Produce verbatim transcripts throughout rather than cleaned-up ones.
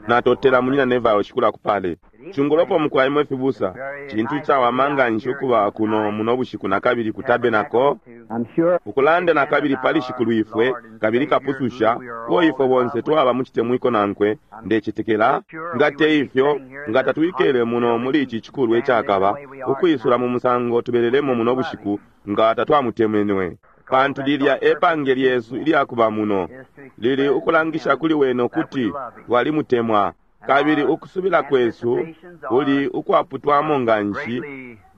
Natotela munyina Neville shikula kupale. Chungolopo mukwaimwe fibusa. Chintu chawama nganshi ukuba kuno muno bushiku nakabili ku tabernacle. I'm sure Ukulanda nakabili pali shikulu ifwe kabili kapususha uo ifwe bonse twaba muchitemwiko nankwe ndecetekela nga te ifyo nga tatwikele muno muli ichi chikulu echakaba ukwisula mu musango tubelelemo muno bushiku nga tatwamutemenwe pantu lilya epange lyesu ilyakuba muno lili ukulangisha kuli wene ukuti twalimutemwa kabili ukusubila kwesu kuli ukwaputwamo nganshi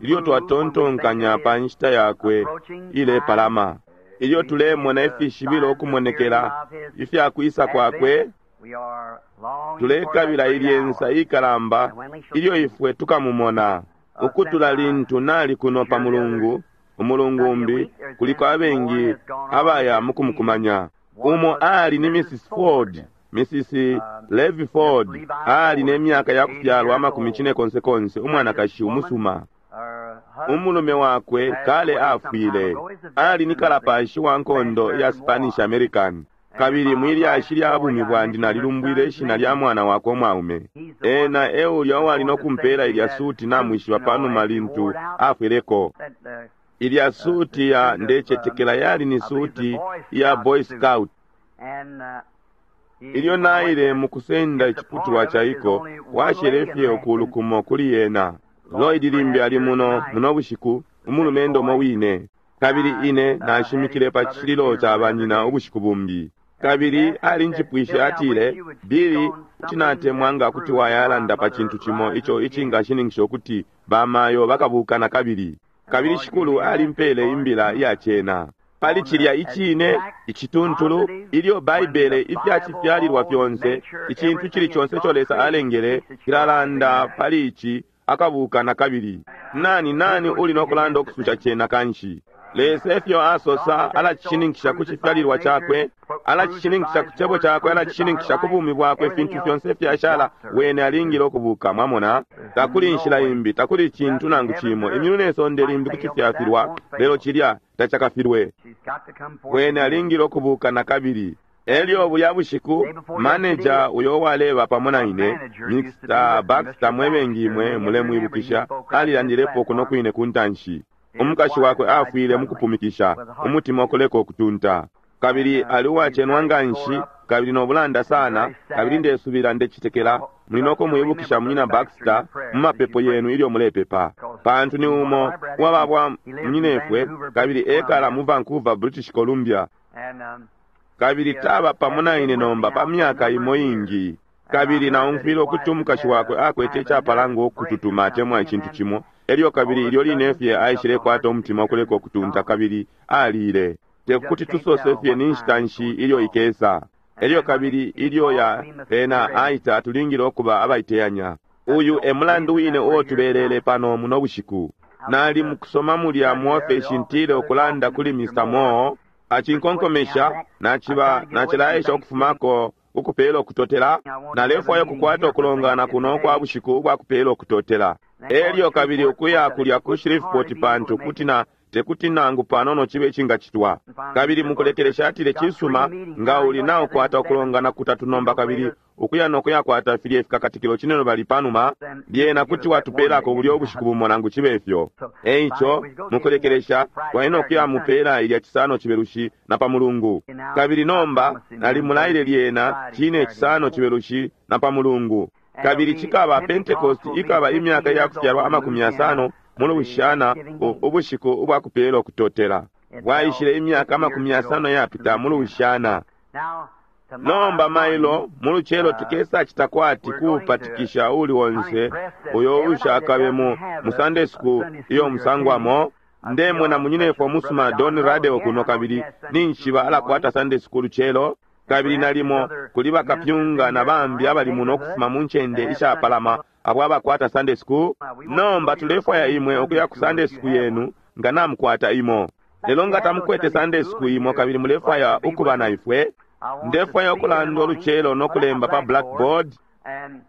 ilyo twatontonkanya pa nshita yakwe ilepalama ilyo tulemona ifishibilo ukumonekela ifyakwisa kwakwe we are longing tulekabila for that great ilyensa hour. ikalamba ilyo ifwe tukamumona ukutula lintu nali kuno pa mulungu umulungu umbi kuliko abengi abaya mukumukumanya umo ali ni Mrs Ford Mrs Levi Ford ali ne myaka ya kufyalwa amakumi cine konse konse umwanakashi umusuma Her husband umulume wakwe kale afwile ali ni kalapashi wa nkondo ya Spanish American kabili mwilyashi lya bumi bwandi nalilumbwile ishina lya mwana wakwe umwaume ena eulya uwali nokumpela ilya suti namwishiba panuma lintu afwileko that the ilya suti ya ndecetekela yali ni suti ya Boy Scout and uh, he ilyo naile mukusenda iciputulwa chaiko washelefye ukulu kumo kuli yena Lloyd limbi ali muno muno bushiku umulumendo umo wine kabili ine nashimikile pa chililo cha banyina ubushiku bumbi kabili alinjipwishe atile Billy kuti natemwa nga kuti wayalanda pa chintu chimo icho icingashininkisha ukuti bamayo bakabuka kabili kabili shikulu alimpele imbila iyachena pali chilya ichine ichituntulu ilyo baibele ifyachifyalilwa fyonse ichintu chili chonse icho lesa alengele kilalanda pali ichi akabuka na kabili nani nani uli nokulanda okususha chena kanshi lesa efyo asosa alachishininkisha ku chifyalilwa chakwe alachishininkisha ku chebo chakwe alachishininkisha ku bumi bwakwe fintu fyonse fyashala wene alingile okubuka mwamona takuli nshila imbi takuli chintu nangu chimo imyulu ne sonde limbi kuti fyafilwa lelo chilya tachakafilwe she's got to come forth. wene alingile okubuka na kabili elyo bulya bushiku maneja uyo waleba pamo na ine Mr Baxter mwebengi imwe mulemwibukisha alilandilepo kuno kwine ku ntanshi umukashi wakwe afwile mukupumikisha umutima ukuleka okutunta kabili ali uwachenwa nganshi kabili nobulanda sana kabili ndesubila ndecitekela muli nokumwibukisha munyina Baxter mu mapepo yenu ilyo mulepepa pantu ni umo uwababwa munyinefwe kabili ekala mu Vancouver British Columbia And um, kabili taba pamo na ine nomba pa myaka imo ingi kabili naumfwile ukuti umukashi wakwe akwete icapalanga okututuma atemwa icintu cimo elyo kabili ilyo line fye aishile kwata umutima ukuleka okutunta kabili alile tekuti tusose fye ni nshita nshi ilyo ikesa elyo kabili ilyo ya ena aita tulingile okuba abaiteyanya uyu e mulandu wine uo tubelele pano muno bushiku nali mukusoma mulya mu ofesi ntile ukulanda kuli Mr Moore achinkonkomesha nachiba nachilaesha ukufumako ukupela okutotela nalefwaya okukwata okulongana kuno kwa bushiku ubwakupela okutotela elyo kabili ukuya kulya ku Shreveport pantu kuti na tekuti nangu panono chibe chingachitwa kabili mukulekelesha atile chisuma nga uli naokwata okulongana kutatu nomba kabili ukuya nokuyakwata filye fikakatikilo chineno bali panuma lyena kuti watupelako bulya obushiku bumo nangu chibe ifyo eicho mukulekelesha twalina okuyamupela ilya chisano chibelushi na pa mulungu kabili nomba nalimulaile lyena chine chisano chibelushi na pa mulungu kabili chikaba pentecost ikaba imyaka yakufyalwa amakumi yasano mulubushana ubushiku ubwakupela okutotela bwaishile imyaka amakumi yasano yapita mulubushana now nomba mailo muluchelo tukesa chita kwati kupatikisha uli wonse uyo ushakabe mu mu Sunday school iyo musangwamo ndemwe na munyinefwe omusuma Don Radeo kuno kabili ninshiba alakwata Sunday school chelo kabili nalimo kuli bakapyunga na bambi abali muno okufuma mu nchende ishapalama abo abakwata Sunday school nomba tulefwaya imwe okuya ku Sunday school yenu nga namukwata imo lelo nga tamukwete Sunday school imo kabili mulefwaya ukuba na ifwe ndefwaya okulanda oluchelo nokulemba pa blackboard and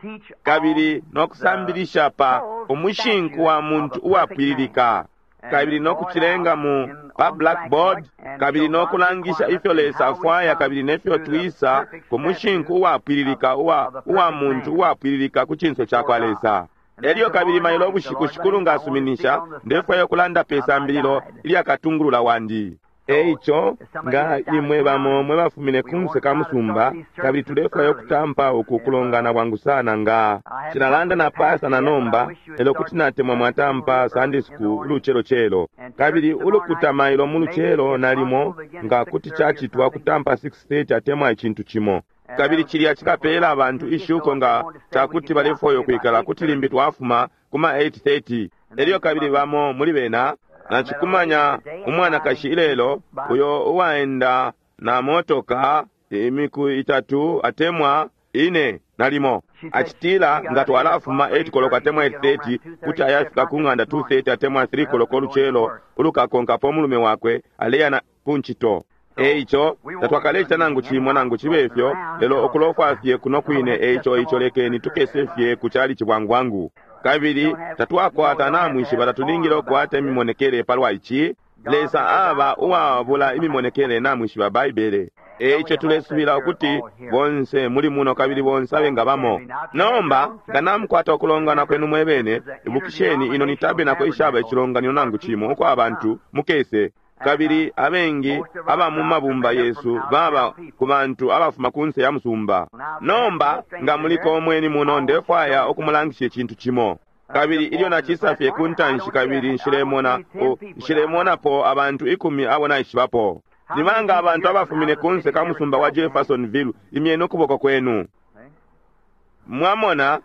teach kabili nokusambilisha pa umushinku wa muntu uwapwililika kabili no kucilenga mu pa blackboard, kabili no kulangisha ifyo Lesa afwaya kabili nefyo twisa ku mushinku uwapwililika uwa, uwa muntu uwapwililika ku cinso ca kwa Lesa. Elyo kabili mailo ubushiku Shikulu nga asuminisha, ndefwaya ukulanda pe sambililo ilyakatungulula wandi. Eico nga imwe bamo mwe bafumine kunse ka musumba, kabili tulefwaya ukutampa uku kulongana bwangu sana nga cilalanda na pasa na nomba, lelo kuti natemwa mwatampa Sunday school ulucelocelo, kabili ulukuta mailo mu lucelo nalimo nga kuti cacitwa kutampa six thirty atemwa icintu cimo. Kabili cilya cikapela abantu ishuko nga cakuti balefwaya ukwikala kuti limbi twafuma kuma eight thirty. Elyo kabili bamo muli bena nacikumanya umwanakashi ilelo uyo uwaenda na motoka imiku itatu atemwa ine nalimo. Acitila nga twalafuma eight koloko atemwa eight thirty kuti ayafika ku ng'anda two thirty atemwa three koloko ulucelo ulukakonkapo umulume wakwe aleya na kuncito. Eico tatwakalecita nangu cimo nangu cibe fyo, lelo ukulofwa fye kuno kwine. Eico ico lekeni tukese fye ku chalichi bwangu bwangu. Kabili tatwakwata namwishiba tatulingile ukukwata imimonekele palwa ici. Lesa aba uwabula imimonekele namwishiba Baibele. Eico tulesubila ukuti bonse muli muno kabili bonse abenga bamo. Nomba nga namukwata ukulongana kwenu mwebene, ibukisheni ino ni tabernacle ishaba icilonganino nangu cimo uko abantu mukese. Kabili abengi aba mu mabumba yesu baba ku bantu abafuma kunse ya musumba. Nomba nga muliko omweni muno, ndefwaya ukumulangisha icintu cimo. Kabili ilyo nacisa fye ku ntanshi kabili nshilemona, nshilemonapo abantu ikumi abo naishibapo. Ni banga abantu abafumine kunse ka musumba wa Jeffersonville, imyeni ukuboko kwenu. Mwamona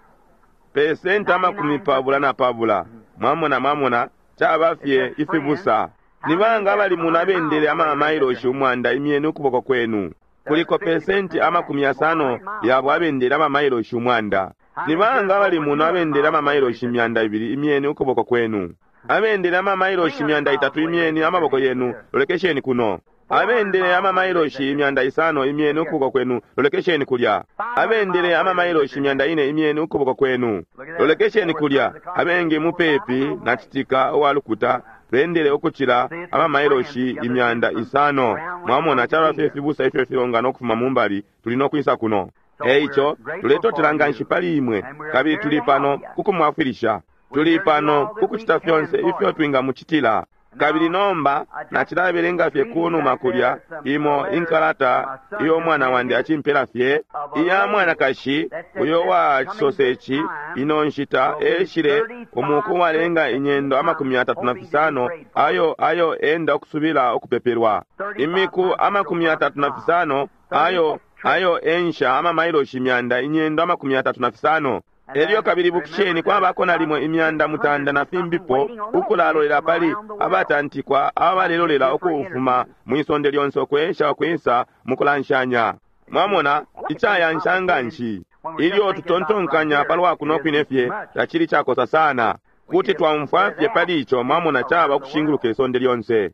pesenti amakumi pabula na pabula. Mwamona, mwamona caba fye ifibusa. Ni banga abali muno abendele ama mailoshi umwanda, imyeni ukuboko kwenu. Kuliko pesenti amakumi yasano yabo abendele ama mailoshi umwanda. Ni banga abali muno abendele ama mailoshi imyanda ibili, imyeni ukuboko kwenu. Abendele ama mailoshi imyanda itatu, imyeni amaboko yenu, lolekesheni kuno. Abendele ama mailoshi imyanda isano, imyeni ukuboko kwenu, lolekesheni kulya. Abendele ama mailoshi imyanda ine, imyeni ukuboko kwenu, lolekesheni kulya. Abengi mupepi na citika uwalukuta bendele ukucila ama mailoshi imyanda isano. Mwamona caba fye fibusa ifyo filongana ukufuma mumbali, tuli no kwisa kuno. Eico tuletotela nganshi pali imwe, kabili tuli pano kukumwafwilisha. Tuli pano kukucita fyonse ifyo twingamucitila. Kabili nomba nacilabelenga fye kunuma kulya imo inkalata iyo mwana wandi acimpela fye iya mwanakashi uyo wa cisoseci ino nshita eshile umuku walenga inyendo amakumi atatu na fisano ayo ayo enda ukusubila ukupepelwa imiku amakumi atatu na fisano ayo ayo ensha amamailoshi imyanda inyendo amakumi atatu na fisano. Elyo kabili bukisheni kwabako nalimo imyanda mutanda na fimbipo ukulalolela pali abatantikwa abalelolela ukufuma mwisonde lyonse ukwensha ukwisa mukulanshanya. Mwamona icayansha nganshi ilyo tutontonkanya palwa kuno kwine fye tacili cakosa sana kuti twaumfwa fye pali ico. Mwamona caba ukushinguluka isonde lyonse.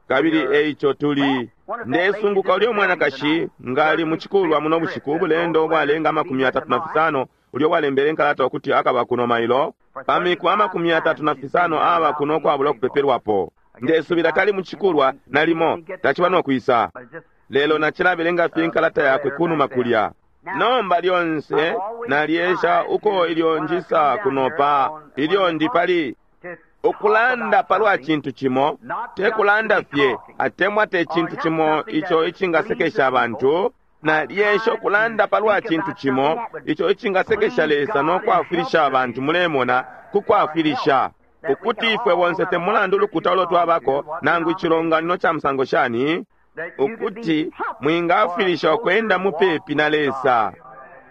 Kabili eico tuli ndesunguka ulyo mwanakashi ngali muchikulwa muno bushiku ubulendo ubwalenga amakumi atatu na fisano ulyo walembele nkalata ukuti akaba kuno mailo pamiku amakumi atatu na fisano aba kuno kwabula okupepelwapo. Ndesubila tali muchikulwa nalimo tachiba nokwisa, lelo nachilabelenga fye nkalata yakwe kunuma kulya. Nomba lyonse nalyesha uko ilyo njisa kuno pa ilyo ndi pali ukulanda palwa cintu cimo, tekulanda fye atemwa te cintu cimo ico icingasekesha abantu. Nalyesha ukulanda palwa cintu cimo ico icingasekesha Lesa nokwafwilisha abantu. Mulemona kukwafwilisha ukuti ifwe bonse temulandu ulukuta ulo twabako nangu icilonganino ca musango shani, ukuti mwingafwilisha ukwenda mupepi na Lesa.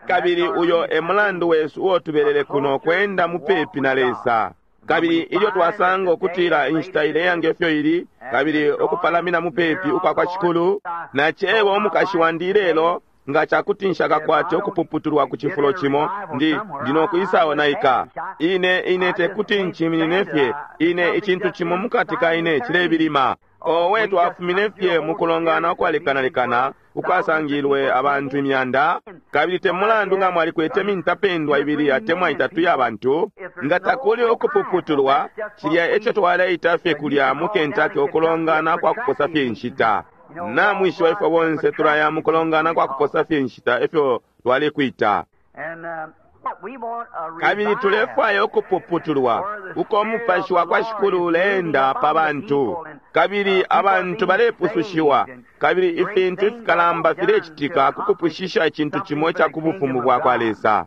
Kabili uyo e mulandu wesu uo tubelele kuno, kwenda mupepi na Lesa. Kabili ilyo twasanga ukutila inshita ileya ngefyo ili, kabili ukupalamina mupepi ukwa kwa Shikulu, nacewa umukashi wandi ilelo nga cakuti nshakakwate ukupuputulwa ku cifulo cimo, ndi ndinokwisaonaika. Ine ine tekuti nchiminine fye, ine icintu cimo mukati ka ine cilebilima. Owe twafumine fye mukulongana ukwalekanalekana ukwasangilwe abantu imyanda, kabili te mulandu nga mwalikwete mintapendwa ibili atemwa itatu ya bantu, nga takuli ukupuputulwa, cilya eco twaleita fye kulya mu Kentucky ukulongana kwa kuposa fye inshita. Namwishiba ifwe bonse tulaya mukulongana kwa kuposa fye inshita efyo twalekwita. Kabili tulefwaya ukupuputulwa uko umupashi wa kwa Shikulu uleenda pa bantu, kabili abantu balepusushiwa, kabili ifintu ifikalamba filecitika ku kupwishisha icintu cimo ica ku bufumu bwa kwa Lesa.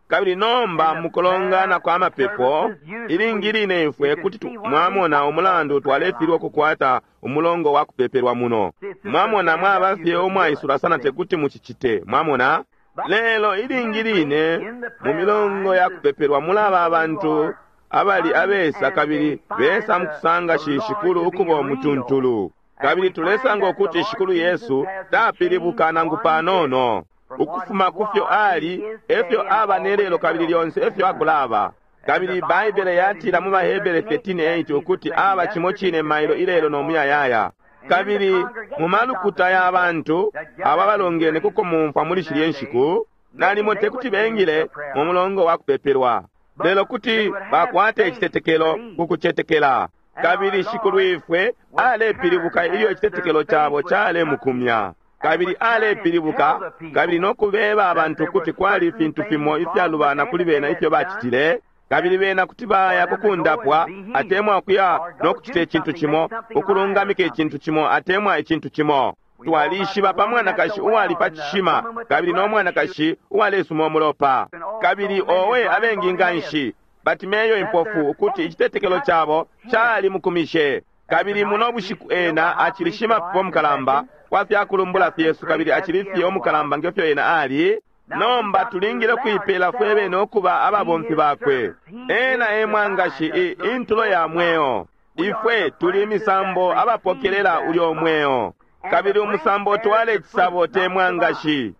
Kabili nomba mukulongana kwa mapepo, ilingi line ifwe kuti mwamona umulandu twalefilwa ukukwata umulongo wa kupepelwa muno. Mwamona mwaba fye umwaisula sana tekuti mucicite, mwamona? Lelo ilingi line mu milongo ya kupepelwa mulaba abantu abali abesa kabili besa mukusanga Shikulu ukuba umutuntulu. Kabili tulesanga ukuti Shikulu Yesu tapilibuka nangu panono. Ukufuma kufyo ali, efyo aba nelelo kabili lyonse efyo akulaba. Kabili Baibele yatila mu Bahebere thirteen eight ukuti aba cimo cine mailo ilelo no muyayaya. Kabili mu malukuta ya bantu aba balongene kuko mumfwa muli shilye nshiku, nalimo tekuti bengile mu mulongo wa kupepelwa, lelo kuti bakwate icitetekelo ku kucetekela. Kabili Shikulu ifwe alepilibuka ilyo icitetekelo cabo calemukumya. Kabili alepilibuka kabili no kubeba abantu kuti kwali ifintu fimo ifyalubana kuli bena ifyo bacitile, kabili bena kuti baya kukundapwa atemwa kuya no kucita icintu cimo, ukulungamika icintu cimo atemwa icintu cimo. Twalishiba pa mwanakashi uwali pa cishima kabili no mwanakashi uwalesuma umulopa, kabili owe abengi nganshi Batimeyo impofu ukuti icitetekelo cabo cali mukumishe. Kabili muno bushiku ena acili shimapepo mukalamba kwa fyakulumbula fyesu, kabili acili fye umukalamba ngefyo ena ali. Nomba tulingile kuipela fwe bene ukuba ababomfi bakwe. Ena e mwangashi intulo ya mweo. Ifwe tuli imisambo abapokelela ulyo mweo, kabili umusambo utwala icisabo te mwangashi.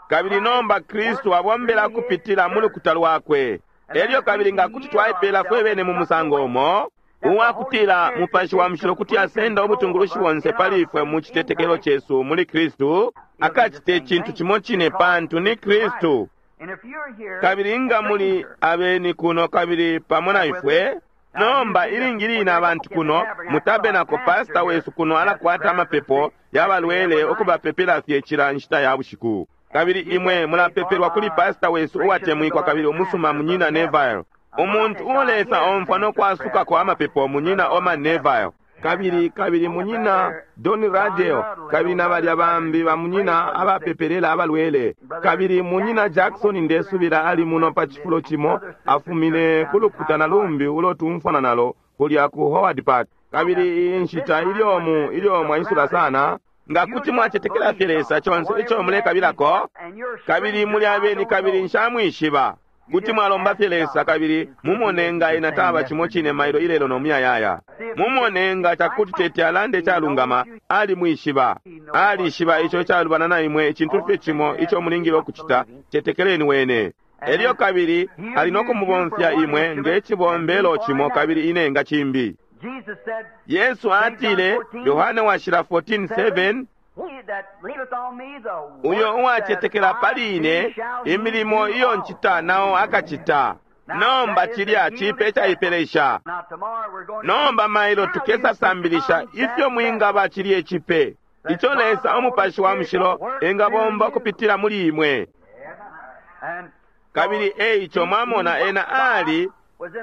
Kabili nomba Kristu abombela kupitila mu lukuta lwakwe. Elyo kabili nga kuti twaipela fwe bene mu musango umo uwakutila Mupashi wa Mushilo kuti asenda ubutungulushi bonse pali ifwe mu citetekelo cesu muli Kristu, akacite icintu cimo cine pantu ni Kristu. Kabili nga muli abeni kuno kabili pamo na ifwe, nomba ilingi line abantu kuno mu tabernacle, pastor wesu kuno alakwata amapepo yabalwele ukubapepela fye cila nshita ya bushiku. Kabili imwe mulapepelwa kuli pastor wesu uwatemwikwa kabili umusuma munyina Neville. Umuntu uolesa omfwa no kwasukako amapepo munyina Orman Neville. Kabili kabili munyina Don Radel, kabili na balya bambi ba munyina abapepelela abalwele. Kabili munyina Jackson ndesubila ali muno pa cifulo cimo, afumine ku lukuta na lumbi ulo tumfwana nalo kulya ku Howard Park. Kabili iyi nshita ilyo mu ilyo mwaisula sana, nga kuti mwacetekela fye Lesa conse ico mulekabilako, kabili muli abeni kabili nshamwishiba, kuti mwalomba fye Lesa kabili mumone nga ena taba cimo cine mailo ilelo no muyayaya. Mumone nga cakuti tete alande calungama, alimwishiba. Alishiba ico calubana na imwe, icintu fye cimo ico mulingile ukucita, cetekeleni wene. Elyo kabili ali no kumubomfya imwe nge cibombelo cimo kabili ine nga cimbi. Yesu atile, Yohane washila fourteen seven, uyo uwacetekela pali ine, imilimo iyo ncita nao akacita. Nomba cilya cipe caipelesha. Nomba mailo tukesa sambilisha ifyo mwingaba cilye cipe ico Lesa umupashi wa mushilo engabomba kupitila muli imwe. Kabili eico mwamona ena ali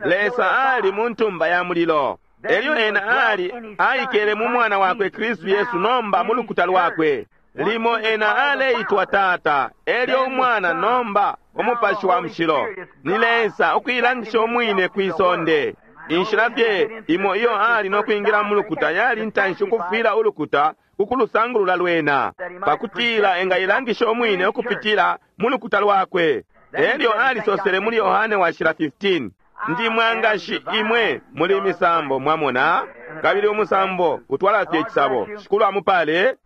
Lesa ali mu ntumba ya mulilo. Elyo ena ali aikele mu mwana wakwe Kristu Yesu nomba mu lukuta lwakwe. Limo ena aleitwa Tata, elyo umwana nomba umupashi wa mushilo. Ni Lesa ukuilangisha umwine kwisonde. Inshila fye imo iyo ali no kwingila mu lukuta yali ntanshi ukufwila ulukuta ukulusangulula lwena, pakutila engailangisha umwine ukupitila mu lukuta lwakwe. Elyo alisosele muli Yohane washila fifteen, ndi mwangashi imwe muli misambo, mwamona, kabili umusambo utwala fye icisabo. Shikulu amupale.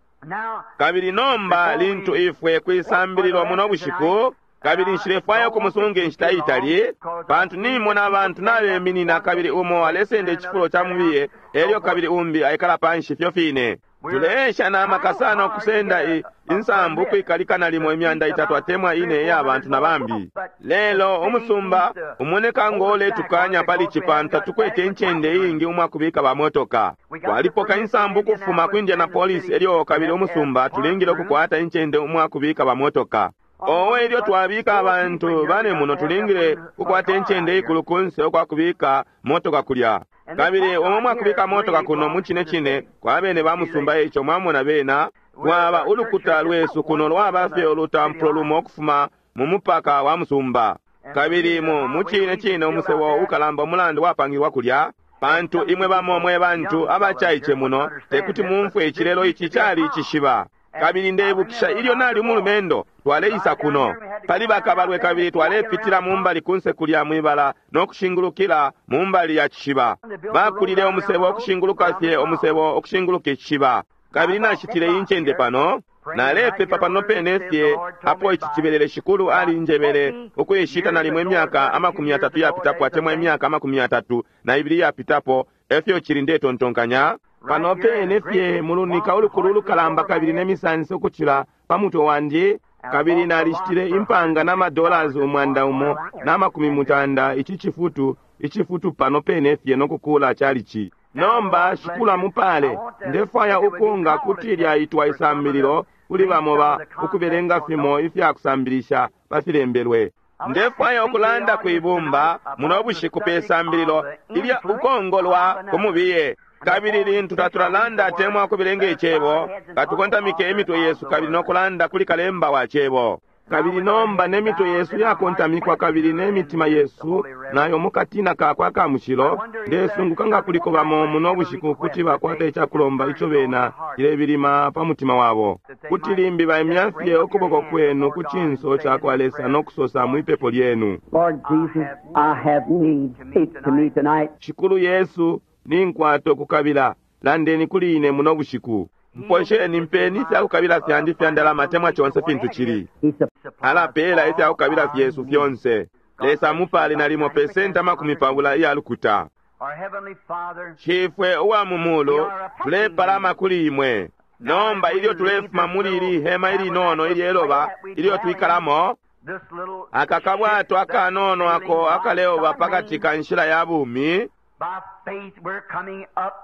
Kabili nomba lintu ifwe kwisambililo muno bushiku, kabili nshilefwaya ukumusunga inshita itali, pantu nimona abantu nabeminina kabili umo alesenda icifulo ca mubiye, elyo kabili umbi aikala panshi fyo fine. Tuleesha na maka sana ukusenda i, insambu ukwikalika nalimo imyanda itatu atemwa ine iya bantu na bambi. Lelo umusumba umoneka ngoletukanya pali cipanta tukwete incende iingi umwakubika bamotoka. Twalipoka insambu ukufuma ku Indianapolis elyo kabili umusumba tulingile ukukwata incende umwakubika bamotoka. Owe ilyo twabika abantu bane muno tulingile kukwata incende ikulu kunse ukwakubika motoka kulya. Kabili omwe mwakubika motoka kuno mu cine cine kwa bene ba musumba ico mwamona bena lwaba ulukuta lwesu kuno lwaba fye olutampulo lumo ukufuma mu mupaka wa musumba. Kabili mu mu cine cine umusebo ukalamba umulandu wapangilwa kulya pantu imwe bamo mwe bantu abacaice muno tekuti mumfwe icilelo ici cali icishiba. Kabili ndebukisha ilyo nali umulumendo twaleisa kuno pali bakabalwe kabili twalepitila mumbali kunse kulya mwibala no kushingulukila mumbali ya cishiba. Bakulile umusebo okushinguluka fye umusebo okushinguluka icishiba. Kabili nashitile incende pano nalepepa pano pene fye apo ici cibelele Shikulu alinjebele ukuishita nalimo imyaka amakumi yatatu yapitapo atemwa imyaka amakumi yatatu na ibili yapitapo efyo cili ndetontonkanya. Pano pene fye mulunika ulukulu ulukalamba kabili nemisansi ukucila pa mutwe wandi. Kabili nalishitile impanga n'amadollars umwanda umo n'amakumi mutanda ici cifutu icifutu pano pene fye nokukula chalichi. Nomba Shikulu amupale ndefwaya ukunga kuti lyaitwa isambililo kuli bamo ba ukubelenga fimo ifyakusambilisha pafilembelwe. Ndefwaya ukulanda kwibumba muno bushiku pe sambililo ilya ukongolwa kumubiye. Kabili lintu tatulalanda atemwa ukubelenga icebo katukontamike emitwe yesu kabili nokulanda kuli kalemba wa cebo. Kabili nomba nemitwe yesu yakontamikwa kabili nemitima yesu nayo mukatina kakwe aka mushilo. Ndesunguka nga kuliko bamo muno bushiku kuti bakwata icakulomba ico bena cilebilima pa mutima wabo, kuti limbi baimya fye ukuboko kwenu ku cinso cakwa Lesa nokusosa mwipepo lyenu. Lord Jesus, I have need. Speak to me tonight. Shikulu Yesu, ninkwata ukukabila, landeni kuli ine muno bushiku. Mposheni mpeni ifyakukabila fyandi fya ndalama temwa conse fintu cili. He supplies Alapela ifyakukabila fyesu fyonse. Lesa mupale nalimo pesenti amakumi pabula iya lukuta. Our Heavenly Father, Shifwe uwa mu mulu tulepalama kuli imwe. Nomba ilyo tulefuma muli ili hema ilinono ilyeloba ilyo twikalamo, this little aka kabwato akanono ako akaleoba pakati ka nshila ya bumi, by faith we're coming up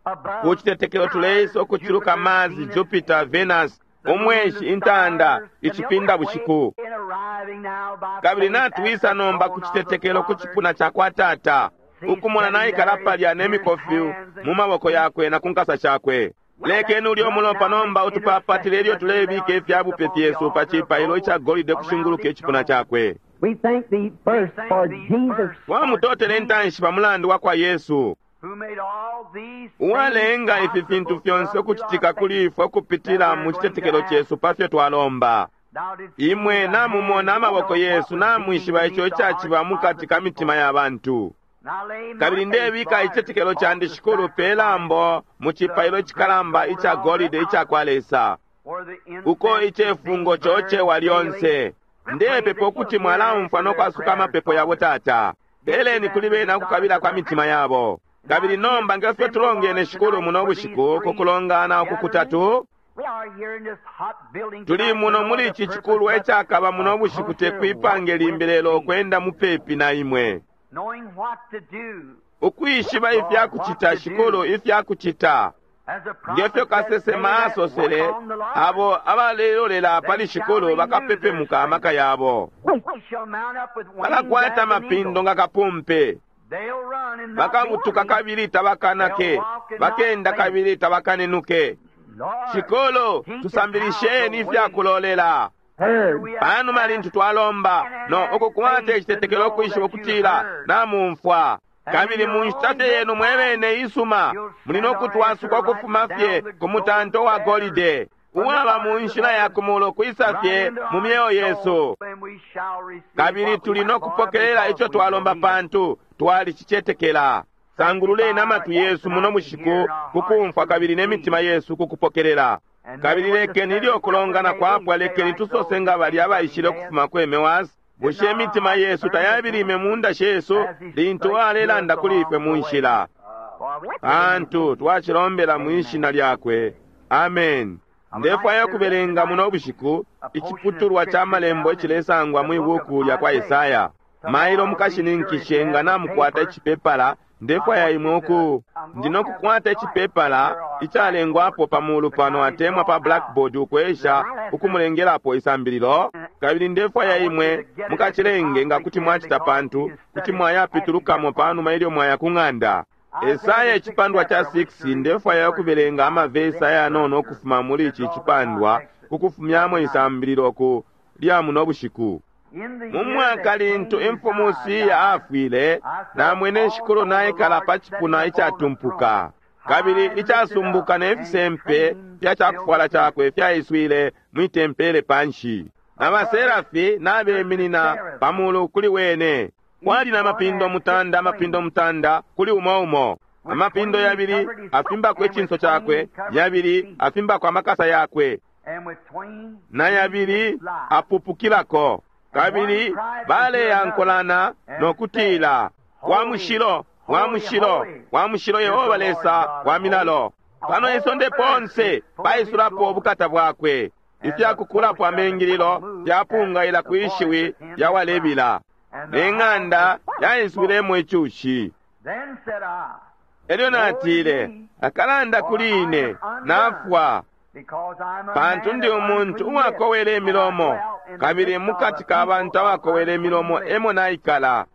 above ku citetekelo tuleisa ukuciluka Mars, Jupiter, Venus, umweshi, intanda, icipinda bushiku. In arriving now by Kabili faith at natwisa the nomba ku throne of the citetekelo ku Father. cipuna ca kwa Tata, ukumona naikala palya nemikofi mu maboko yakwe na ku nkasa shakwe. Lekeni ulyo umulopa nomba utupapatile ilyo tulebika ifyabupe fyesu pa cipailo ica golide kushinguluka icipuna cakwe. We thank thee first for Jesus Twamutotele intanshi pa mulandu wa kwa Yesu, who made all these uwalenga things ifi fintu possible fyonse through ukucitika our kuli faith. ifwe ukupitila mu citetekelo cesu pa fyo twalomba. Thou didst see Imwe the namumona hands, amaboko you know yesu, what was namwishiba being ico beneath the icaciba hearts mu of kati the ka mitima people. ya bantu. Now lay my Kabili faith, ndebika Lord, icitetekelo candi on the Shikulu pe lambo mu cipailo icikalamba ica golide ica kwa Lesa, where the incense uko is icefungo being burned cocewa daily. lyonse. Ndepepa ukuti mwalaumfwa no kwasuka amapepo yabo Tata. Peleni kuli bena ukukabila kwa mitima yabo. Kabili nomba ngefyo tulongene Shikulu muno bushiku ku kulongana uku kutatu, We are here in this hot building tuli tonight muno for no muli other ici purpose cikulwa but icakaba muno a bushiku closer tekwipange walk limbi with lelo thee, ukwenda mupepi na imwe. knowing what to do. Ukwishiba ifyakucita Shikulu ifyakucita. As the Ngefyo prophet said, kasesema they that asosele, wait on the Lord, abo abalelolela pali Shikulu bakapepemuka amaka yabo. they shall mount up with wings Bakakwata as an amapindo eagle. nga kapumpe. They'll run and not be Bakabutuka weary. kabili tabakanake. Bakenda kabili tabakanenuke. Lord, Shikulu, teach us tusambilisheni how to wait. ifyakulolela. Heard. We have Panuma lintu twalomba no ukukwata icitetekelo ukwishiba ukutila namumfwa. Kabili mu nshita fye yenu mwebene isuma muli no kutwasuka ukufuma fye ku mutanto wa golide uwaba mu nshila ya kumulo kwisa fye mu myeo yesu. And we shall receive Kabili what we tuli no ask for kupokelela because ico we twalomba believe it. pantu twalicicetekela. Sangululeni amatwi yesu muno bushiku kukumfwa kabili n'emitima yesu kukupokelela. Kabili lekeni ilyo kulongana kwapwa lekeni tusose nga bali abaishile ukufuma ku Emewasi. Bushe imitima yesu tayabilime mu nda shesu lintu alelanda kuli ifwe mu nshila? For we Pantu twacilombela mu ishina lyakwe. Amen. Ndefwaya ukubelenga muno bushiku iciputulwa ca malembo icilesangwa mwi buku lya kwa Esaya. Mailo mukashininkishe nga namukwata icipepala. Ndefwaya imwe uku ndinokukwata icipepala icalengwapo pamulu pano atemwa pa blackboard ukwesha ukumulengelapo isambililo, kabili ndefwaya imwe mukacilenge nga kuti mwacita, pantu kuti mwayapitulukamo panuma ilyo mwaya ku ng'anda. Esaya icipandwa ca six, ndefwaya ukubelenga amavesi ayanono ukufuma muli ici cipandwa ukufumyamo isambililo ku lya muno bushiku. Mu mwaka lintu imfumu Usiya afwile, namwene Shikulu naikala pa cipuna icatumpuka kabili icasumbuka, ne fisempe fya cakufwala cakwe fyaiswile mwi tempele panshi, na baserafi nabeminina pamulu kuli wene. Kwali na mapindo mutanda, amapindo mutanda kuli umo umo, amapindo yabili afimbako icinso cakwe, yabili afimbako amakasa yakwe, na yabili apupukilako. Kabili baleyankolana no kutila, wa mushilo, wa mushilo, wa mushilo Yehova Lesa wa milalo. Pano isonde ponse paisulapo ubukata bwakwe. Ifyakukulapo amengililo fyapungaila kwishiwi lya walebila, ne ng'anda yaiswilemo icushi. Elyo natile, akalanda kuli ine, nafwa, pantu ndi umuntu uwakowela imilomo, kabili mukati ka bantu abakowela imilomo emo naikala.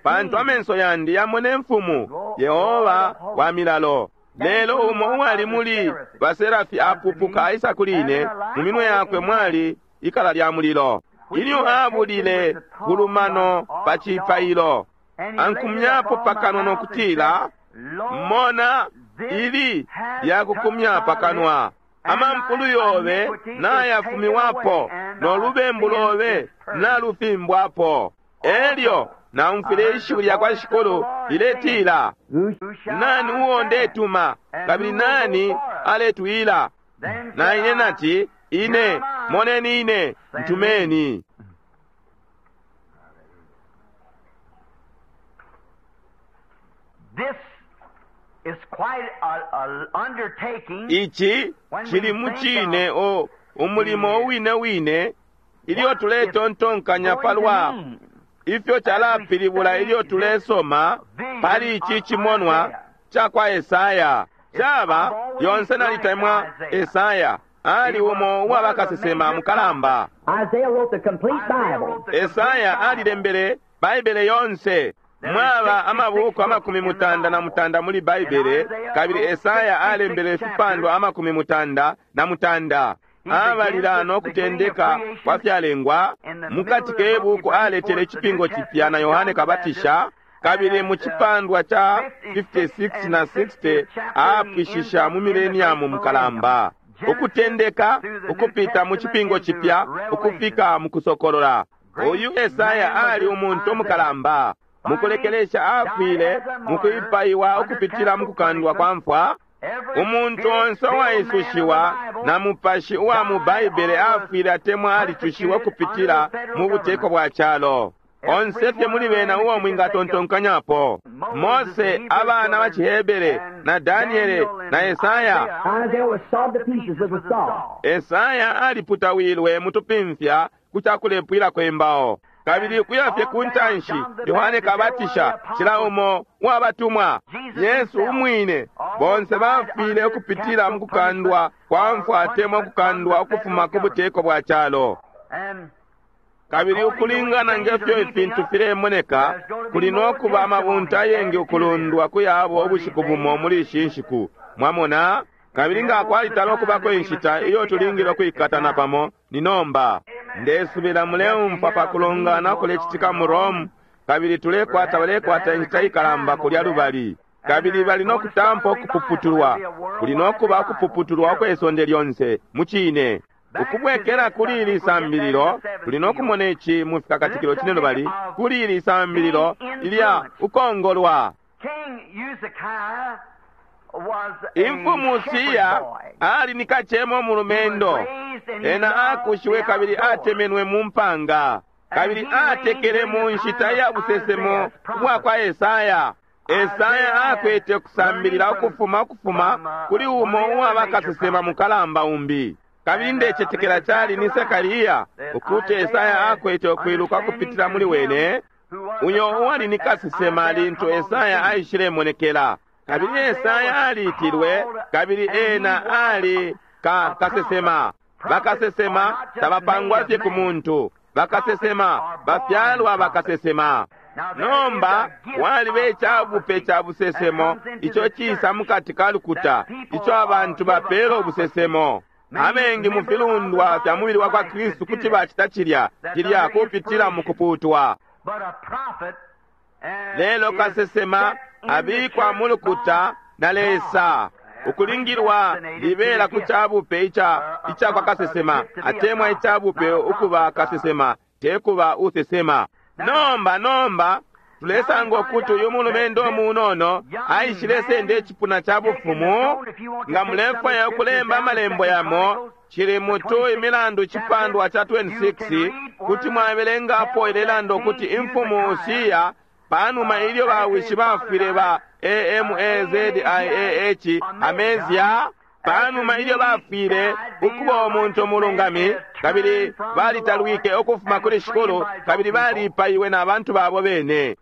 Pantu amenso yandi yamona imfumu, Yehova wa milalo. Lelo umo uwali muli baserafi apupuka aisa kuli ine, mu minwe yakwe mwali ikala lya mulilo, ilyo abulile kulumano pa cipailo. Ankumyapo pakanwa no kutila, mona, ili lyakukumya pakanwa, amampulu yobe nayafumiwapo, no lubembu lobe nalufimbwapo. Elyo naumfwile ishiwi lya kwa Shikulu liletila, nani uo ndetuma, kabili nani aletwila? Na ine nati, ine, moneni ine, ntumeni. Ici cili mucine o umulimo uwine wine ilyo tuletontonkanya palwa ifyo calapilibula ilyo tulesoma pali ici cimonwa ca kwa Esaya. Caba lyonse nalitemwa Esaya, ali umo uwa bakasesema mukalamba. Esaya alilembele Baibele yonse. Mwaba amabuku amakumi mutanda na mutanda muli Baibele, kabili Esaya alembele ifipandwa amakumi mutanda na mutanda. Abalila no kutendeka kwa fyalengwa. Mukati ke buku aletele icipingo cipya na Yohane Kabatisha, kabili mu cipandwa ca fifty-six na sixty apwishisha mu mileniamu mukalamba, ukutendeka ukupita mu cipingo cipya ukufika mu kusokolola. Uyu Esaya ali umuntu mukalamba. Mukulekelesha afwile mukwipaiwa ukupitila mukukandwa kwa mfwa. Umuntu onse uwaisushiwa na mupashi uwa mu Baibele afwile atemwa alicushiwa ukupitila mu buteko bwa calo. Onse fye muli bena uo mwingatontonkanyapo, Mose, abana ba Cihebere, na Daniele na Esaya. Esaya aliputawilwe mutupimfya ku cakulepwilako imbao, kabili ukuya fye ku ntanshi Yohane Kabatisha, cila umo uwabatumwa, Yesu umwine, bonse bafwile ukupitila mu kukandwa kwa mfwa atemwa ukukandwa ukufuma ku buteko bwa calo. Kabili ukulingana ngefyo ifintu filemoneka, kuli no kuba amabunta ayengi ukulundwa kuyabo ubushiku bumo muli ishi nshiku. Mwamona? Kabili nga kwalitala ukubako inshita iyo tulingile ukwikatana pamo ni nomba. Ndesubila muleumfwa pa kulongana kulecitika mu Rome, kabili tulekwata balekwata inshita ikalamba kulya lubali, kabili bali no kutampa ukupuputulwa. Kuli no kuba ukupuputulwa ukwe sonde lyonse mucine. Ukubwekela kuli ili sambililo, tuli no kumona ici mu fikakatikilo cine lubali kuli ili sambililo ilya ukongolwa. Imfumu Usiya ali ni kacemo mulumendo, ena akushiwe kabili atemenwe mu mpanga, kabili atekele mu nshita ya busesemo bwa kwa Esaya. Esaya akwete kusambilila ukufuma ukufuma kuli umo uwaba kasesema mukalamba umbi. Kabili ndecetekela cali ni Sekariya ukuti Esaya akwete ukwiluka kupitila muli wene, uyo uwali ni kasesema lintu Esaya aishilemonekela. Kabili Esaya aliitilwe, kabili ena ali ka kasesema. Bakasesema tabapangwa fye ku muntu, bakasesema bafyalwa bakasesema. Nomba waliba icabupe ca busesemo ico cisa mukati ka lukuta, ico abantu bapela ubusesemo. Abengi mu filundwa fya mubili wa kwa Kristu kuti bacita cilya cilya kupitila mu kuputwa. Lelo kasesema abikwa mu lukuta na Lesa ukulingilwa libela ku cabupe ica ica kwa kasesema, atemwa icabupe ukuba kasesema, tekuba usesema. Nomba nomba tulesanga ukuti uyu mulumendo munono aishile senda icipuna ca bufumu. Nga mulefwaya ukulemba amalembo yamo, cili mutu Imilandu cipandwa ca twenty-six, kuti mwabelengapo ilelanda ukuti imfumu Usiya, panuma ilyo bawishi bafwile ba A M A Z I A H Amezia, panuma ilyo bafwile ukuba umuntu umulungami, kabili balitalwike ukufuma kuli Shikulu, kabili balipaiwe na bantu babo bene.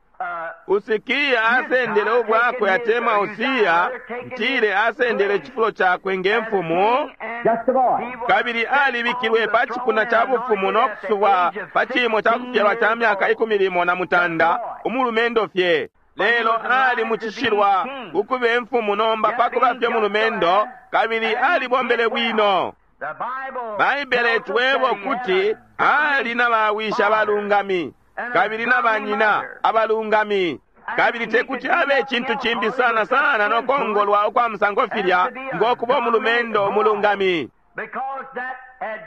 Usikiya asendele ubwakwe, atemwa Usiya ntile asendele icifulo cakwe nge mfumu, kabili alibikilwe pa cipuna ca bufumu no kusubwa pa cimo ca kufyalwa ca myaka ikumi limo na mutanda, umulumendo fye. Lelo ali mucishilwa ukuba imfumu nomba pakuba fye mulumendo, kabili alibombele bwino. Baibele twebo kuti ali na bawisha abalungami kabili na banyina abalungami, kabili tekuti abe icintu cimbi sana sana nokongolwa ukwa musango filya ngokuba umulumendo umulungami,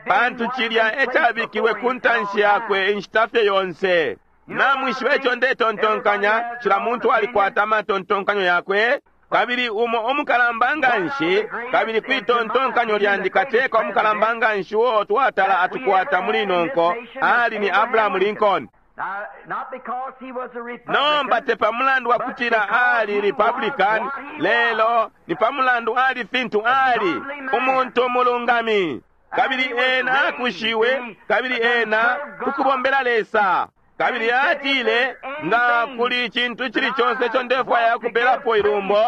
pantu cilya ecabikilwe ku ntanshi yakwe inshita fye yonse. Namwishiba ico ndetontonkanya, cila muntu alikwata amatontonkanyo yakwe, kabili umo umukalamba nganshi, kabili kwitontonkanyo lyandi kateka umukalamba nganshi uo twatala atukwata muli nonko ali ni Abraham Lincoln. Nomba te pamulandu wa kutila ali Republican, lelo ni pamulandu ali fintu ali umuntu umulungami, kabili ena akushiwe, kabili ena kukubombela Lesa. Kabili atile, nga kuli icintu icili conse ico ndefwaya kupelapo ilumbo,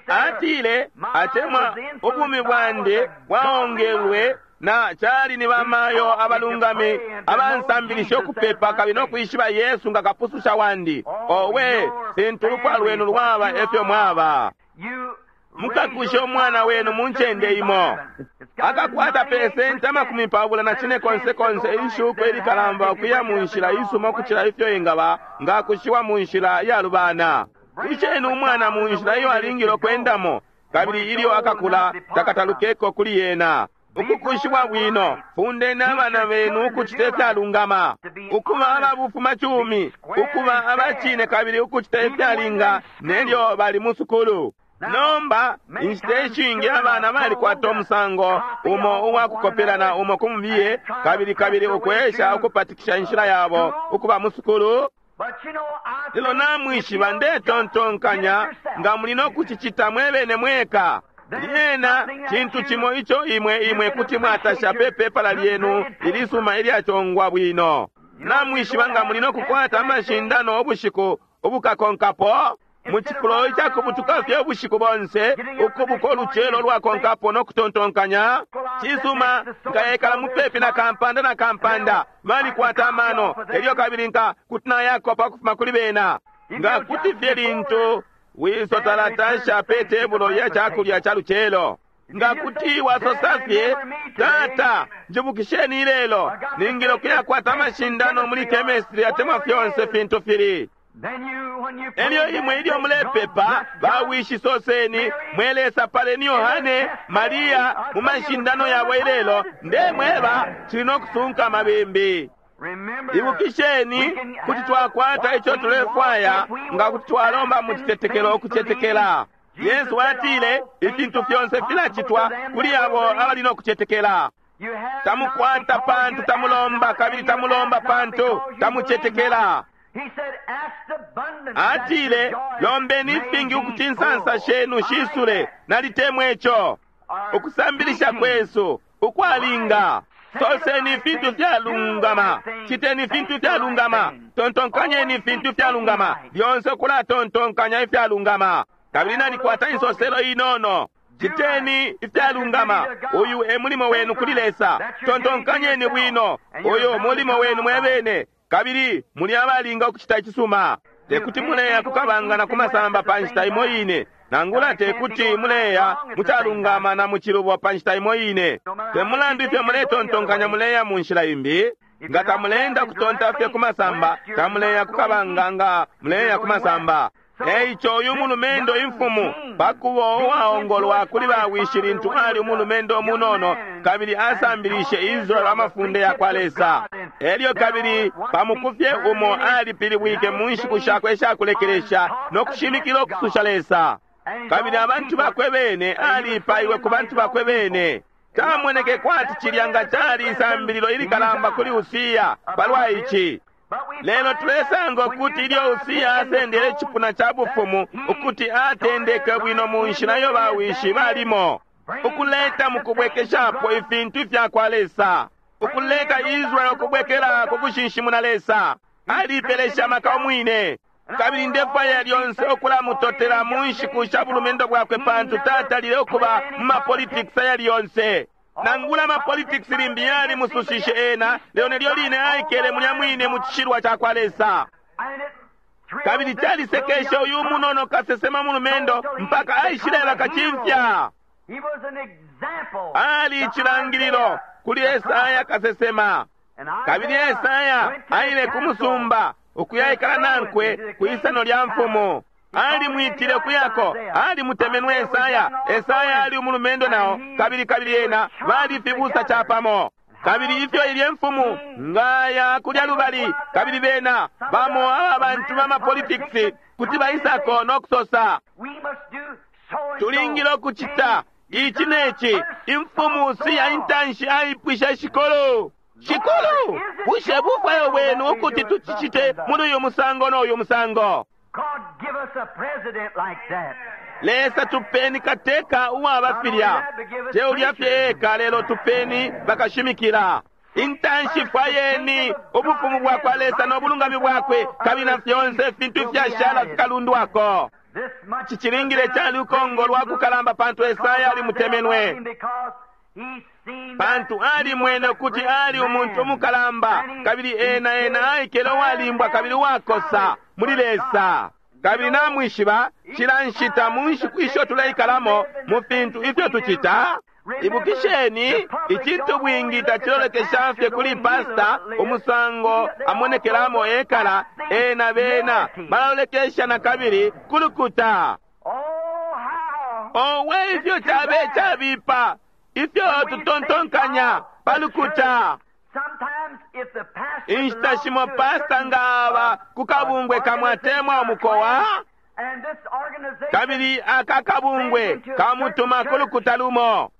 atile, atemwa ubumi bwandi bwaongelwe na cali ni bamayo abalungami abansambilisha ukupepa kabili nokwishiba Yesu nga kapususha wandi. Owe, fintu ulupwa lwenu lwaba efyo mwaba. Mukakushe umwana wenu mu ncende imo, akakwata pesenti amakumi pabula na cine konse konse ishuko ilikalamba ukuya mu nshila isuma ukucila ifyo ingaba nga akushiwa mu nshila iyalubana. Kusheni umwana mu nshila iyo alingile ukwendamo, kabili ilyo akakula takatalukeko kuli yena. Ukukushiwa bwino, fundeni abana benu ukucita ifyalungama, ukuba ababufumacumi, ukuba abacine kabili ukucita ifyalinga nelyo bali mu sukulu. Nomba inshita ishingi abana balikwata umusango umo uwakukopelana umo kumubiye, kabili kabili ukwesha ukupatikisha inshila yabo ukuba mu sukulu. Lelo namwishiba ndetontonkanya nga muli nokucicita mwebene mweka. Lyena cintu cimo ico imwe imwe kuti mwatasha pe pepala lyenu ilisuma ilyachongwa bwino. Namwishiba nga muli nokukwata amashindano ubushiku ubukakonkapo, mu cifulo icakubutuka fye ubushiku bonse, ukubuka ulucelo lwakonkapo nokutontonkanya cisuma, nkayekala mupepi na kampanda na kampanda balikwata amano, elyo kabili nka kuti nayakopa ukufuma kuli bena. Nga kuti fye lintu wiso talatasha pe tebulo ya cakulya ca lucelo, nga kuti wasosa fye, tata njibukisheni ilelo ningile ukuyakwata amashindano muli chemistry atemwa fyonse fintu fili. Elyo imwe ilyo mulepepa, bawishi soseni, mwelesa paleni Yohane, Maria mu mashindano yabo ilelo, ndemweba cili nokusunka amabimbi. Ibukisheni kuti twakwata ico tulefwaya nga kuti twalomba mu citetekelo ukucetekela. Yesu atile ifintu fyonse filacitwa kuli abo abali nokucetekela. Tamukwata pantu tamulomba, kabili tamulomba pantu tamucetekela. Atile, lombeni ifingi ukuti insansa shenu shisule. Nalitemwe ico. Ukusambilisha kwesu ukwalinga. Soseni ifintu fyalungama, citeni ifintu fyalungama, tontonkanyeni ifintu fyalungama, lyonse kulatontonkanya ifyalungama. Kabili nalikwata insoselo inono. Citeni ifyalungama, uyu e mulimo wenu kuli Lesa. Tontonkanyeni bwino, uyu mulimo wenu mwebene, kabili muli abalinga ukucita icisuma. Tekuti muleya kukabanga na kumasamba pa nshita imo ine, nangula tekuti muleya mucalungama na mucilubo pa nshita imo ine. Te mulandu ifyo muletontonkanya muleya mu nshila imbi, nga tamuleenda kutonta fye kumasamba, tamuleya kukabanga nga muleya kumasamba. Eico uyu mulumendo imfumu pakuba uwaongolwa kuli bawishi lintu ali umulumendo umunono, kabili asambilishe Israeli amafunde ya kwa Lesa. Elyo kabili pamukufye umo alipilibwike mu nshiku shakwe ishakulekelesha no kushimikila ukususha Lesa. Kabili abantu bakwe bene alipaiwe ku bantu bakwe bene. Camoneke kwati cilya nga cali isambililo ilikalamba kuli Usiya palwa ici. Lelo tulesanga ukuti ilyo Usiya asendele icipuna ca bufumu ukuti atendeke bwino mu nshila iyo bawishi balimo, ukuleta mu kubwekeshapo ifintu ifya kwa Lesa, ukuleka Israeli ukubwekela ku kushinshimuna Lesa. Alipelesha amaka umwine. Kabili ndefwaya lyonse ukulamutotela mu nshiku sha bulumendo bwakwe, pantu tatalile ukuba mu mapolitikisi ayali yonse. Nangula amapolitikisi limbi yalimusushishe ena, lelo nelyo line aikele mulya mwine mu cishilwa ca kwa Lesa. Kabili calisekeshe uyu munono kasesema mulumendo mpaka aishileba kacimfya. Ali icilangililo kuli Esaya kasesema. Kabili Esaya aile ku musumba ukuyaikala nankwe kwisano lya mfumu. Alimwitile kuyako, alimutemenwe Esaya. Esaya ali umulumendo nao, kabili kabili ena bali fibusa chapamo. Kabili ifyo ilye mfumu ngaya kulya lubali, kabili bena bamo aba bantu ba mapolitikisi kuti baisako no kusosa, tulingile ukucita ici neci. Imfumu siya intanshi aipwisha shikolo, shikolo, bushe bufwayo bwenu ukuti tucicite muli uyu musango no uyu musango? Lesa tupeni kateka uwaba filya, teulya fye eka, lelo tupeni bakashimikila. Intanshi fwayeni ubufumu bwa kwa Lesa no bulungami bwakwe, kabili na fyonse ifintu ifyashala fikalundwako. Cicilingile cali ukongolwa kukalamba, pantu Esaya alimutemenwe, pantu alimwene ukuti ali umuntu umukalamba, kabili ena ena aikele uwalimbwa kabili uwakosa muli Lesa. Kabili namwishiba cila nshita mu nshiku isho tuleikalamo mu fintu ifyo tucita. Ibukisheni, icintu bwingi tacilolekesha fye kuli pasta umusango amonekelamo ekala, ena bena balalolekesha na kabili kulukuta. Owe, ifyo cabe cabipa ifyo tutontonkanya palukuta. Inshita shimo pasta nga aba ku kabungwe kamwatemwa umukowa, kabili aka kabungwe kamutuma kulukuta lumo.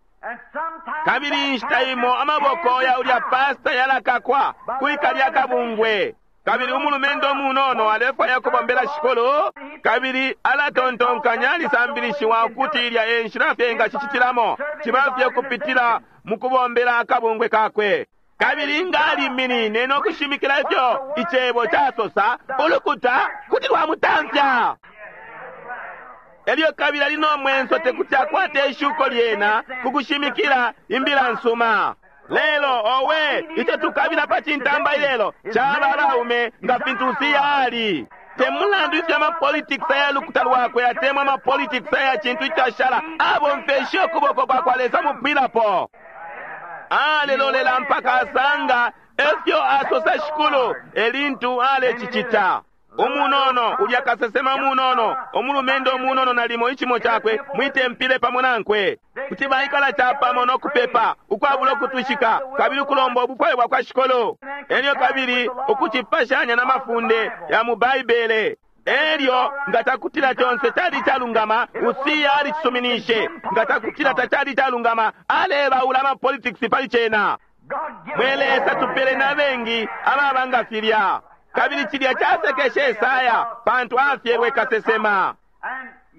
Kabili inshita imo amaboko ya ulya pasta yalakakwa kwikalya kabungwe. Kabili umulumendo umunono alefwaya kubombela shikolo, kabili alatontonkanya alisambilishiwa ukuti ilya e nshila fye engacicitilamo, ciba fye kupitila mu kubombela akabungwe kakwe. Kabili nga aliminine no kushimikila ifyo icebo casosa, ulukuta kuti lwamutamfya. Elyo kabili ali no mwenso tekuti akwate ishuko lyena ku kushimikila imbila nsuma. Lelo owe, ico tukabila pa cintamba ilelo caba abaume nga fintu Usiya ali. Te mulandu ifyo amapolitikisi aya lukuta lwakwe atemwa amapolitikisi aya cintu icashala, abomfeshe ukuboko kwa kwa Lesa mupwilapo. Alelolela mpaka asanga efyo asosa shikulu elintu alecicita. Umunono ulya kasesema umunono, umulumendo umunono nalimo icimo cakwe mwitempile pamo nankwe, kuti baikala capamo no kupepa ukwabula ukutwishika, kabili ukulomba ubufwayo bwa kwa shikolo, elyo kabili ukucipashanya na mafunde ya mu Baibele. Elyo nga takutila conse cali calungama, Usiya alicisuminishe. Nga takutila tacali calungama, alebaula amapolitikisi pali cena. Mwe Lesa, tupele na bengi ababa nga filya. Kabili cilya casekeshe Esaya, pantu afyelwe kasesema.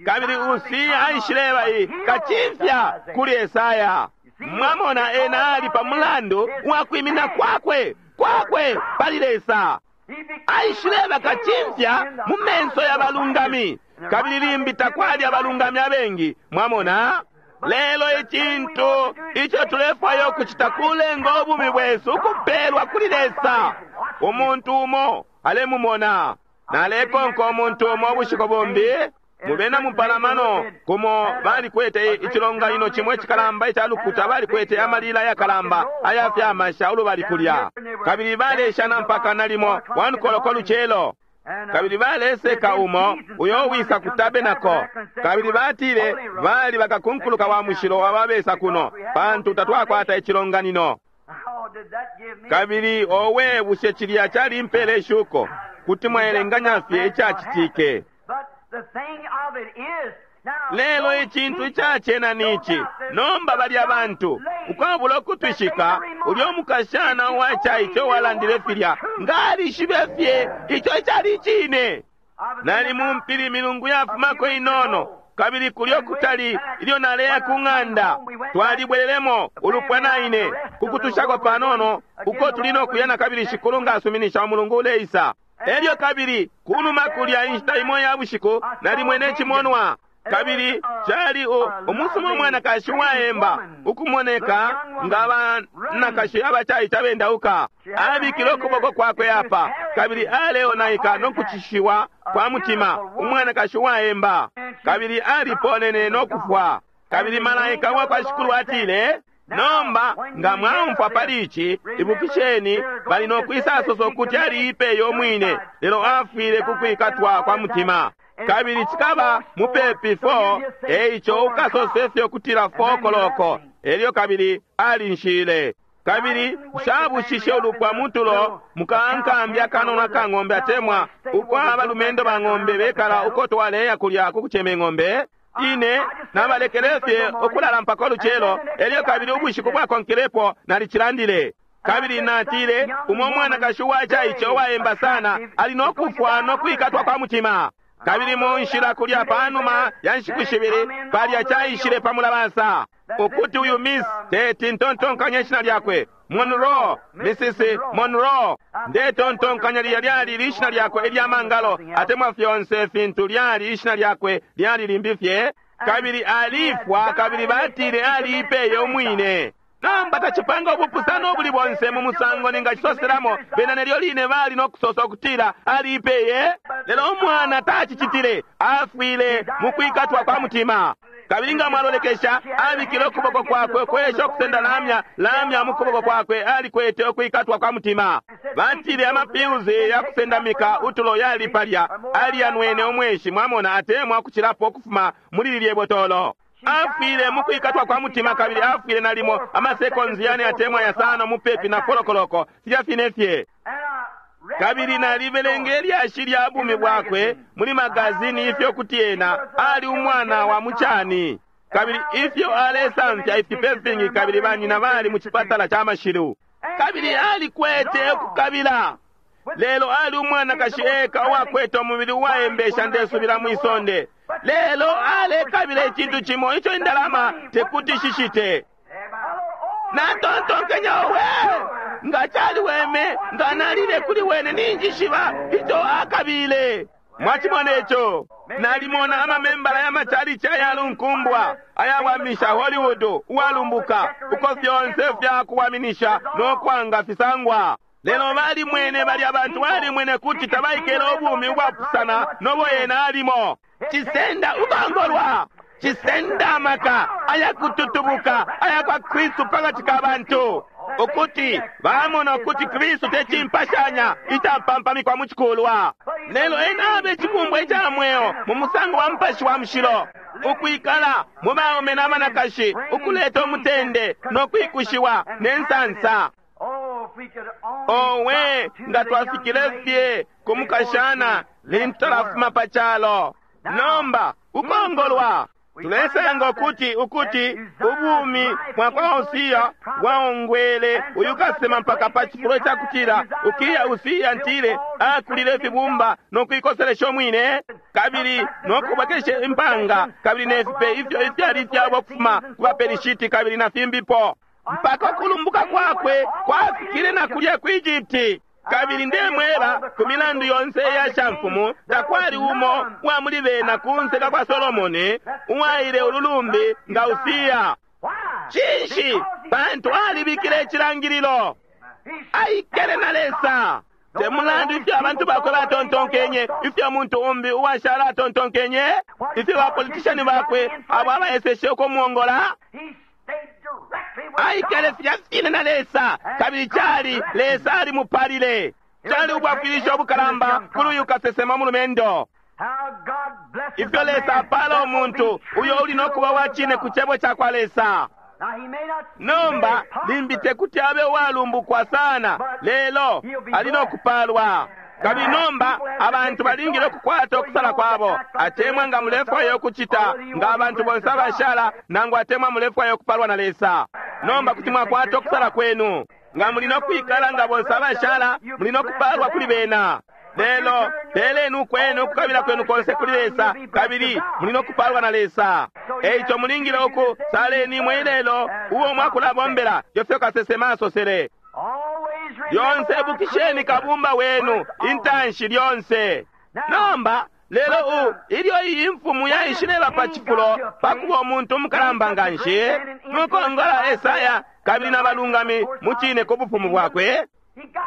Kabili Usia aishileba kacimfya kuli Esaya. Mwamona, ena ali pa mulandu wa kwimina kwakwe kwakwe pali Lesa. Aishileba kacimfya mu menso ya balungami, kabili limbi takwali abalungami abengi. Mwamona? Lelo icintu ico tulefwaya ukucita kulenga ubumi bwesu ukupelwa kuli Lesa. Umuntu umo alemumona. Nalekonka umuntu umo ubushiku bumbi mubena mupalamano kumo balikwete icilonganino cimwe icikalamba ica lukuta, balikwete amalila ayakalamba ayafyamasha ulubali kulya, kabili baleshana mpaka nalimo wanukoloko lucelo. Kabili baleseka umo uyo wisa ku tabenako, kabili batile bali bakakunkuluka wa mushilo ababesa kuno, pantu tatwakwata icilonganino. Kabili owe, bushe cilya calimpele ishuko? Kuti mwaelenganya fye icacitike. Lelo icintu icacena nici nomba, bali abantu ukwabula ukutwishika ulyo mukashana uwacaice uwalandile filya ngalishibe fye ico icali icine. Nali mumpili milungu yafumako inono, kabili kulyo kutali ilyo naleya ku ng'anda twalibwelelemo ulupwa naine kukutushako panono uko tuli nokuya na kabili shikulu nga asuminisha umulungu uleisa. Elyo kabili kunuma kulya inshita imo ya bushiku nalimwene icimonwa, kabili cali umusuma umwanakashi uwaemba ukumoneka nga banakashi abacaice abendauka. Abikile ukuboko kwakwe apa, kabili aleonaika no kucishiwa kwa mutima, umwanakashi uwaemba, kabili aliponene no kufwa. Kabili malaika wa kwa shikulu atile, nomba nga mwaumfwa pali ici, ibukisheni bali no kwisasosa ukuti aliipeye umwine, lelo afwile ku kwikatwa kwa mutima. Kabili cikaba mupepi four, eico ukasose fye ukutila four koloko. Elyo kabili alinshile. Kabili nshabushishe ulupwa mutulo mukankambi akanono aka ng'ombe atemwa uko abalumendo ba ng'ombe bekala uko twaleya kulya ku kucema ing'ombe. Ine nabalekele fye ukulala mpaka ulucelo. Elyo kabili ubushiku bwakonkelepo nalicilandile. Kabili natile umo mwanakashi uwacaice uwaemba sana ali no kufwa no kwikatwa kwa mutima. Kabili mu nshila kulya panuma ya nshiku shibili palya caishile pa mulabasa ukuti uyu Miss teti ntontonkanya ishina lyakwe Monroe, Missus Monroe, ndetontonkanya lilya lyali lishina lyakwe ilya mangalo atemwa fyonse fintu lyali ishina lyakwe lyali limbi fye. Kabili alifwa, kabili batile aliipeye umwine. Nomba tacipanga ubupusano ubuli bonse mu musango ningacisoselamo, bena nelyo line bali no kusosa ukutila aliipeye, lelo umwana tacicitile, afwile mu kwikatwa kwa mutima. Kabili nga mwalolekesha, abikile ukuboko kwakwe kwesha ukusenda lamya lamya mu kuboko kwakwe, alikwete ukwikatwa kwa mutima. Batile amapiuzi ya kusendamika utulo yali palya, aliyanwene umweshi, mwamona, atemwa kucilapo ukufuma muli lilye botolo. Afwile mu kwikatwa kwa mutima, kabili afwile nalimo amasekonzi yane atemwa yasano mupepi na folokoloko, filya fine fye. Kabili nalibelenge lyashi lya bumi bwakwe muli magazini ifyo kuti ena ali umwana wa mucani, kabili ifyo alesamfya ifipe fingi, kabili banyina bali mu cipatala ca mashilu, kabili alikwete ukukabila. Lelo ali umwanakashi eka uwakwete umubili uwaembesha ndesubila mwisonde, lelo alekabila icintu cimo ico indalama tekuti shishite. Natontonkenya, owe, nga caliweme nga nalile kuli wene ninjishiba ico akabile. Mwacimona ico? Nalimona amamembala ya machalichi ayalunkumbwa ayawamisha Hollywood uwalumbuka, uko fyonse fyakuwaminisha no kwanga fisangwa. Lelo balimwene bali abantu balimwene kuti tabaikele ubumi ubwapusana nobo yena alimo. Cisenda ukongolwa, cisenda amaka ayakututubuka aya kwa Kristu pakati ka bantu, ukuti bamona ukuti Kristu tecimpashanya icapampamikwa mu cikulwa, lelo ena abe icibumbwa ica mweo mu musango wa Mupashi wa Mushilo, ukwikala mu baume na banakashi, ukuleta umutende no kwikushiwa ne nsansa. Owe, nga twafikile fye ku mukashana lintu talafuma pa calo. Nomba ukongolwa Tulesanga ukuti ukuti ubumi bwakwa Usiya bwaongwele uyu kasema mpaka pa cifulo cakutila ukiya Usiya ntile akulile ifibumba nokuikoselesha umwine kabili nokubwekesha impanga kabili nefipe ifyo ifyali ifyabo ukufuma ku baPelishiti kabili na fimbipo mpaka ukulumbuka kwakwe kwafikile na kulya ku Egypti. Kabili ndemweba ku milandu yonse iya shamfumu takwali umo wa muli bena kunse ka kwa Solomoni uwaile ululumbi nga Usiya. Cinshi? Pantu alibikile icilangililo, aikele na Lesa. Te mulandu ifyo abantu bakwe batontonkenye, ifyo umuntu umbi uwashala atontonkenye, ifyo bapolitishani bakwe abo abaeseshe ukumuongola, aikele filya fine na Lesa. Kabili cali Lesa alimupalile. Cali ubwafwilisho obukalamba kuli uyu kasesema mulumendo. Ifyo Lesa apala umuntu uyo uli nokuba wa cine ku cebo ca kwa Lesa. Nomba limbi tekuti abe uwalumbukwa sana, lelo ali nokupalwa. Kabili nomba abantu balingile ukukwata ukusala kwabo, atemwa nga mulefwaya ukucita nga abantu bonse abashala, nangu atemwa mulefwaya ukupalwa na Lesa. Nomba kuti mwakwata ukusala kwenu. Nga muli nokwikala nga bonse abashala, muli nokupalwa kuli bena. Lelo peleni ukwenu ukukabila kwenu konse kuli Lesa, kabili muli nokupalwa na Lesa. Eico mulingile uku saleni imwe ilelo uo mwakulabombela, ifyo kasesema asosele. Lyonse ibukisheni kabumba wenu intanshi lyonse. Nomba lelo u ilyo iyi imfumu yaishileba pa cifulo pakuba umuntu umukalamba nganshi nukongola Esaya kabili na balungami mu cine ku bufumu bwakwe,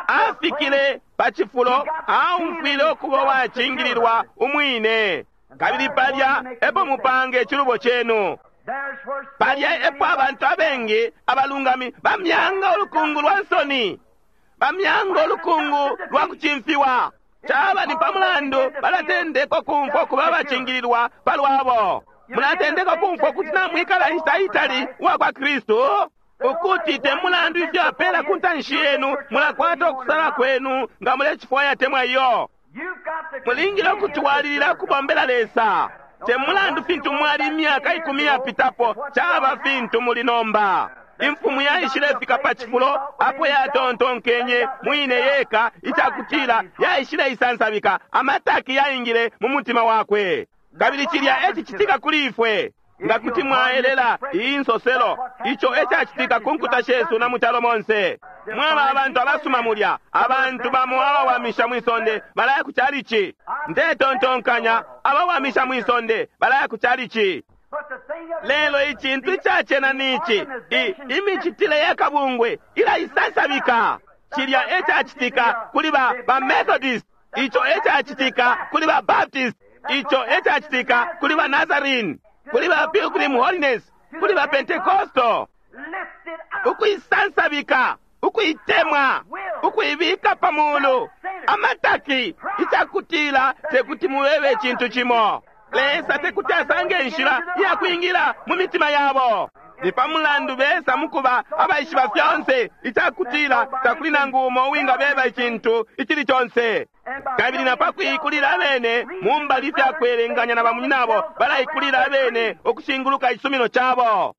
afikile pa cifulo aumfwile ukuba uwacingililwa umwine. Kabili palya epo mupange icilubo cenu. Palya epo abantu abengi abalungami bamyanga ulukungu lwa nsoni, bamyanga ulukungu lwa kucimfiwa. Caba ni pamulandu balatendeka kumfwa kuba abacingililwa palwabo. Mulatendeka kumfwa kuti namwikala inshita itali uwa kwa Kristu, ukuti te mulandu ifyo apela ku ntanshi yenu, mulakwata ukusala kwenu nga mulecifwaya temwa iyo. Mulingile ukutwalilila ukubombela Lesa. Te mulandu fintu mwali imyaka ikumi yapitapo, caba fintu muli nomba. Imfumu yaishilefika pa cifulo apo yatontonkenye mwine yeka icakutila yaishile isansabika, amataki yaingile mu mutima wakwe. Kabili cilya ecicitika kuli ifwe. Nga kuti mwaelela iyi nsoselo, ico ecacitika ku nkuta shesu na mu calo monse. Mwaba abantu abasuma mulya, abantu bamo abawamisha mwisonde balaya ku calici. Ndetontonkanya abawamisha mwisonde balaya ku calici. Lelo icintu icacena nici, imicitile ya kabungwe ilaisansabika. Cilya ecacitika kuli ba, ba Methodist, ico ecacitika kuli ba Baptist, ico ecacitika kuli ba Nazarene, kuli ba Pilgrim Holiness, kuli ba Pentecostal. Ukuisansabika, ukuitemwa, ukuibika pa mulu, amataki, icakutila tekuti mubebe icintu cimo. Lesa tekuti asange inshila iya kwingila mu mitima yabo. Ni pamulandu besa mukuba abaishiba fyonse, icakutila takuli nangu umo uwingabeba icintu icili conse. Kabili na pakuikulila abene mu mbali ifyakwelenganya na bamunyinabo, balaikulila abene ukushinguluka icisumino cabo.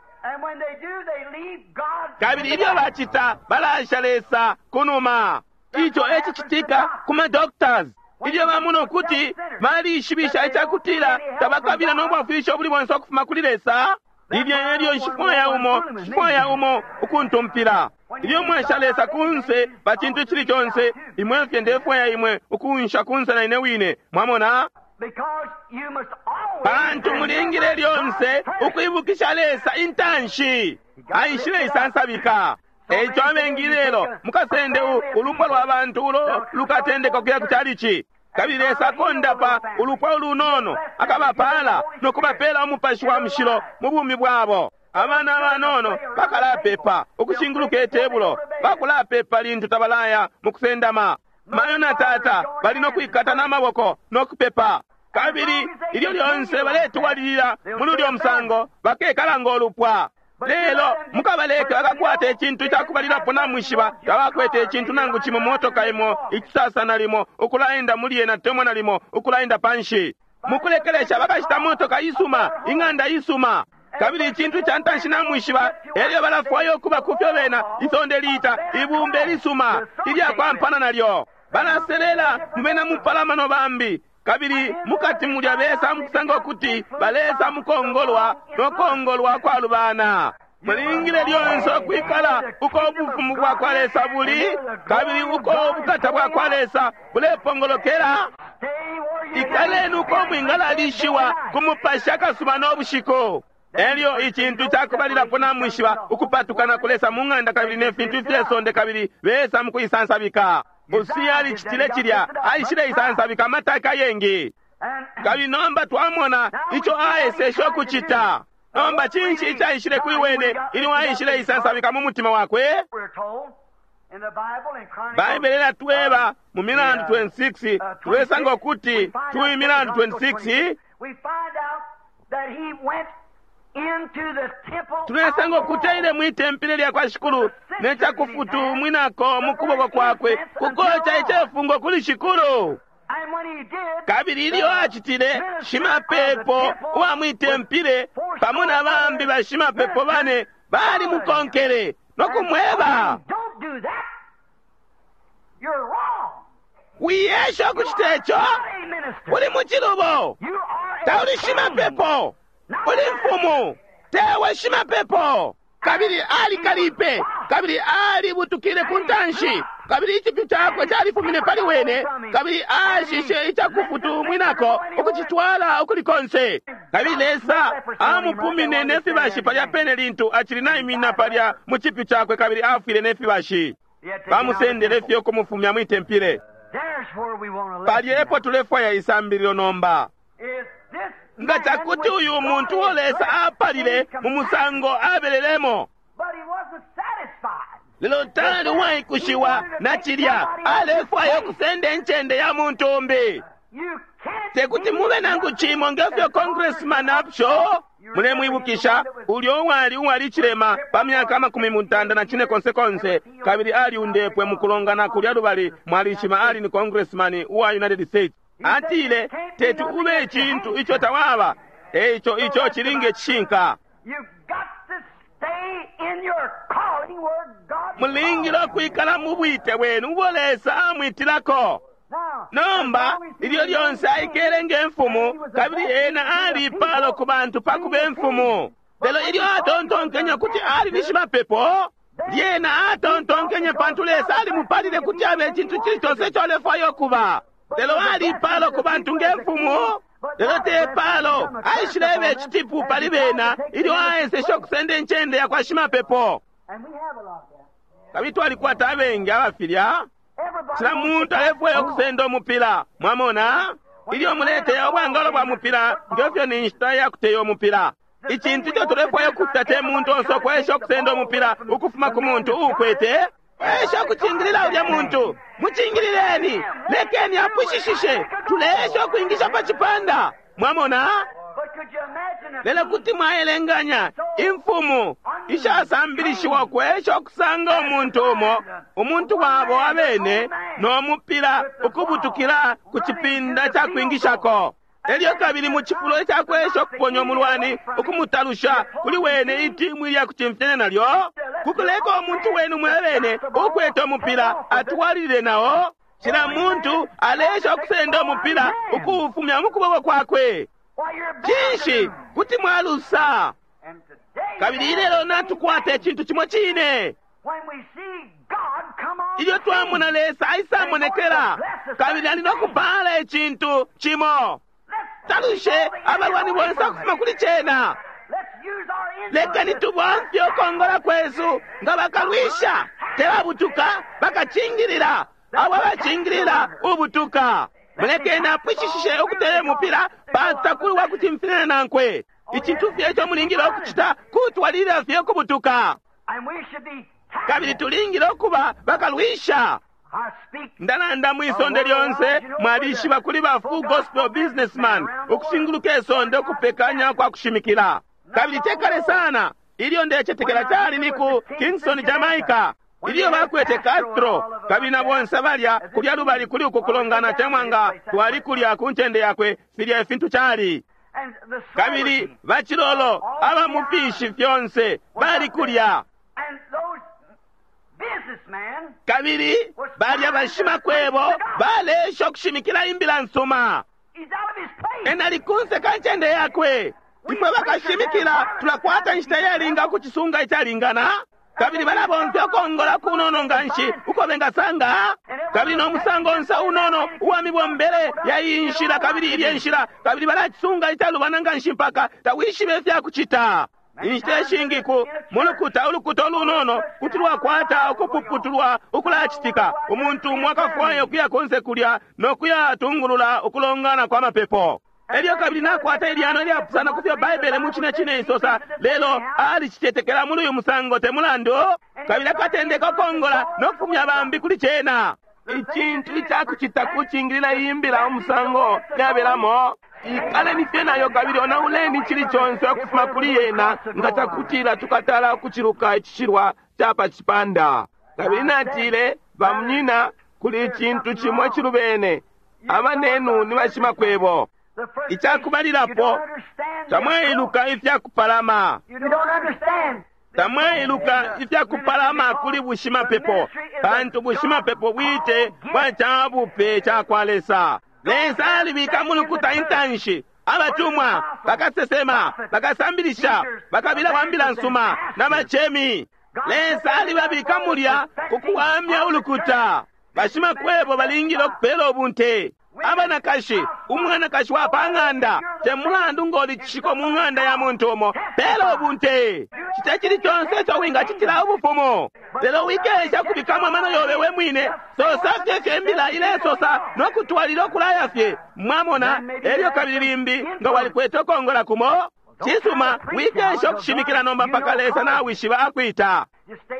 Kabili ilyo bacita, balasha Lesa kunuma. Ico ecicitika ku ma doctors. Ilyo bamona ukuti balishibisha icakutila tabakabila no bwafwilisho ubuli bonse ukufuma kuli Lesa, lilya elyo nshifwaya umo, nshifwaya umo ukuntumpila. Ilyo mwesha Lesa kunse pa cintu icili conse, imwe fye ndefwaya imwe ukunsha kunse na ine wine. Mwamona? Pantu mulingile lyonse ukwibukisha Lesa intanshi. Aishile isansabika. Eico abengi lelo mukasende ulupwa lwa bantu ulo lukatendeka ukuya ku calici. Kabili Lesa akondapa ulupwa ulunono, akabapala nokubapela umupashi wa mushilo mu bumi bwabo. Abana abanono bakalapepa ukushinguluka itebulo, bakulapepa lintu tabalaya mu kusendama. Mayo na tata bali nokwikata n'amaboko nokupepa. Kabili ilyo lyonse baletwalilila muli ulyo musango, bakekala ng'olupwa. Lelo mukabaleke bakakwata icintu icakubalilapo namwishiba, tabakwete icintu nangu cimo motoka imo icisasa nalimo ukulaenda muli yena temwa nalimo ukulaenda panshi. Mukulekelesha bakashita motoka isuma, ing'anda isuma. Kabili icintu ca ntanshi namwishiba, elyo balafwaya ukuba kufyo bena isonde liita ibumba ilisuma ilyakwampana nalyo. Balaselela mu bena mupalamano bambi, kabili mukati mulya besa mukusanga ukuti balesa mukongolwa nokongolwa kwalubana. Mulingile lyonse ukwikala uko ubufumu bwa kwa Lesa buli, kabili uko ubukata bwa kwa Lesa bulepongolokela. Ikaleni uko mwingalalishiwa ku mupashi akasuba no bushiku. Elyo icintu cakubalilapo namwishiba ukupatukana kulesa mu ng'anda kabili ne fintu ifyesonde, kabili besa mukuisansabika. Usiya alicitile cilya, aishile isansabika amataka yengi. Kabili nomba twamona ico aeseshe ukucita. Nomba cinshi icaishile kuli wene ilyo aishile isansabika mu mutima wakwe? Baibele ilatweba mu Milandu twenty-six, tulesanga ukuti tu Milandu twenty-six, tulesanga ukuti aile mwi tempile lya kwa Shikulu ne cakufutumwinako mu kuboko kwakwe kukoca icefungo kuli Shikulu. Kabili ilyo acitile, shimapepo uwa mwi tempile pamo na bambi bashimapepo bane balimukonkele no kumweba, wiyesha ukucita ico, uli mu cilubo, tauli shimapepo, uli mfumu, tewe shimapepo. Kabili alikalipe, kabili alibutukile ku ntanshi, kabili icipyu cakwe califumine pali wene, kabili ashishe icakufutumwinako ukucitwala ukuli konse. Kabili Lesa amupumine ne fibashi palya pene lintu acili naimina palya mu cipyu cakwe, kabili afwile ne fibashi. Bamusendele fye ukumufumya mwi tempile. Palya epo tulefwaya isambililo nomba. Nga cakuti uyu muntu uo Lesa apalile mu musango abelelemo, lelo tali uwaikushiwa na cilya, alefwaya ukusenda incende ya muntu umbi. Tekuti mube nangu cimo ngefyo Congressman Upshaw. Mulemwibukisha ulyo uwali uwali cilema pa myaka amakumi mutanda na cine konse konse, kabili aliundepwe mukulongana kulya lubali mwalishima, ali ni Congressman uwa United States. Atile, teti ube icintu ico tawaba. Eico ico chilinge cishinka. Mulingile ukwikala mu bwite bwenu ubo Lesa amwitilako. Nomba ilyo lyonse aikele nge mfumu, kabili ena alipalo ku bantu pa kuba imfumu. Lelo ilyo atontonkenye kuti ali ni shimapepo, lyena atontonkenye pantu Lesa alimupalile kuti abe icintu cili conse ico alefwaya ukuba. Lelo alipalo ku bantu nge mfumu, lelo te palo aishilebe icitipu pali bena ilyo aeseshe ukusenda incende ya kwa shimapepo. Kabili twalikwata abengi abafilya. Cila muntu alefwaya ukusenda umupila, mwamona? Ilyo muleteya ubwangalo bwa mupila, ngefyo ni nshita ya kuteya umupila. Icintu ico tulefwaya ukucita te muntu onse ukwesha ukusenda umupila ukufuma ku muntu uukwete. Kwesha ukucingilila ulya muntu, mucingilileni, lekeni apwishishishe, tuleesha ukuingisha pa cipanda, mwamona? Lelo kuti mwaelenganya imfumu ishasambilishiwa kwesha ukusanga umuntu umo, umuntu wabo abene, no mupila ukubutukila ku cipinda ca kwingishako. Elyo kabili mu cifulo ica kwesha ukuponya umulwani ukumutalusha kuli wene itimu ilya kucimfyanya nalyo, kukuleka umuntu wenu mwebene ukwete umupila atwalilile nao. Cila muntu alesha ukusenda umupila ukuufumya mu kuboko kwakwe. Cinshi kuti mwalusa? Kabili ilelo natukwata icintu cimo cine. Ilyo twamona Lesa aisamonekela, kabili ali no kupala icintu cimo, talushe abalwani bonse ukufuma kuli cena. Lekeni tubomfye ukongola kwesu nga bakalwisha, tebabutuka, bakacingilila abo abacingilila ubutuka. Mulekeni apwishishishe ukutele mupila pantu wa kucimfyanya nankwe. Icintu fye ico mulingile ukucita kutwalilila fye ukubutuka. Kabili tulingile ukuba bakalwisha. Ndalanda mwisonde lyonse, mwalishiba kuli ba Full Gospel Businessman ukushinguluka isonde ukupekanya kwa kushimikila. Kabili tekale sana ilyo ndecetekela cali ni ku Kingston, Jamaica. Ilyo bakwete Castro kabili na bonse balya kulya lubali kuli uku kulongana temwanga twali kulya ku ncende yakwe filya ifintu cali. Kabili bacilolo aba mu fishi fyonse bali kulya. Kabili balya bashimakwebo balesha ukushimikila imbila nsuma. Ena ali kunse ka ncende yakwe. Ifwe bakashimikila tulakwata inshita iyalinga ukucisunga icalingana. Kabili balabomfya ukongola kunono nganshi uko bengasanga. Kabili no musango onse unono uwa mibombele ya iyi nshila kabili ilye nshila, kabili balacisunga icalubana nganshi mpaka tawishibe ifyakucita. Inshita ishingi ku mulukuta ulukuta ulunono kuti lwakwata ukupuputulwa ukulacitika. Umuntu umo akafwaya ukuya konse kulya no kuyatungulula ukulongana kwa mapepo. Elyo kabili nakwata ilyano ilyapusana ku fyo Baibele mu cine cine isosa, lelo alicitetekela muli uyu musango te mulandu, kabili akatendeka ukongola no kufumya bambi kuli cena. Icintu icakucita kucingilila iyi mbila umusango yabelamo, ikaleni fye nayo kabili onauleni cili conse ukufuma kuli yena nga cakutila tukatala ukuciluka icishilwa ca pa cipanda. Kabili natile, bamunyina, kuli icintu cimo icilubene, abanenu ni bashimakwebo. Icakubalilapo, tamwailuka ifyakupalama. Tamwailuka ifyakupalama kuli bushimapepo, pantu bushimapepo bwite bwa cabupe cakwa Lesa. Lesa alibika mulukuta intanshi abatumwa, bakasesema, bakasambilisha, bakabila wa mbila nsuma na bacemi. Lesa alibabika mulya kukuwamya ulukuta. Bashimakwebo balingile ukupela ubunte. Abanakashi, umwanakashi wa pa ng'anda, te mulandu ngoli cishiko mu ng'anda ya muntu umo, pela ubunte. Cita cili conse ico wingacitila ubufumu. Lelo wikesha kubikamo amano yobe we mwine, sosa fye fye imbila ilesosa no kutwalila ukulaya fye. Mwamona, elyo kabili limbi nga walikwete ukongola kumo. Cisuma, wikesha ukushimikila nomba mpaka Lesa nawishiba akwita.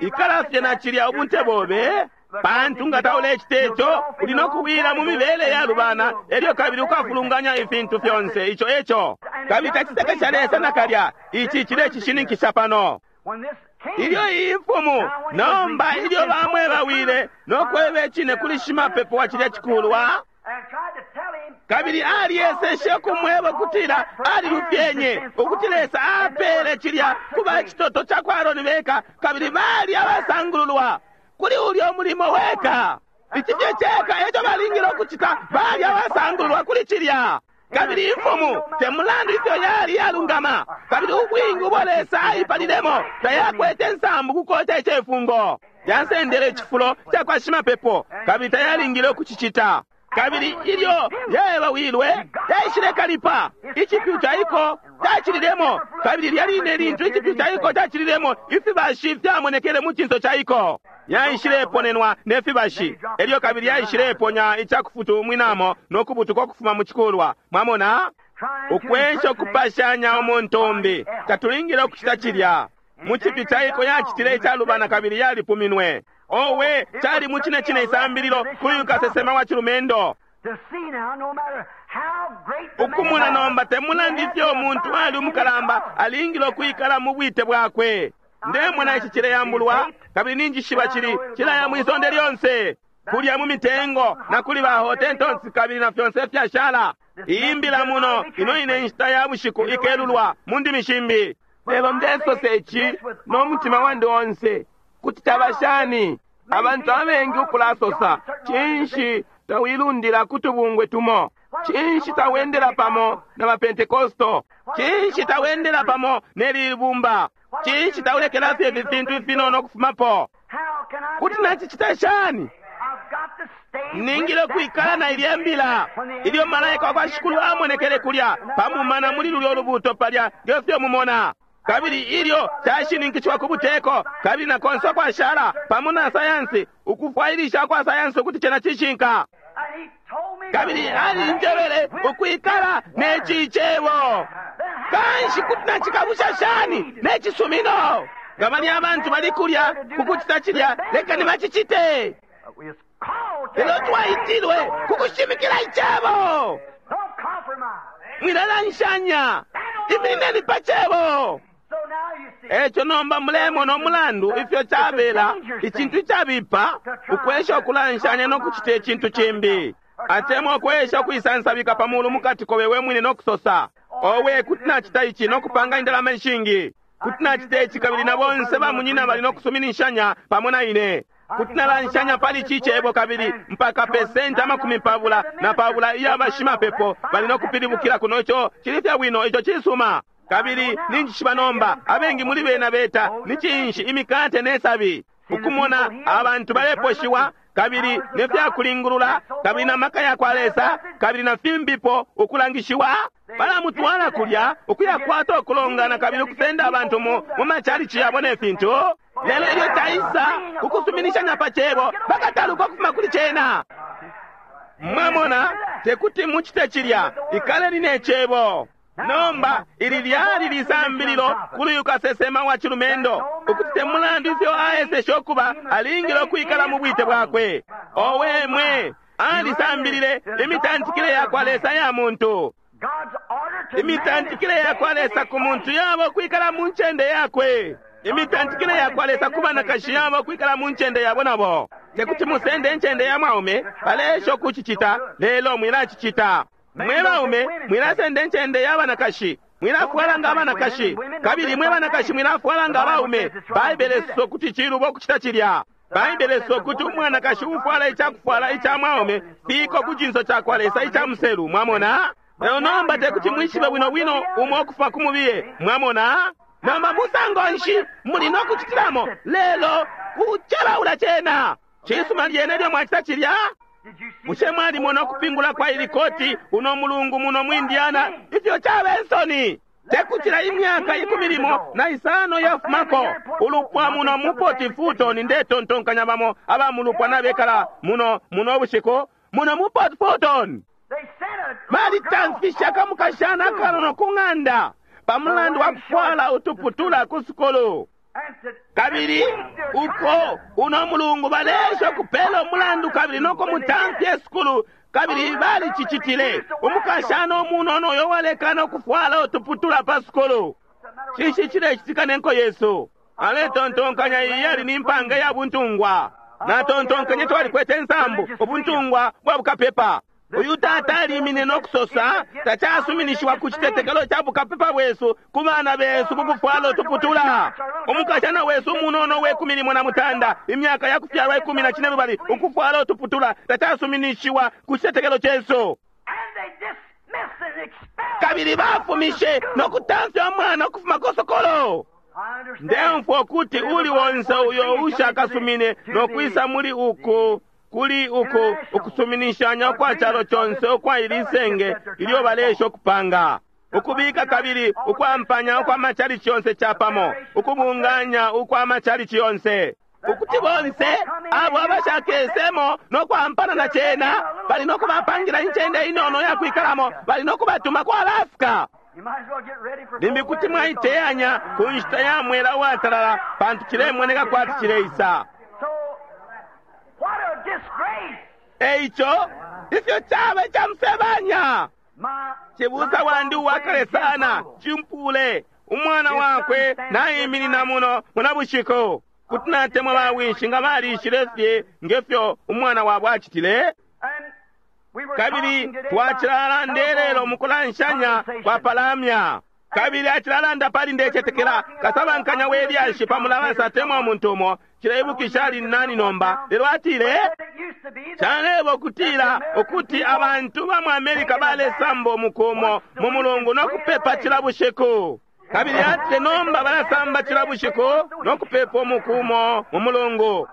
Ikala fye na cilya ubunte bobe. Pantu nga taulecita ico, uli no kuwila mu mibele yalubana, elyo kabili ukafulunganya ifintu fyonse. Ico eco. Kabili tacisekesha Lesa nakalya. Ici cilecishininkisha pano. Ilyo iyi mfumu nomba ilyo bamwebawile no kweba icine kuli shimapepo wa cilya cikulwa, kabili aliyeseshe ukumweba ukutila alilufyenye, ukuti Lesa apele cilya kuba icitoto ca kwa Aroni beka, kabili bali abasangululwa kuli ulya umulimo weka. Ici fye ceka eco balingile ukucita, bali abasangululwa kuli cilya. Kabili imfumu te mulandu ifyo yali yalungama, kabili ubwingi ubo Lesa aipalilemo tayakwete nsambu kukoca icefungo. Yasendele icifulo ca kwa shimapepo, kabili tayalingile ukucicita. Kabili ilyo yaebawilwe, yaishile kalipa, icipyu caiko cacililemo, kabili lya line lintu icipyu caiko cacililemo, ifibashi fyamonekele mu cinso caiko. Yaishileponenwa ne fibashi, elyo kabili yaishileponya icakufutumwinamo no kubutuka ukufuma mu cikulwa. Mwamona, ukwesha ukupashanya umuntu umbi, tatulingile ukucita cilya. Mu cipyu caiko yacitile icalubana kabili yalipuminwe. Owe, cali mu cine cine isambililo kuli uyu kasesema wa cilumendo. Ukumona nomba te mulandu ifyo umuntu ali umukalamba, alingile ukwikala mu bwite bwakwe. Ndemona ici cileyambulwa, kabili ninjishiba cili cilaya mwisonde lyonse, kulya mu mitengo na kuli ba Hottentots kabili na fyonse fyashala. Iyi mbila muno ino ine nshita ya bushiku ikelulwa mu ndimi shimbi. Lelo ndesosa ici no mutima wandi onse, kuti caba shani abantu abengi ukulasosa, cinshi tawilundila kutubungwe tumo? Cinshi tawendela pamo na bapentekosto? Cinshi tawendela pamo ne libumba? Cinshi taulekela fye ifi fintu ifinono ukufumapo? Kuti nacicita shani? Ningile ukwikala na ilya mbila. Ilyo malaika wa kwa Shikulu amonekele kulya pamumana muli lulyo lubuto palya ngefyo mumona. Kabili ilyo cashininkishiwa ku buteko, kabili na konse ukwashala pamo na sayansi, ukufwailisha kwa sayansi ukuti cena cishinka. Kabili alinjebele ukwikala ne cicebo. Kanshi kuti nacikabusha shani ne cisumino? Nga bali abantu bali kulya kukucita cilya, lekani bacicite. Lelo twaitilwe kukushimikila icebo. Mwilalanshanya, iminineni pa cebo. Eco nomba mulemona umulandu ifyo cabela icintu icabipa ukwesha ukulanshanya no kucita icintu cimbi, atemwa ukwesha ukuisansabika pa mulu mukati kobe we mwine no kusosa, owe kuti nacita ici no kupanga indalama ishingi, kuti nacita ici kabili na bonse bamunyina bali no kusuminishanya pamo na ine, kuti nalanshanya pali ici cebo kabili mpaka pesenti amakumi pabula na pabula iya bashimapepo bali no kupilibukila kuno. Ico cili fye bwino, ico cisuma. Kabili ninjishiba nomba abengi muli bena beta ni cinshi imikate ne sabi, ukumona abantu baleposhiwa kabili ne fyakulingulula kabili na maka ya kwa Lesa kabili na fimbipo ukulangishiwa, balamutwala kulya ukuyakwata ukulongana kabili ukusenda abantu mu mu machalichi yabo ne fintu. Lelo ilyo taisa ukusuminishanya pa cebo, bakataluka ukufuma kuli cena. Mwamona, tekuti mucite cilya, ikaleni ne cebo. Nomba ili lyali lisambililo kuli uyu kasesema wa cilumendo, ukuti te mulandu ifyo aeseshe ukuba, alingile ukwikala mu bwite bwakwe. Owe mwe, alisambilile imitantikile ya kwa Lesa ya muntu. Imitantikile ya kwa Lesa ku muntu yaba ukwikala mu ncende yakwe. Imitantikile ya kwa Lesa ku banakashi yaba ukwikala mu ncende yabo nabo. Tekuti musende incende ya mwaume, baleesha ukucicita, lelo mwilacicita. Mwe baume mwilasenda incende ya banakashi, mwilafwala nga abanakashi, kabili mwe banakashi mwilafwala nga abaume. Baibele isosa ukuti cilubo ukucita cilya. Baibele isosa ukuti umwanakashi ufwala icakufwala ica mwaume fiko ku cinso ca kwa Lesa ica muselu. Mwamona? Lelo nomba tekuti mwishibe bwino bwino umo ukufa ku mubiye. Mwamona? Nomba musango nshi muli no kucitilamo, lelo kucelaula cena. Cisuma lyene lyo mwacita cilya. Bushe mwalimona ukupingula kwa ili koti uno mulungu muno mu Indiana ifyo caba ensoni? Tekutila imyaka ikumi limo na isano yafumako ulupwa muno mu Port Fulton, ndetontonkanya bamo aba mulupwa nabekala muno muno bushiku muno mu Port Fulton, balitamfisha akamukashana akanono ku ng'anda pamulandu wa kufwala utuputula ku sukulu. Kabili uko uno mulungu balesha ukupela umulandu kabili noko mutamfya esukulu, kabili balicicitile. Umukashana umunono uyo walekana ukufwala utuputula pa sukulu. Cinshi cilecitika nenko yesu? Aletontonkanya iyi yali ni mpanga ya buntungwa. Natontonkanye twalikwete insambu ubuntungwa bwa bukapepa. Uyu tata alimine no kusosa tacasuminishiwa ku citetekelo ca bukapepa bwesu ku bana besu kukufwala utuputula. Umukashana wesu umunono we kumi limo na mutanda, imyaka ya kufyalwa ikumi na cine lubali, ukufwala utuputula tacasuminishiwa ku citetekelo cesu. Kabili bafumishe no kutamfya umwana ukufuma ku sokolo. Ndemfwa ukuti uli wonse uyo ushakasumine no kwisa muli uku kuli uku ukusuminishanya ukwa calo conse ukwa ili senge ilyo balesha ukupanga, ukubika kabili ukwampanya ukwa machalichi yonse capamo, ukubunganya ukwa machalichi yonse, ukuti bonse abo abashakesemo no kwampana na cena bali no kubapangira incende inono ya kwikalamo, bali no kubatuma ku Alaska. Limbi kuti mwaiteyanya ku nshita ya mwela uwatalala, pantu cilemoneka kwati cileisa. Eico ifyo caba icamusebanya. Cibusa wandi uwakale sana cimpule umwana wakwe naiminina muno muna bushiku. Kuti natemwa bawishi nga balishile fye ngefyo umwana wabo acitile. Kabili twacilalanda lelo mukulanshanya kwa palamya. Kabili acilalanda pali ndecetekela kasabankanya we lyashi pa mulabasa atemwa umuntu umo cileibukisha ali nani nomba. Lelo atile calebo kutila ukuti abantu ba mu Amerika balesamba umukumo mu mulungu no kupepa cila bushiku. Kabili atile nomba balasamba cila bushiku no kupepa umukumo mu mulungu.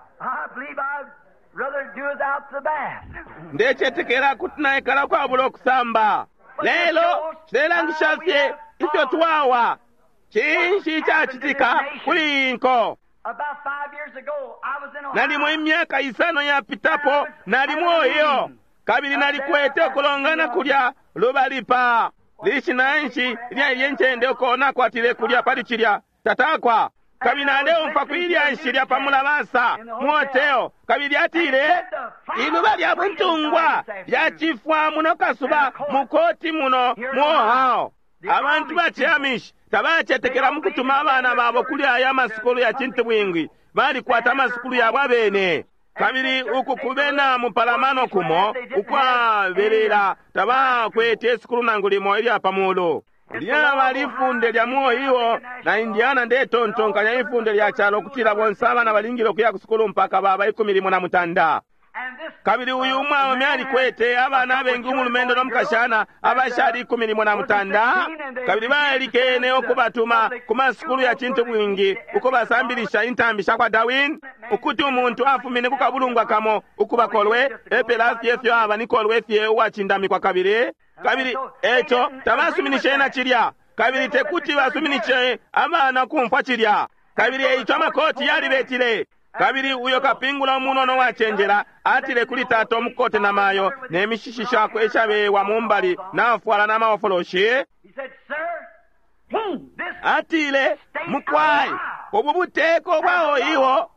Ndecetekela kuti naikala kwabula okusamba. Lelo cilelangisha fye ifyo twawa. Cinshi icacitika kuli inko? Nalimo imyaka isano yapitapo nalimo iyo, kabili nalikwete ukulongana kulya lubali pa lishina nshi lya ilye ncende uko nakwatile kulya pali cilya tatakwa. Kabili naleumfwa kwilya nshi lya pa mulabasa mu hotelo, kabili atile iluba lya buntungwa lyacifwa muno kasuba mukoti muno mu Ohio. Abantu ba Amish Tabacetekela mukutuma abana babo kuli aya amasukulu ya cintubwingi, balikwata amasukulu yabo abene. Kabili uku kubena mupalamano kumo ukwabelela tabakwete isukulu nangu limo ilya pamulu. Lyaba lifunde lya mu Ohio na Indiana, ndetontonkanya ifunde lya calo kutila bonse abana balingile ukuya ku sukulu mpaka baba ikumi limo na mutanda. Kabili uyu umwaume alikwete abana abengi, umulumendo no mukashana abashali ikumi limo na mutanda, kabili balikene ukubatuma ku masukulu ya cintubwingi uko basambilisha intambi sha kwa Darwin, ukuti umuntu afumine ku kabulungwa kamo ukubakolwe epela fye fyo aba ni kolwe fye uwacindamikwa. Kabili kabili eco tabasuminishe na cilya, kabili tekuti basuminishe abana kumfwa cilya. Kabili eico amakoti yalibetile. Kabili uyo kapingula umunono wacenjela atile kuli tata omukote na mayo ne mishishi shakwe ishabewa mumbali nafwala na maofoloshi, atile, mukwai, ubu buteko bwa Ohio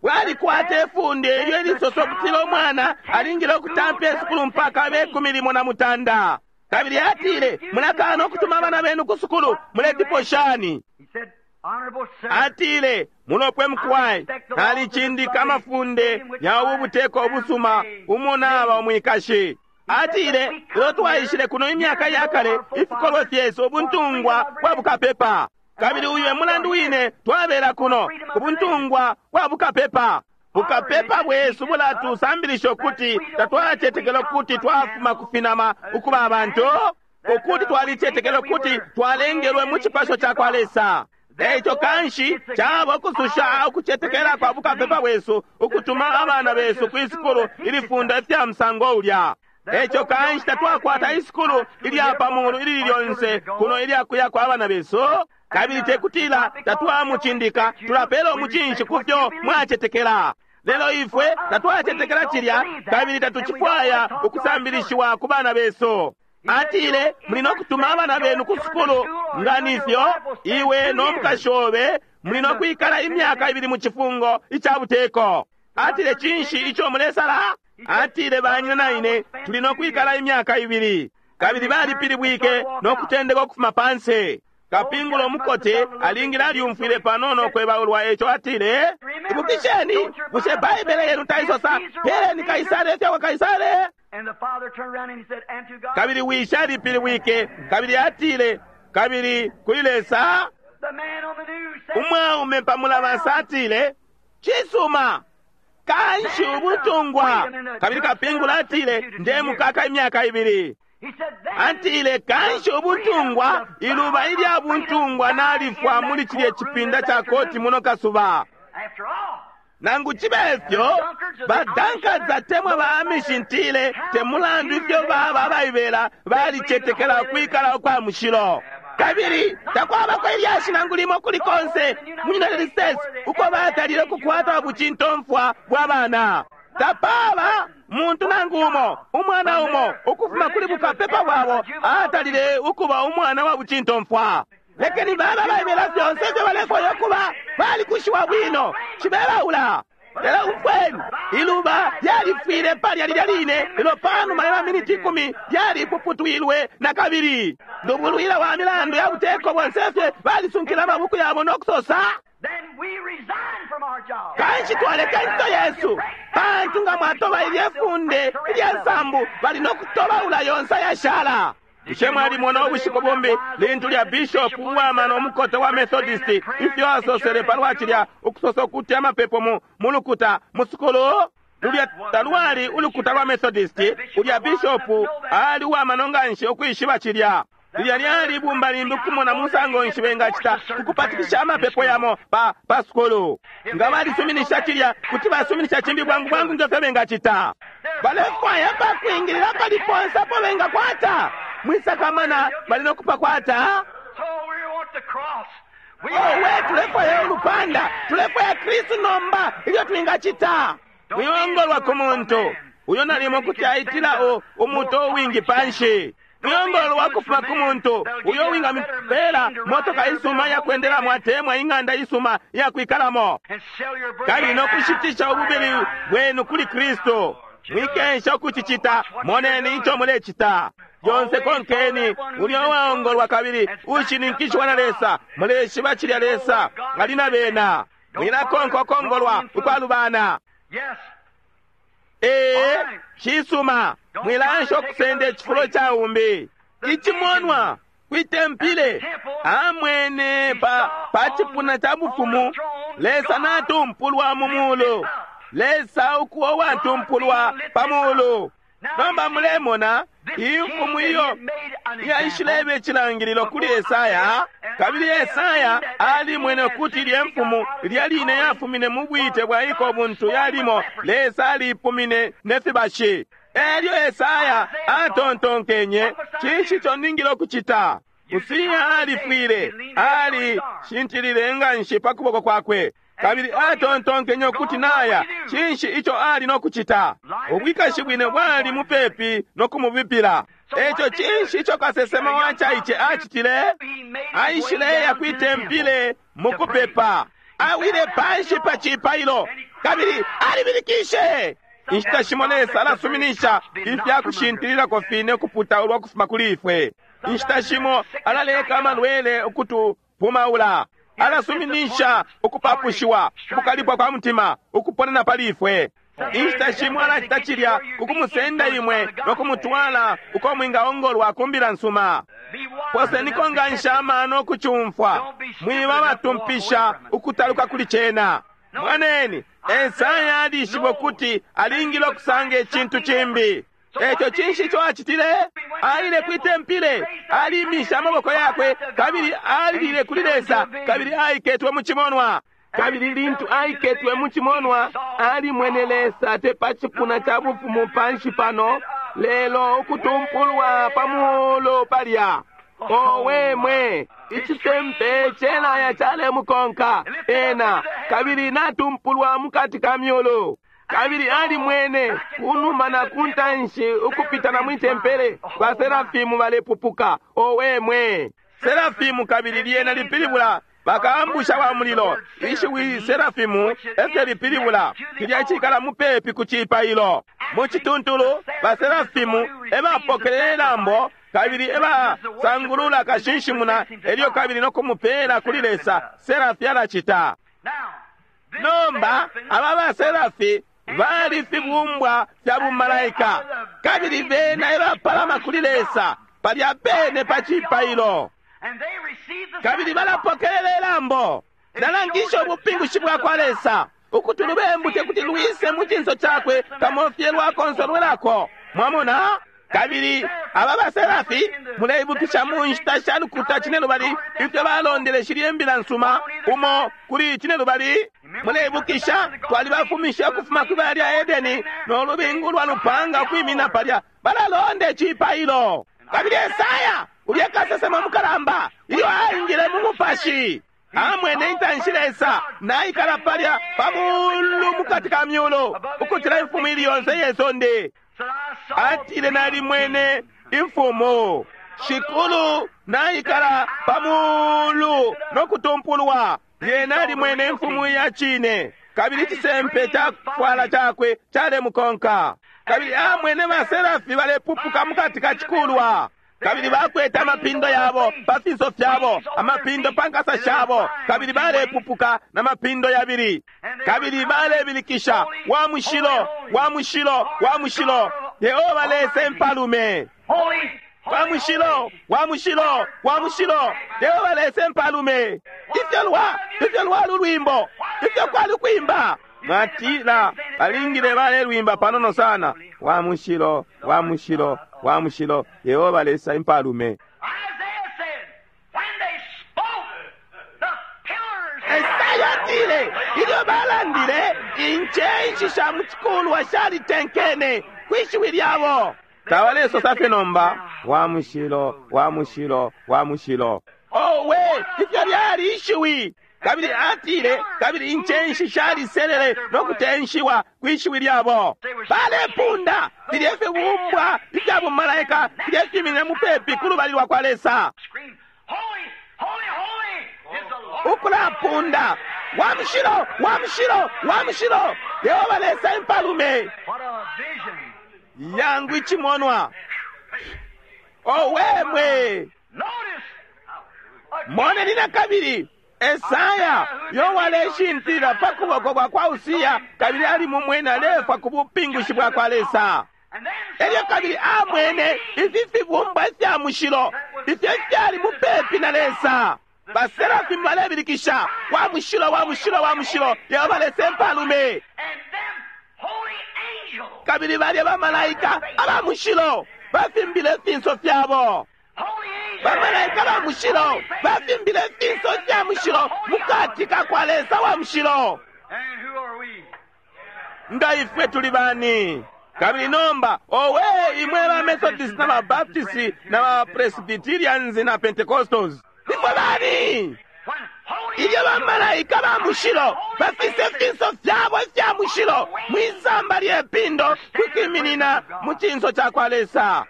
bwalikwata ifunde ilyo ilisosa ukutila umwana alingile ukutampa isukulu mpaka abe ikumi limo na mutanda. Kabili atile, mulakana ukutuma abana benu ku sukulu, muletipo shani? Atile, mulopwe mukwai, nalicindika amafunde ya ubu buteko ubusuma umo naba umwikashi. Atile, ilyo twaishile kuno imyaka ya kale, ifikolwe fyesu ubuntungwa bwa bukapepa. Kabili uyu e mulandu wine twabela kuno, ubuntungwa bwa bukapepa. Bukapepa bwesu bulatusambilisha ukuti tatwacetekela ukuti twafuma kufinama ukuba abantu, ukuti twalicetekela ukuti twalengelwe mu cipasho ca kwa Lesa. Eico kanshi caba ukususha ukucetekela kwa bukapepa bwesu ukutuma abana besu ku isukulu ilifunda ifya musango ulya. Eico kanshi tatwakwata isukulu ilya pamulu ilili lyonse kuno ilyakuya kwa abana besu. Kabili tekutila tatwamucindika, tulapela umucinshi kufyo mwacetekela. Lelo ifwe tatwacetekela cilya, kabili tatucifwaya ukusambilishiwa ku bana besu. Atile, muli no kutuma abana benu ku sukulu nga nifyo, iwe no mukashi obe muli no kwikala imyaka ibili mu cifungo ica buteko. Atile, cinshi ico mulesala? Atile, banyina na ine tuli no kwikala imyaka ibili. Kabili balipilibwike no kutendeka ukufuma panse. Kapingula omukote alingile alyumfwile panono kwebaulwa, eco atile, ibukisheni, bushe Baibele yenu taisosa peleni Kaisare ifya kwa Kaisare? Kabili wishi alipilibwike, kabili atile, kabili kuli Lesa. Umwaume pamulabasa atile, cisuma, kanshi ubutungwa. Kabili kapingula atile, ndemukaka imyaka ibili. Atile, kanshi ubutungwa, iluba ilya buntungwa nalifwa muli cilye cipinda ca koti muno kasuba. Nangu cibe fyo, badankaza temwa ba amishintile, te mulandu ifyo baba abaibela balicetekela ukwikala ukwa mushilo. Kabili takwabako ilyashi nangu limo kuli konse mu United States uko batalile ukukwata bucintomfwa bwa bana. Tapaba muntu nangu umo, umwana umo ukufuma kuli bukapepa bwabo atalile ukuba umwana wa bucintomfwa. Lekeni baba baibela fyonse ifyo balefwaya ukuba, balikushiwa bwino, cibebaula. Lelo umfweni, iluba lyalifwile palya lilya line, lelo panuma ya maminiti ikumi lyalipuputwilwe na kabili. Ndubulwila wa milandu ya buteko bonse fye balisunkila amabuku yabo no kusosa, kanshi twaleka incito yesu, pantu nga mwatoba ilye funde ilya nsambu bali no kutobaula yonse ayashala. Bushe mwalimona ubushiku bumbi lintu lya bishop uwamano umukote wa Methodist ifyo asosele palwa cilya ukusosa ukuti amapepo mu mulukuta musukulu? Lulya talwali ulukuta lwa Methodist, ulya bishop ali uwamano nganshi ukwishiba cilya. Lilya lyali ibumba limbi ukumona musango nshi bengacita ukupatikisha amapepo yamo pa pa sukulu. Nga balisuminisha cilya, kuti basuminisha cimbi bwangu bwangu nge fyo bengacita. Balefwaya pakwingilila pali ponse apo bengakwata. Mwisakamana bali no kupakwata. Owe, tulefwaya ulupanda, tulefwaya Kristu nomba ilyo twingacita. Mwiyongolwa ku muntu uyo nalimo kuti aitila umuto uwingi panshi. Mwiyongolwa kufuma ku muntu uyo wingamipela motoka isuma yakwendelamo atemwa ing'anda isuma yakwikalamo, kabili no kushitisha ububili bwenu kuli Kristu. Mwikensha ukucicita, moneni ico mulecita. Lyonse konkeni ulya uwaongolwa kabili ushininkishwa na Lesa. Muleshiba cilya Lesa ali na bena. Mwilakonka ukongolwa ukwalubana. Ee, cisuma. Mwilansha ukusenda icifulo ca umbi. Icimonwa kwitempile amwene pa, pa cipuna ca bufumu Lesa natumpulwa mu mulu. Lesa ukuwa watumpulwa pa mulu. Nomba mulemona imfumu iyo yaishileba icilangililo kuli Esaya, kabili Esaya alimwene ukuti ilye mfumu lya line yafumine mu bwite bwa iko buntu yalimo Lesa alipumine ne fibashi. Elyo Esaya atontonkenye, cinshi ico ningile ukucita? Usiya alifwile, alishintilile nganshi pa kuboko kwakwe. Kabili atontonkenye ukuti naya, cinshi ico ali no kucita? Ubwikashi bwine bwali mupepi no kumubipila. Eco cinshi ico kasesema wa caice acitile? Aishileya kwitempile mukupepa. Awile panshi pa cipailo, kabili alibilikishe. Inshita shimo Lesa alasuminisha ifya kushintililako fine ukuputaulwa ukufuma kuli ifwe. Inshita shimo alaleka amalwele ukutupumaula. Alasuminisha ukupapushiwa, ukukalipwa kwa mutima, ukuponena pali ifwe. Inshita shimo alacita cilya kukumusenda imwe no kumutwala uko mwingaongolwa ku mbila nsuma. Poseniko ngansha amano ukucumfwa, mwiba batumpisha ukutaluka kuli cena. Mwaneni, Esaya alishiba ukuti alingile ukusanga icintu cimbi. Eco cinshi ico acitile? Aile kwitempile, alimisha amaboko yakwe, kabili alilile kuli Lesa, kabili aiketwe mu cimonwa. Kabili lintu aiketwe mu cimonwa, alimwene Lesa te pa cipuna ca bufumu panshi pano, lelo ukutumpulwa pa mulu palya. Owe mwe, icisempe celaya calemukonka ena, kabili natumpulwa mukati ka myulu. Kabili alimwene kunuma na kuntanshi ukupitana mwitempele baserafimu balepupuka. Owe mwe, serafimu kabili lyena lipilibula bakaambusha wa mulilo. Ishiwi serafimu efyo lipilibula cilya cikala mupepi ku cipailo. Mu cituntulu baserafimu ebapokelela ilambo kabili ebasangulula kashinshimuna, elyo kabili no kumupela kuli Lesa. Serafi alacita. Nomba aba baserafi bali fibumbwa fya bumalaika, kabili bena ebapalama kuli Lesa palya pene pa cipailo, kabili balapokelela ilambo. Nalangisha ubupingushi bwa kwa Lesa ukuti lubembu tekuti lwise mu cinso cakwe kamofye lwakonsolwelako. Mwamona? Kabili aba baserafi muleibukisha mu nshita sha lukuta cinelubali ifyo balondele shilye mbila nsuma umo kuli cinelubali. Muleibukisha twalibafumisha ukufuma kwi bala lya Edeni no lubingu lwa lupanga ukwimina palya balalonda icipailo. Kabili Esaya ulya kasesema mukalamba ilyo aingile mu mupashi amwene intanshi Lesa naikala palya pa mulu mukati ka myulu ukucila imfumu ili yonse iye sonde. Atile nalimwene imfumu shikulu naikala pa mulu no kutumpulwa. Lyena alimwene imfumu ya cine, kabili icisempe cakufwala cakwe calemukonka. Kabili amwene baserafi balepupuka mukati ka cikulwa, kabili bakwete amapindo yabo pa finso fyabo, amapindo pa nkasa shabo, kabili balepupuka na mapindo yabili, kabili balebilikisha, wa mushilo, wa mushilo, wa mushilo, Yehova Lesa impalume. Wa mushilo, wa mushilo, wa mushilo, Yehova Lesa impalume. Ifyo lwa, ifyo lwali ulwimbo, ifyo kwali kwimba. Mwatila balingile balelwimba panono sana. Wa mushilo, wa mushilo, wa mushilo, Yehova Lesa impalume. Esaya atile ilyo balandile incenshi sha mu cikulwa shalitenkene kwishiwi lyabo. Tabalesosa fye nomba wa mushilo, wa mushilo, wa mushilo. Owe, ifyo lyali ishiwi! Kabili atile kabili incenshi shaliselele no kutenshiwa kwishiwi lyabo. Balepunda filye fibumbwa ifya bumalaika filye fimine mupepi ku lubali lwa kwa Lesa, ukulapunda wa mushilo, wa mushilo, wa mushilo, Yehova Lesa impalume. Yangu icimonwa. Owe mwe! Moneni na kabili Esaya yowaleshintilila pa kuboko kwa kwa Usiya, kabili ali mumwene alefwa ku bupingushi bwa kwa Lesa. Elyo kabili amwene ifi fibumbwa ifya mushilo ifyo fyali mupepi na Lesa. Baserafimu balebilikisha, wa mushilo, wa mushilo, wa mushilo, Yehova Lesa empalume. Kabili balya bamalaika aba mushilo bafimbile ifinso fyabo. Bamalaika ba mushilo bafimbile ifinso fya mushilo mukati ka kwa Lesa wa mushilo. Nga ifwe tuli bani? Kabili nomba owe imwe ba Methodist na ba Baptist na ba Presbyterians na Pentecostals, ifwe bani? Ilyo bamalaika ba mushilo bafise ifinso fyabo ifya mushilo mwisamba lye pindo kwikiminina mu cinso ca kwa Lesa.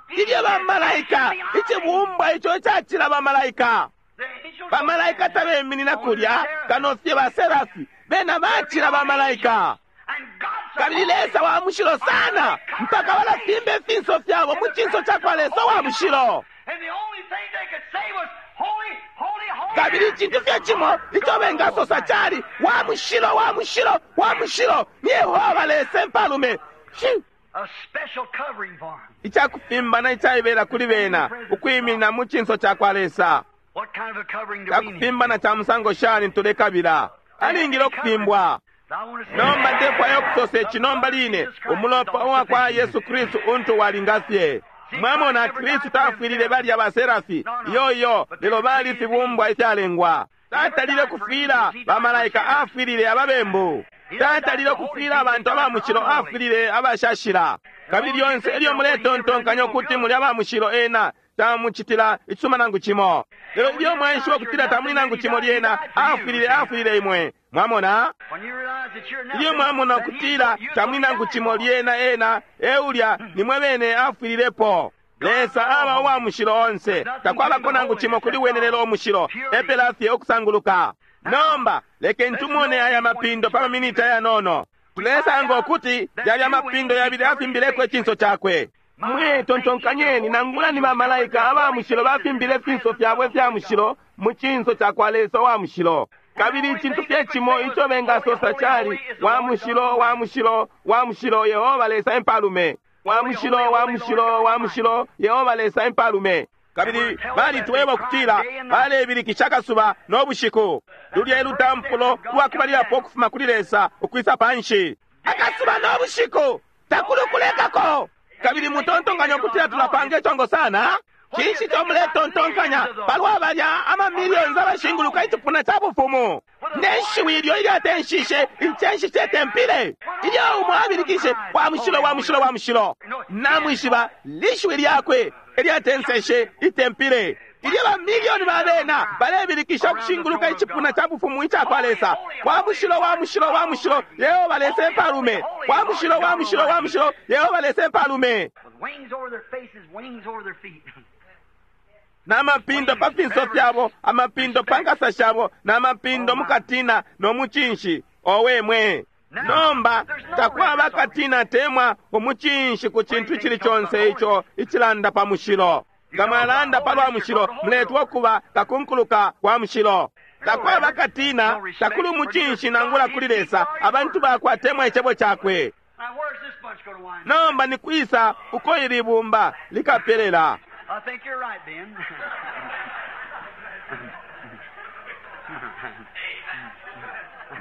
Ilyo bamalaika, icibumbwa ico cacila bamalaika, bamalaika tabeminina kulya kano fye baserafi bena bacila bamalaika. Kabili Lesa wa mushilo sana mpaka balafimba ifinso fyabo mu cinso ca kwa Lesa wa mushilo. Kabili icintu fye cimo ico bengasosa cali wa mushilo, wa mushilo, wa mushilo ni Yehova Lesa empalume. Icakufimbana icaibela kuli bena ukwiminina mu cinso ca kwa Lesa. Cakufimbana ca musango shani tulekabila? Alingile ukufimbwa. Nomba ndefwaya ukusosa ici nomba line, umulopa uwa kwa Yesu Kristu untu walinga fye. Mwamona, Kristu tafwilile balya baserafi, iyo iyo, lelo bali fibumbwa ifyalengwa. Tatalile kufwila bamalaika, afwilile ababembu. Tatalile kufwila abantu aba mushilo, afwilile abashashila. Kabili lyonse elyo muletontonkanya ukuti muli aba mushilo, ena tamucitila icisuma nangu cimo. Lelo ilyo mwaishiba ukutila tamuli nangu cimo, lyena afwilile, afwilile imwe. Mwamona, ilyo mwamona ukutila tamuli nangu cimo, lyena ena eulya nimwe bene afwililepo. Lesa aba uwa mushilo onse, takwabako nangu cimo kuli wene lelo umushilo, epela fye okusanguluka. Nomba lekeni tumone aya mapindo pa maminiti ayanono. Tulesanga ukuti yalya mapindo yabili afimbileko icinso cakwe. Mwe tontonkanyeni, nangula ni bamalaika aba mushilo bafimbile ifinso fyabo ifya mushilo mu cinso ca kwa Lesa wa mushilo. Kabili icintu fye cimo ico bengasosa cali wa mushilo, wa mushilo, wa mushilo, Yehova Lesa empalume. Wa mushilo, wa mushilo, wa mushilo, Yehova Lesa empalume. Kabili balitweba ukutila balebilikisha akasuba no bushiku. Lulya elutampulo lwakubalilapo ukufuma kuli Lesa ukwisa panshi. Akasuba no bushiku takuli ukulekako. Kabili mutontonkanya ukutila tulapanga icongo sana? Cinshi ico muletontonkanya palwa balya amamiliyoni abashinguluka icipuna ca bufumu? Ne shiwi ilyo ilyatenshishe incenshi ce tempile, ilyo umo abilikishe wa mushilo, wa mushilo, wa mushilo. Namwishiba lishiwi lyakwe ilyatenseshe itempile. Ilyo bamiliyoni ba bena balebilikisha ukushinguluka icipuna ca bufumu ica kwa Lesa, wa mushilo, wa mushilo, wa mushilo, Yehova Lesa empalume. Wa mushilo, wa mushilo, wa mushilo, Yehova Lesa empalume. Na mapindo pa finso fyabo, amapindo pa nkasa shabo, na mapindo mukatina no mucinshi. Owe mwe! Nomba takwaba katina temwa umucinshi ku cintu icili conse ico icilanda pa mushilo. Nga mwalanda palwa mushilo, muletwa ukuba kakunkuluka kwa mushilo. Takwaba katina, takuli umucinshi nangula kuli Lesa, abantu bakwatemwa icebo cakwe. Nomba ni kwisa uko ili bumba likapelela? I think you're right, Ben.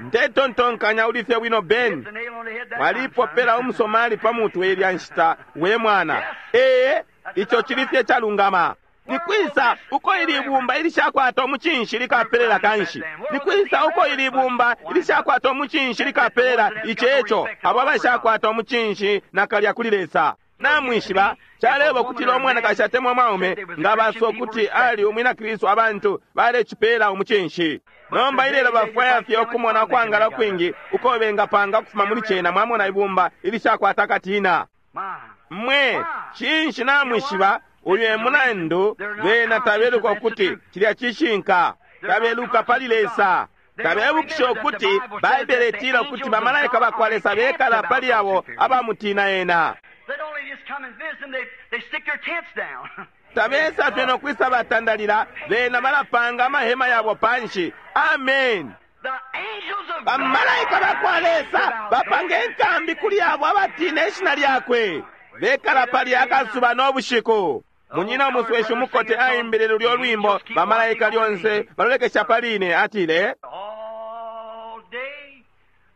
Ndetontonkanya uli fye bwino, Ben. The nail on the head that time, Walipopela son. umusomali pa mutwe ilya nshita, we mwana. Ee, ico cili fye calungama. Ni kwisa uko ili ibumba ilishakwata umucinshi likapelela kanshi? Ni kwisa uko ili ibumba ilishakwata umucinshi likapelela iceco abo abashakwata umucinshi nakalya kuli Lesa? Namwishiba caleba ukutila umwanakashi atemwa mwaume nga baso ukuti ali umwina Kristu, abantu balecipela umucinshi. Nomba ilelo bafwaya fye ukumona ukwangala kwingi uko bengapanga ukufuma muli cena. Mwamona ibumba ilishakwata katina. My. Mwe cinshi namwishiba uyu e mulandu bena tabeluka ukuti cilya cishinka, tabeluka pali Lesa, tabebukisha ukuti Baibele itila ukuti bamalaika bakwa Lesa bekala pali abo abamutina ena. They'd only just come and visit them, they, they stick their tents down. Tabesa fye nokwisa batandalila bena balapanga amahema yabo panshi. Amen. The angels of Bamalaika bakwa Lesa bapanga enkambi kuli abo abatina ishina lyakwe, bekala pali akasuba n'obushiku. Munyina umusweshi umukote aimbile lulyo lwimbo bamalaika lyonse balolekesha paline, atile all day.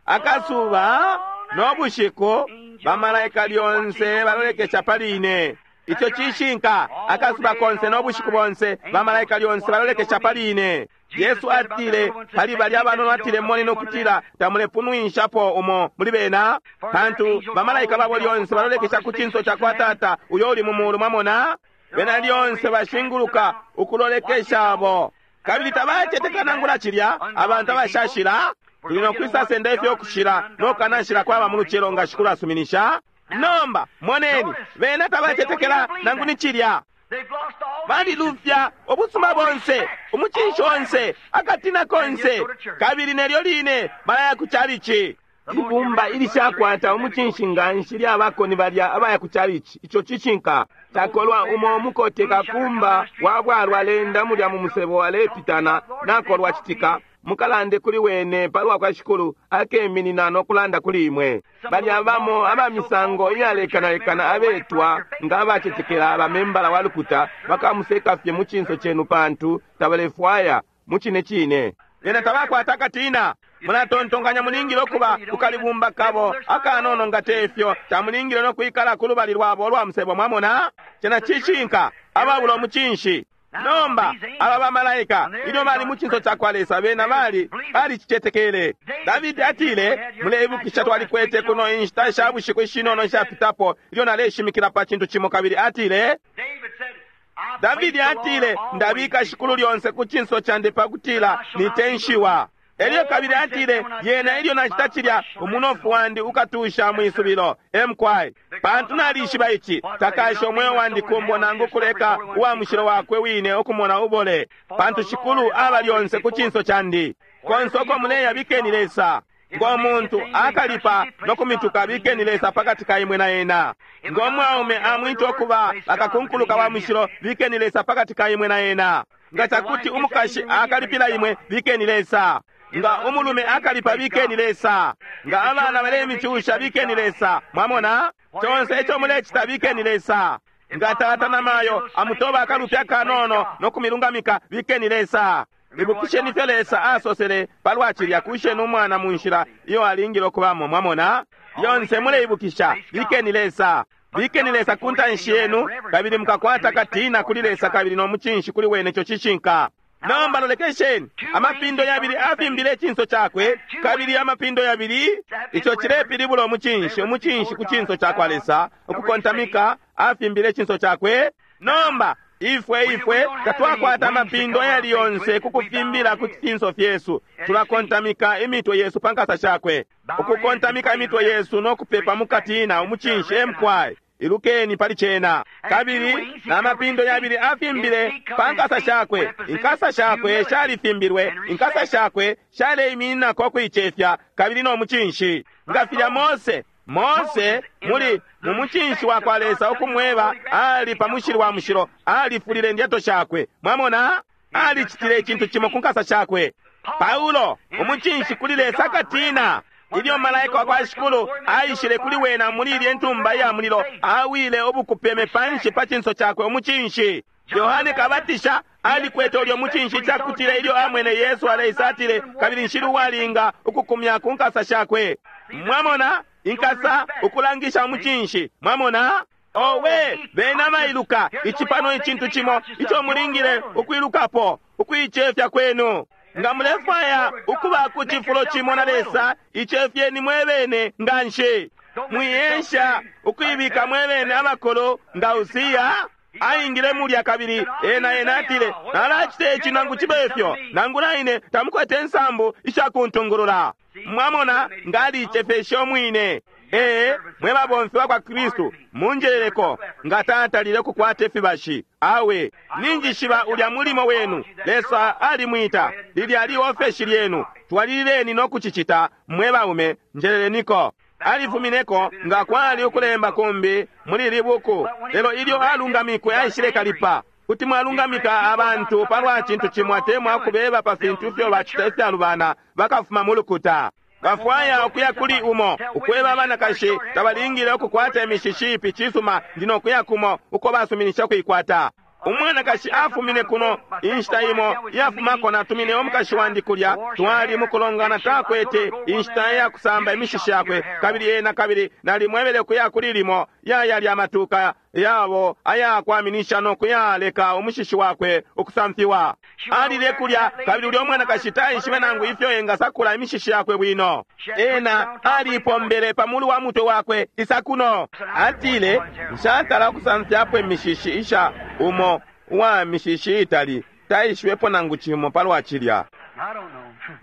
akasuba n'obushiku bamalaika lyonse balolekesha paline. Icho cishinka, akasuba konse n'obushiku bonse bamalaika lyonse balolekesha paline. Yesu atile pali balya abanono, atile moni nokutila tamulepunwinshapo umo muli bena, pantu bamalaika babo lyonse balolekesha ku cinso cakwa Tata uyo uli mu mulu. Mwamona, bena lyonse bashinguluka ukulolekesha abo, kabili tabacetekela nangula cilya. Abantu abashashila tuli nokwisasenda ifyo kushila nokanashila kwaba mu lucelo nga Shikulu asuminisha. Nomba moneni, bena tabacetekela nangu ni cilya. They've lost all Balilufya ubusuma bonse, umucinshi onse, akatina konse, kabili nelyo line balaya ku chalichi. Ibumba ilishakwata umucinshi nganshi lyabako ni balya abaya ku chalichi. Ico cishinka. Takolwa umo mukote kakumba wa bwalwa lenda mulya mu musebo alepitana nakolwa citika. Mukalande kuli wene palwa kwa Shikulu, akeminina nokulanda kuli imwe. Balya bamo aba misango iyalekanalekana abetwa nga abacetekela bamembala wa lukuta bakamuseka fye mu cinso cenu, pantu tabalefwaya mu cine cine. Bena tabakwata akatina. Mulatontonkanya mulingile ukuba kukalibumba kabo akanono, nga tefyo tamulingile nokwikala ku lubali lwabo olwa musebo. Mwamona, cena cishinka, ababula umucinshi. Nomba aba bamalaika ilyo bali mu cinso cakwa Lesa, bena bali balicicetekele. Davidi atile, muleibukisha twalikwete kuno inshita sha bushiku ishinono ishapitapo ilyo naleshimikila pa cintu cimo, kabili atile, David said, I Davidi place the Lord atile, always ndabika Shikulu lyonse ku cinso candi pakutila nitenshiwa. Elyo kabili atile, yena ilyo nacita cilya, umunofu wandi ukatusha mwisubilo emkwai, pantu nalishiba ici, takasha umweo wandi kumbo nangu kuleka uwa mushilo wakwe wine ukumona ubole, pantu Shikulu aba lyonse ku cinso candi. Konse uko muleya bikeni Lesa. Ngo muntu akalipa nokumituka, bikeni Lesa pakati ka imwe na ena. Ngo mwaume amwita okuba akakunkuluka wa mushilo, bikeni Lesa pakati ka imwe na ena. Nga cakuti umukashi akalipila imwe, bikeni Lesa. Nga umulume akalipa, bikeni Lesa. Nga abana balemicusha, bikeni Lesa. Mwamona, conse ico mulecita, bikeni Lesa. Nga tata na mayo amutoba akalupya kanono nokumilungamika, bikeni Lesa. Ibukisheni ifyo Lesa asosele palwa cilya, kusheni umwana mu nshila iyo alingile okubamo. Mwamona, lyonse muleibukisha, bikeni Lesa. Bikeni Lesa ku ntanshi yenu, kabili mukakwata katina kuli Lesa kabili n'omucinshi kuli wene. Ico cishinka. Nomba lolekesheni, amapindo yabili afimbile icinso cakwe, kabili amapindo yabili, ico cilepilibula umucinshi, umucinshi ku cinso cakwa Lesa, ukukontamika, afimbile icinso cakwe. Nomba ifwe ifwe tatwakwata amapindo ayali yonse kukufimbila ku cinso fyesu, tulakontamika imitwe yesu pa nkasa shakwe, ukukontamika imitwe yesu nokupepa mukatina umucinshi emkwai. Ilukeni pali cena. Kabili n'amapindo yabili afimbile pa nkasa shakwe, inkasa shakwe shalifimbilwe, inkasa shakwe shaleimininako kuicefya kabili n'omucinshi. Nga filya Mose Mose muli mu mucinshi wa kwa Lesa ukumweba ali pa mushili wa mushilo, alifulile indyato shakwe. Mwamona, alicitile icintu cimo ku nkasa shakwe. Paulo umucinshi kuli Lesa akatina. Ilyo malaika wa kwa Shikulu aishile kuli wena muli ilye ntumba iya mulilo, awile ubukupeme panshi pa cinso cakwe, umucinshi. Yohane Kabatisha alikwete ulyo mucinshi cakutila ilyo amwene Yesu aleisa, atile, kabili nshili uwalinga ukukumya ku nkasa shakwe. Mwamona, inkasa ukulangisha umucinshi. Mwamona, owe bena bailuka ici pano icintu cimo ico mulingile ukwilukapo, ukuicefya kwenu. Nga mulefwaya ukuba ku cifulo cimo na Lesa, icefyeni mwebene nganshi. Mwiyensha ukuibika mwebene abakulu nga Usiya aingile mulya, kabili ena ena atile, nalacita ici nangu cibe ifyo, nangu naine tamukwete nsambu ishakuntungulula. Mwamona, nga aliicefeshe umwine. Ee, mwe babomfi bakwa Kristu, munjeleleko nga tatalile kukwata ifibashi. Awe, ninjishiba ulya mulimo wenu. Lesa alimwita, lilya liofeshi lyenu. Twalilileni no kucicita, mwe baume, njeleleniko. Alifumineko nga kwali ukulemba kumbi muli ili buku, lelo ilyo alungamikwe aishile kalipa. Kuti mwalungamika abantu palwa cintu cimo atemwa ukubeba pa fintu ifyo bacita ifyalubana, bakafuma mu lukuta. Bafwaya ukuya kuli umo ukweba abanakashi tabalingile ukukwata imishishi ipi. Cisuma, ndi nokuya kumo uko basuminisha kuikwata. Umwanakashi afumine kuno inshita imo iyafumako, natumine umukashi wandi kulya, twali mukulongana, takwete inshita ya kusamba imishishi yakwe, kabili ena kabili nalimwebele kuya kuli limo yayali amatuka yabo ayakwaminisha no kuyaleka umushishi wakwe ukusamfiwa. Alile kulya, kabili ulya umwanakashi taishibe nangu ifyo engasakula imishishi yakwe bwino. Ena alipombele pa mulu wa mutwe wakwe isakuno. Atile, nshatala ukusamfyapo imishishi isha umo uwa mishishi itali, taishibepo nangu cimo palwa cilya.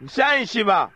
Nshaishiba.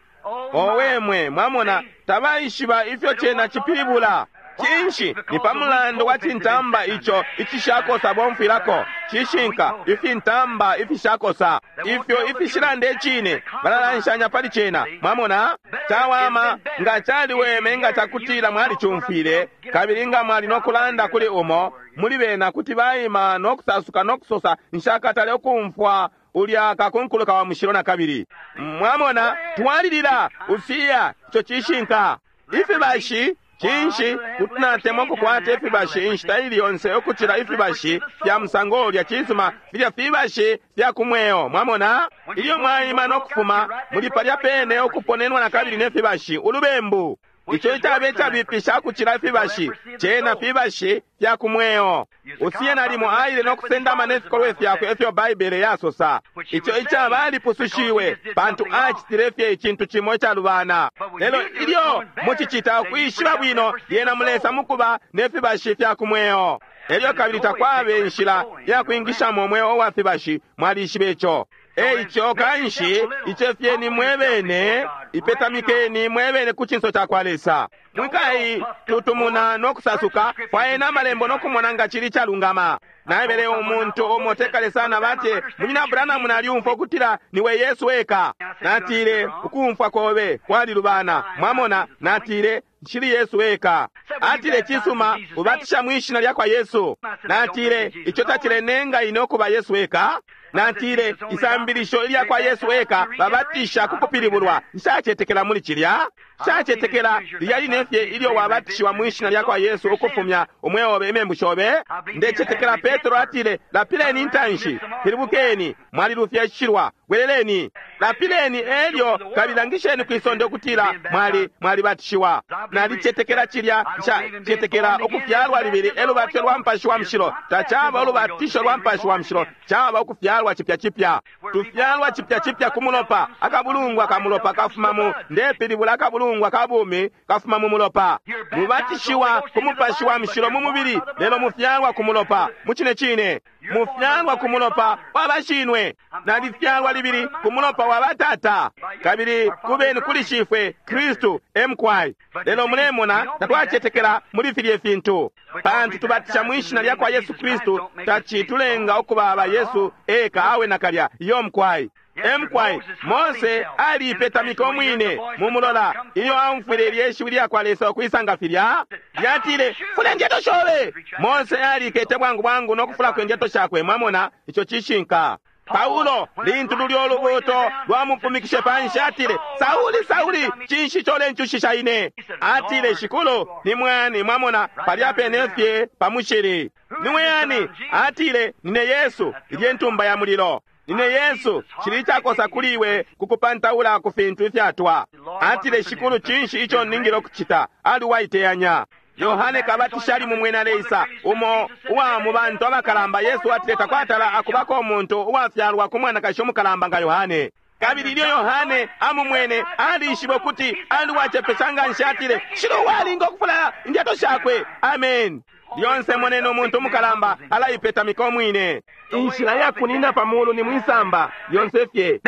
Owe mwe, mwamona, tabaishiba ifyo cena cipilibula. Cinshi? Ni pa mulandu wa cintamba ico icishakosa bomfwilako. Cishinka, ifintamba ifishakosa ifyo ifishilanda icine, balalanshanya pali cena. Mwamona, cawama nga caliweme nga cakutila mwalicumfwile, kabili nga mwali no kulanda kuli umo muli bena kuti baima no kusasuka no kusosa, nshakatale ukumfwa ulya kakunkuluka wa mushilo na kabili. Mwamona, twalilila usiya ico cishinka. Ifibashi cinshi? Kuti natemwa ukukwata ifibashi inshita ili yonse ukucila ifibashi fya musango ulya. Cisuma, filya fibashi fya kumweo. Mwamona, ilyo mwaima no kufuma muli palya pene ukuponenwa na kabili ne fibashi, ulubembu. Ico icabe icabipisha ukucila ifibashi, cena fibashi fya kumweo. Usiye nalimo aile no kusendama ne fikolwe fyakwe ifyo Baibele yasosa. Ico icaba alipusushiwe pantu acitile fye icintu cimo icalubana. Lelo ilyo mucicita ukwishiba bwino, lyena mulesa mukuba ne fibashi fya kumweo. Elyo kabili takwabe inshila ya kwingishamo umweo wa fibashi, mwalishiba ico. Eico kanshi icefyeni mwebene, ipetamikeni mwebene ku cinso cakwa Lesa. Mwikayi tutumuna no kusasuka, fwayeni amalembo no kumona nga cili calungama. Naebele umuntu umo tekale sana bati, Munyina Branham, nalyumfwa ukutila niwe Yesu eka. Natile, ukumfwa kobe kwalilubana. Mwamona, natile, nshili Yesu eka. Atile, cisuma, ubatisha mwishina lyakwa Yesu. Natile, ico tacilenenga ine ukuba Yesu eka. Natile, isambilisho ilyakwa Yesu eka babatisha kukupilibulwa. Nshacetekela muli cilya. Nshacetekela lilya line fye ilyo wabatishiwa mwishina lyakwa Yesu ukufumya umweo obe imembu shobe. Ndecetekela Petro atile, lapileni intanshi, pilibukeni, mwalilufya icishilwa, bweleleni, lapileni elyo kabili langisheni kwisonde ukutila mwali mwalibatishiwa. Nalicetekela cilya. Nshacetekela ukufyalwa libili elubatisho lwa Mupashi wa Mushilo. Tacaba ulubatisho lwa Mupashi wa Mushilo, caba ukufyalwa chipya chipya. Tufyalwa chipya chipya ku mulopa. Akabulungwa ka mulopa kafuma mu, ndepilibula akabulungwa ka bumi kafuma mu mulopa. Mubatishiwa ku Mupashi wa Mushilo mu mubili, lelo mufyalwa ku mulopa. Mucine cine mufyalwa ku mulopa wa bashinwe. Nalifyalwa libili ku mulopa wa batata, kabili kubeni kuli shifwe Kristu emkwai. Lelo mulemona tatwacetekela muli filye fintu, pantu tubatisha mwishina lyakwa Yesu Kristu tacitulenga ukuba aba Yesu eka awe nakalya. Iyo mkwai emkwai. Mose aliipetamika umwine mumulola iyo aumfwile ilye shiwi lyakwa Lesa ukwisanga filya, lyatile, fula indyato shobe. Mose alikete bwangu bwangu no kufulako indyato shakwe. Mwamona, ico cishinka. Paulo lintu lulyo ulubuto lwamupumikishe panshi, atile, Sauli, Sauli, cinshi colencushisha ine? Atile, Shikulu, ni mwani? Mwamona, palya pene fye pa mushili. Ni mwani? Atile, nine Yesu, ilye ntumba ya mulilo. Nine Yesu, cili icakosa kuli iwe kukupantaula ku fintu ifyatwa. Atile, Shikulu, cinshi ico ningile ukucita? Ali uwaiteyanya. Yohane Kabatisha ali mumwena Lesa, umo uwa mu bantu abakalamba. Yesu atile takwatala akubako umuntu uwafyalwa ku mwanakashi umukalamba nga Yohane. Kabili ilyo Yohane amumwene, alishibe ukuti ali uwacepesha nga nshi. Atile, shilo uwalinga ukufula indyato shakwe. Amen. Lyonse moneni umuntu umukalamba alaipetamika umwine. Inshila ya kunina pa mulu ni mwisamba lyonse fye.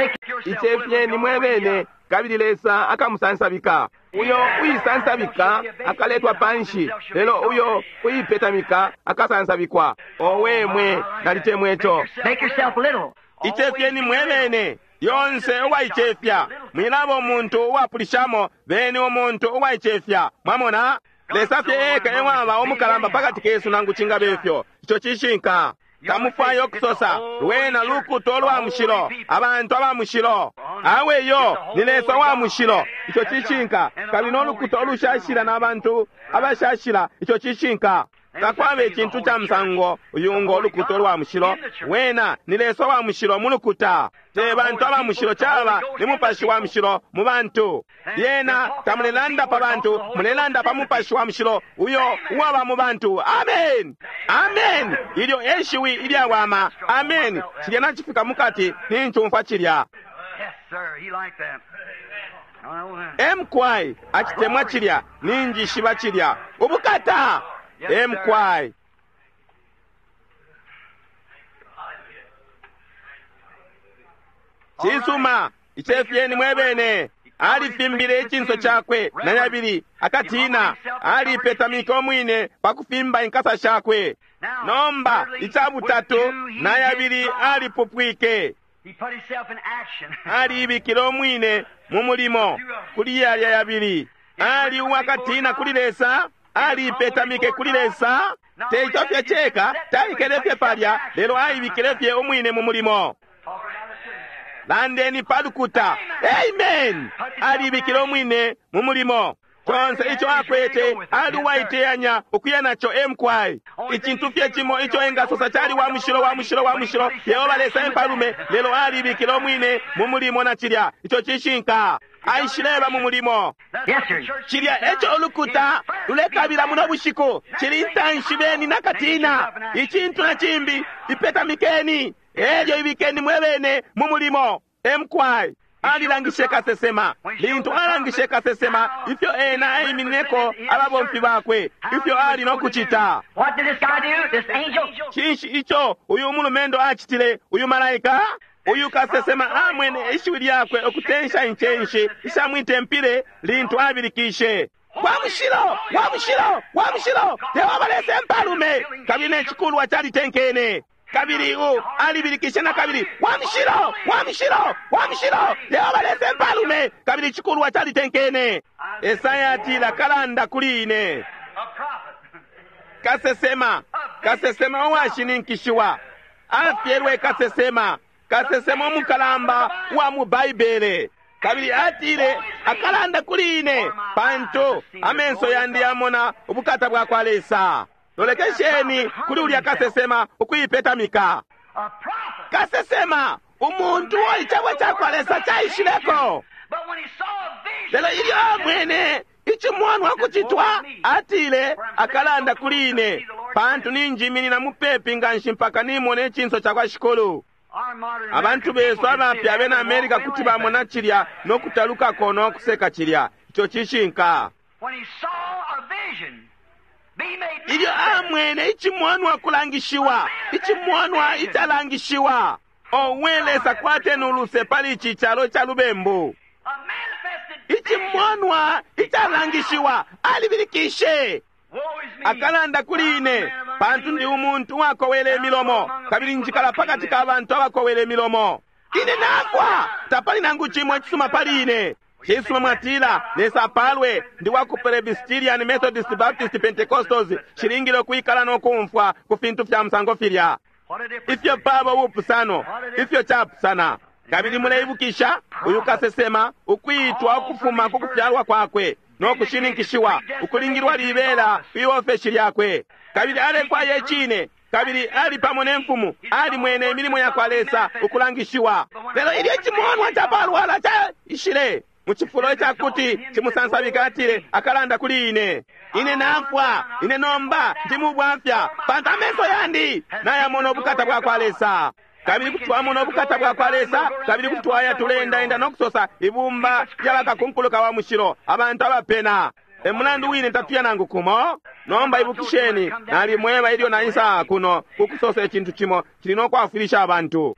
Icefye ni mwebene, kabili Lesa akamusansabika. Uyo uisansabika akaletwa panshi, lelo uyo uipetamika akasansabikwa. Owe mwe, nalitemwe ico. Make yourself little. Icefyeni mwebene, Yonse uwaicefya, mwilaba umuntu uwapulishamo, beni umuntu uwaicefya. Mwamona? Lesa fye eka ewaba umukalamba pakati kesu nangu cingabe ifyo. Ico cishinka. Tamufwayo kusosa lwena lukuto lwa mushilo, abantu aba mushilo. Awe yo ni Lesa wa mushilo, ico cishinka. Kabili no lukuto olushashila na bantu abashashila, ico cishinka. Takwaba icintu ca musango uyu ngo lukuto lwa mushilo. Wena ni Lesa wa mushilo mu lukuta. Te bantu aba mushilo, caba ni Mupashi wa mushilo mu bantu. Lyena tamulelanda pa bantu, mulelanda pa Mupashi wa mushilo uyo uwaba mu bantu. Amen, amen. Ilyo eshiwi ilyawama. Amen. Cilya nacifika mukati, nincumfwa cilya. Emkwai acitemwa cilya, ninjishiba cilya. Ubukata. Emkwai. Cisuma, icefyeni mwebene. Alifimbile icinso cakwe na yabili akatina. Alipetamike omwine pa kufimba inkasa shakwe. Nomba ica butatu na yabili alipupwike. Aliibikile omwine mu mulimo kuli yalya yabili. Ali uwakatina kuli Lesa, alipetamike kuli Lesa. Teico fye ceka, taikele fye palya, lelo aibikile fye umwine mu mulimo. Landeni palukuta. Amen. Alibikile umwine mu mulimo. Conse ico akwete ali uwaiteyanya ukuya naco emkwai. Icintu fye cimo ico engasosa cali wa mushilo, wa mushilo, wa mushilo, Yehova Lesa empalume, lelo alibikile umwine mu mulimo na cilya. Ico cishinka. Aishileba mu mulimo. Cilya eco ulukuta lulekabila muno bushiku. Cili intanshi beni nakatina. Icintu na cimbi, ipetamikeni elyo ibikeni mwebene mu mulimo. Emkwai. Alilangishe kasesema. Lintu alangishe kasesema ifyo ena aiminineko ababomfi bakwe, ifyo ali no kucita. Cinshi ico uyu mulumendo acitile, uyu malaika? Uyu kasesema amwene ishiwi lyakwe ukutensha incenshi isha mwitempile lintu abilikishe, wa mushilo, wa mushilo, wa mushilo, Yehova Lesa empalume. Kabili ne cikulwa calitenkene. Kabili u alibilikishe na kabili, wa mushilo, wa mushilo, wa mushilo, Yehova Lesa empalume. Kabili icikulwa calitenkene. Esaya atila, kalanda kuli ine. Kasesema, kasesema uwashininkishiwa, afyelwe kasesema, kasesema umukalamba wa mu Baibele. Kabili atile, akalanda kuli ine, pantu amenso yandi yamona ubukata bwa kwa Lesa. Lolekesheni kuli ulya kasesema ukuipetamika. Kasesema, umuntu uo icebo ca kwa Lesa caishileko. Lelo ilyo amwene icimonwa kucitwa, atile, akalanda kuli ine, pantu ninjiminina mupepi nganshi mpaka nimona icinso ca kwa Shikulu. Abantu besu abapya abena Amerika kuti bamona cilya no kutalukako no kuseka cilya. Ico cishinka. Ilyo amwene icimonwa kulangishiwa, icimonwa icalangishiwa. Owe Lesa, kwateni uluse pali ici calo ca lubembu. Icimonwa icalangishiwa, alibilikishe, akalanda kuli ine, pantu ndi umuntu uwakowele imilomo, kabili njikala pakati ka bantu abakowele imilomo. Ine nafwa, tapali nangu cimo icisuma pali ine. Cisuma mwatila, Lesa apalwe, ndi wa ku Presbyterian, Methodist, Baptist, Pentecostals, shilingile ukwikala no kumfwa ku fintu fya musango filya. Ifyo paba ubupusano, ifyo capusana. Kabili muleibukisha uyu kasesema ukwitwa ukufuma ku kufyalwa kwakwe no kushininkishiwa ukulingilwa libela kwi ofeshi lyakwe. Kabili alefwaya icine, kabili ali pamo ne mfumu, alimwene imilimo ya kwa Lesa ukulangishiwa. Lelo ilyo icimonwa capalwala caishile mu cifulo icakuti cimusansabika, atile, akalanda kuli ine, ine nafwa, ine nomba ndi mubwafya, pantu amenso yandi nayamona ubukata bwa kwa Lesa. Kabili kuti twamona ubukata bwa kwa Lesa, kabili kuti twaya tuleendaenda no kusosa ibumba lyabakakunkuluka wa mushilo, abantu abapena. E mulandu wine tatuya nangu kumo. Nomba ibukisheni, nalimweba ilyo naisa kuno kukusosa icintu cimo cili no kwafwilisha abantu.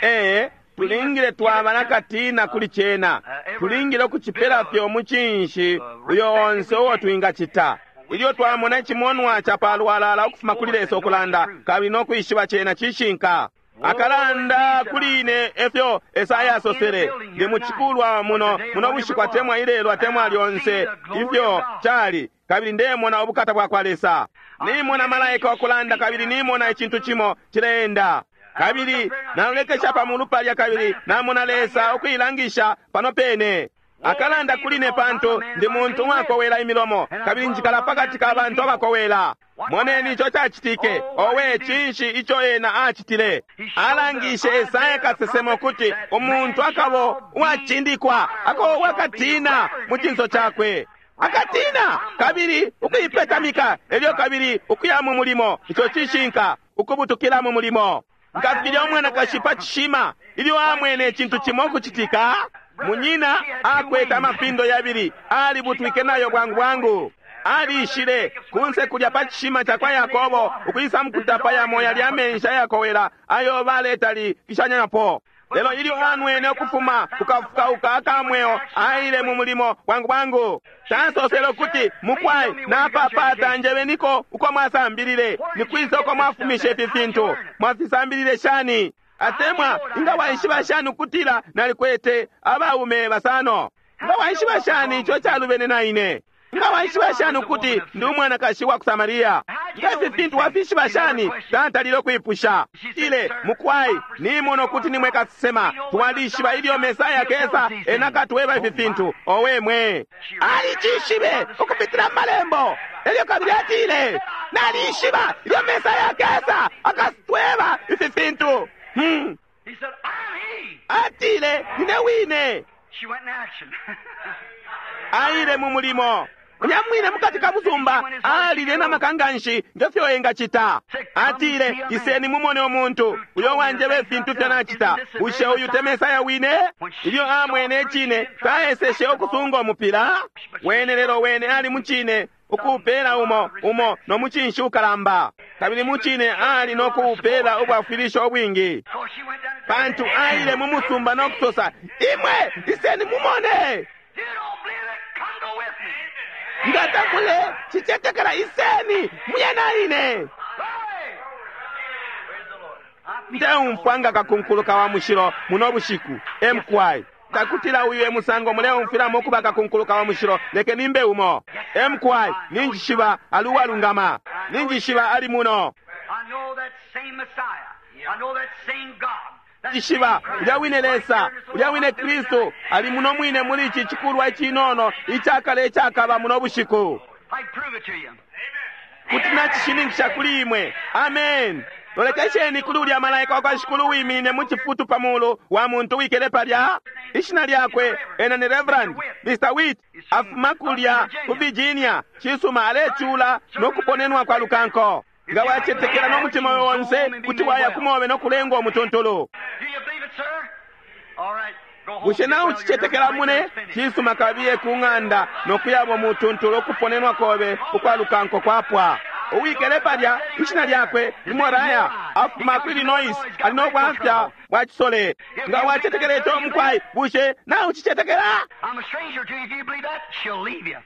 Ee, tulingile twaba nakatina kuli cena, tulingile ukucipela fye umucinshi uyo onse uo twingacita. Ilyo twamona icimonwa ca palwalala ukufuma kuli Lesa ukulanda, kabili no kwishiba cena cishinka. Akalanda kuli ine efyo Esaya asosele, ndi mucikulwa muno muno bushiku atemwa ilelo atemwa lyonse ifyo cali, kabili ndemona ubukata bwa kwa Lesa. Nimona malaika okulanda kabili nimona icintu cimo cileenda. Kabili nalolekesha pa mulu palya kabili namona Lesa ukuilangisha pano pene. Akalanda kuli ne pantu ndi muntu uwakowela imilomo kabili njikala pakati ka bantu abakowela. Moneni ico cacitike. Owe, cinshi ico ena acitile? Alangishe Esaya kasesema ukuti umuntu akabo uwacindikwa, ako uwakatina mu cinso cakwe. Akatina kabili ukuipetamika, elyo kabili ukuya mu mulimo. Ico cishinka, ukubutukila mu mulimo. Nga filya umwanakashi pa cishima ilyo amwene icintu cimo ukucitika, munyina akwete amapindo yabili, alibutwike nayo bwangu bwangu. Alishile kunse kulya pa cishima ca kwa Yakobo ukwisa mukutapa yamo yali amenshi ayakowela ayo baletalikishanyapo. Lelo ilyo anwene ukufuma kukafukauka akamweo, aile mu mulimo bwangu bwangu. Tasosele ukuti, mukwai napapata njebeniko uko mwasambilile, nikwisa uko mwafumishe ifi fintu, mwafisambilile shani? Atemwa inga waishiba shani ukutila nalikwete abaume basano? Nga waishiba shani ico calubene na ine? Nga waishiba shani ukuti ndi umwanakashi wa ku Samaria? Nga ifi fintu wafishiba shani? Tatalile ukuipusha. Ile mukwai nimona ukuti nimwe kasesema, twalishiba ilyo Mesaya kesa ena katweba ifi fintu. Owe mwe, alicishibe ukupitila mu malembo. Elyo kabili atile, nalishiba ilyo Mesaya kesa akatweba ifi fintu. Hmm. He said, I'm he. Atile, nine wine. She went in action. Aile mu mulimo. Nyamwine mukati ka musumba alile na makanganshi ngefyo engacita. Atile, iseni mumone umuntu uyo wanjeba ifintu fyo nacita. Bushe uyu te Mesaya wine? Ilyo amwene icine, taeseshe ukusunga umupila. Wene lelo wene ali mucine ukuupela umo umo no mucinshi ukalamba, kabili mucine ali no kuupela ubwafwilisho ubwingi, Because she went down and pantu aile mu musumba no kusosa, imwe iseni mumone. You don't believe it? Come go with me. Nga tamule cicetekela, iseni muye na ine. Hey! Ndeumfwa nga kakunkuluka wa mushilo muno bushiku emkwai takutila uyu emusango muleumfwilamo ukuba kakunkuluka wa mushilo, leke nimbe umo emkwai. Ninjishiba ali uwalungama, ninjishiba ali muno, I know that same Messiah. I know that same God. That njishiba same ulya wine Christ Lesa, right here in this ulya wine little Kristu ali muno mwine muli ici cikulwa icinono icakale icakaba muno bushiku. I prove it to you. Kuti nacishininkisha kuli imwe. Amen. Lolekesheni kuli ulya malaika wa kwa Shikulu wimine mu cifutu pa mulu wa muntu wikele palya. Ishina lyakwe ena ni Reverend Mister Witt, afuma kulya ku Virginia. Cisuma, alecula no kuponenwa kwa lukanko. Nga wacetekela no mutima onse kuti waya kumobe no kulengwa umutuntulu. Do you believe it, sir? All right. Go home. Bushe Get nawe well. Your ucicetekela nerves mune? are finished. Cisuma, kabiye ku ng'anda no kuyabo mutuntulu okuponenwa kobe ukwa lukanko kwapwa. Uwikele palya, ishina lyakwe ni Moraya, afuma ku Illinois, ali no bwafya bwa cisole. Nga wacetekela ico mukwai, bushe nawe ucicetekela? I'm a stranger to you. If you believe that, she'll leave you.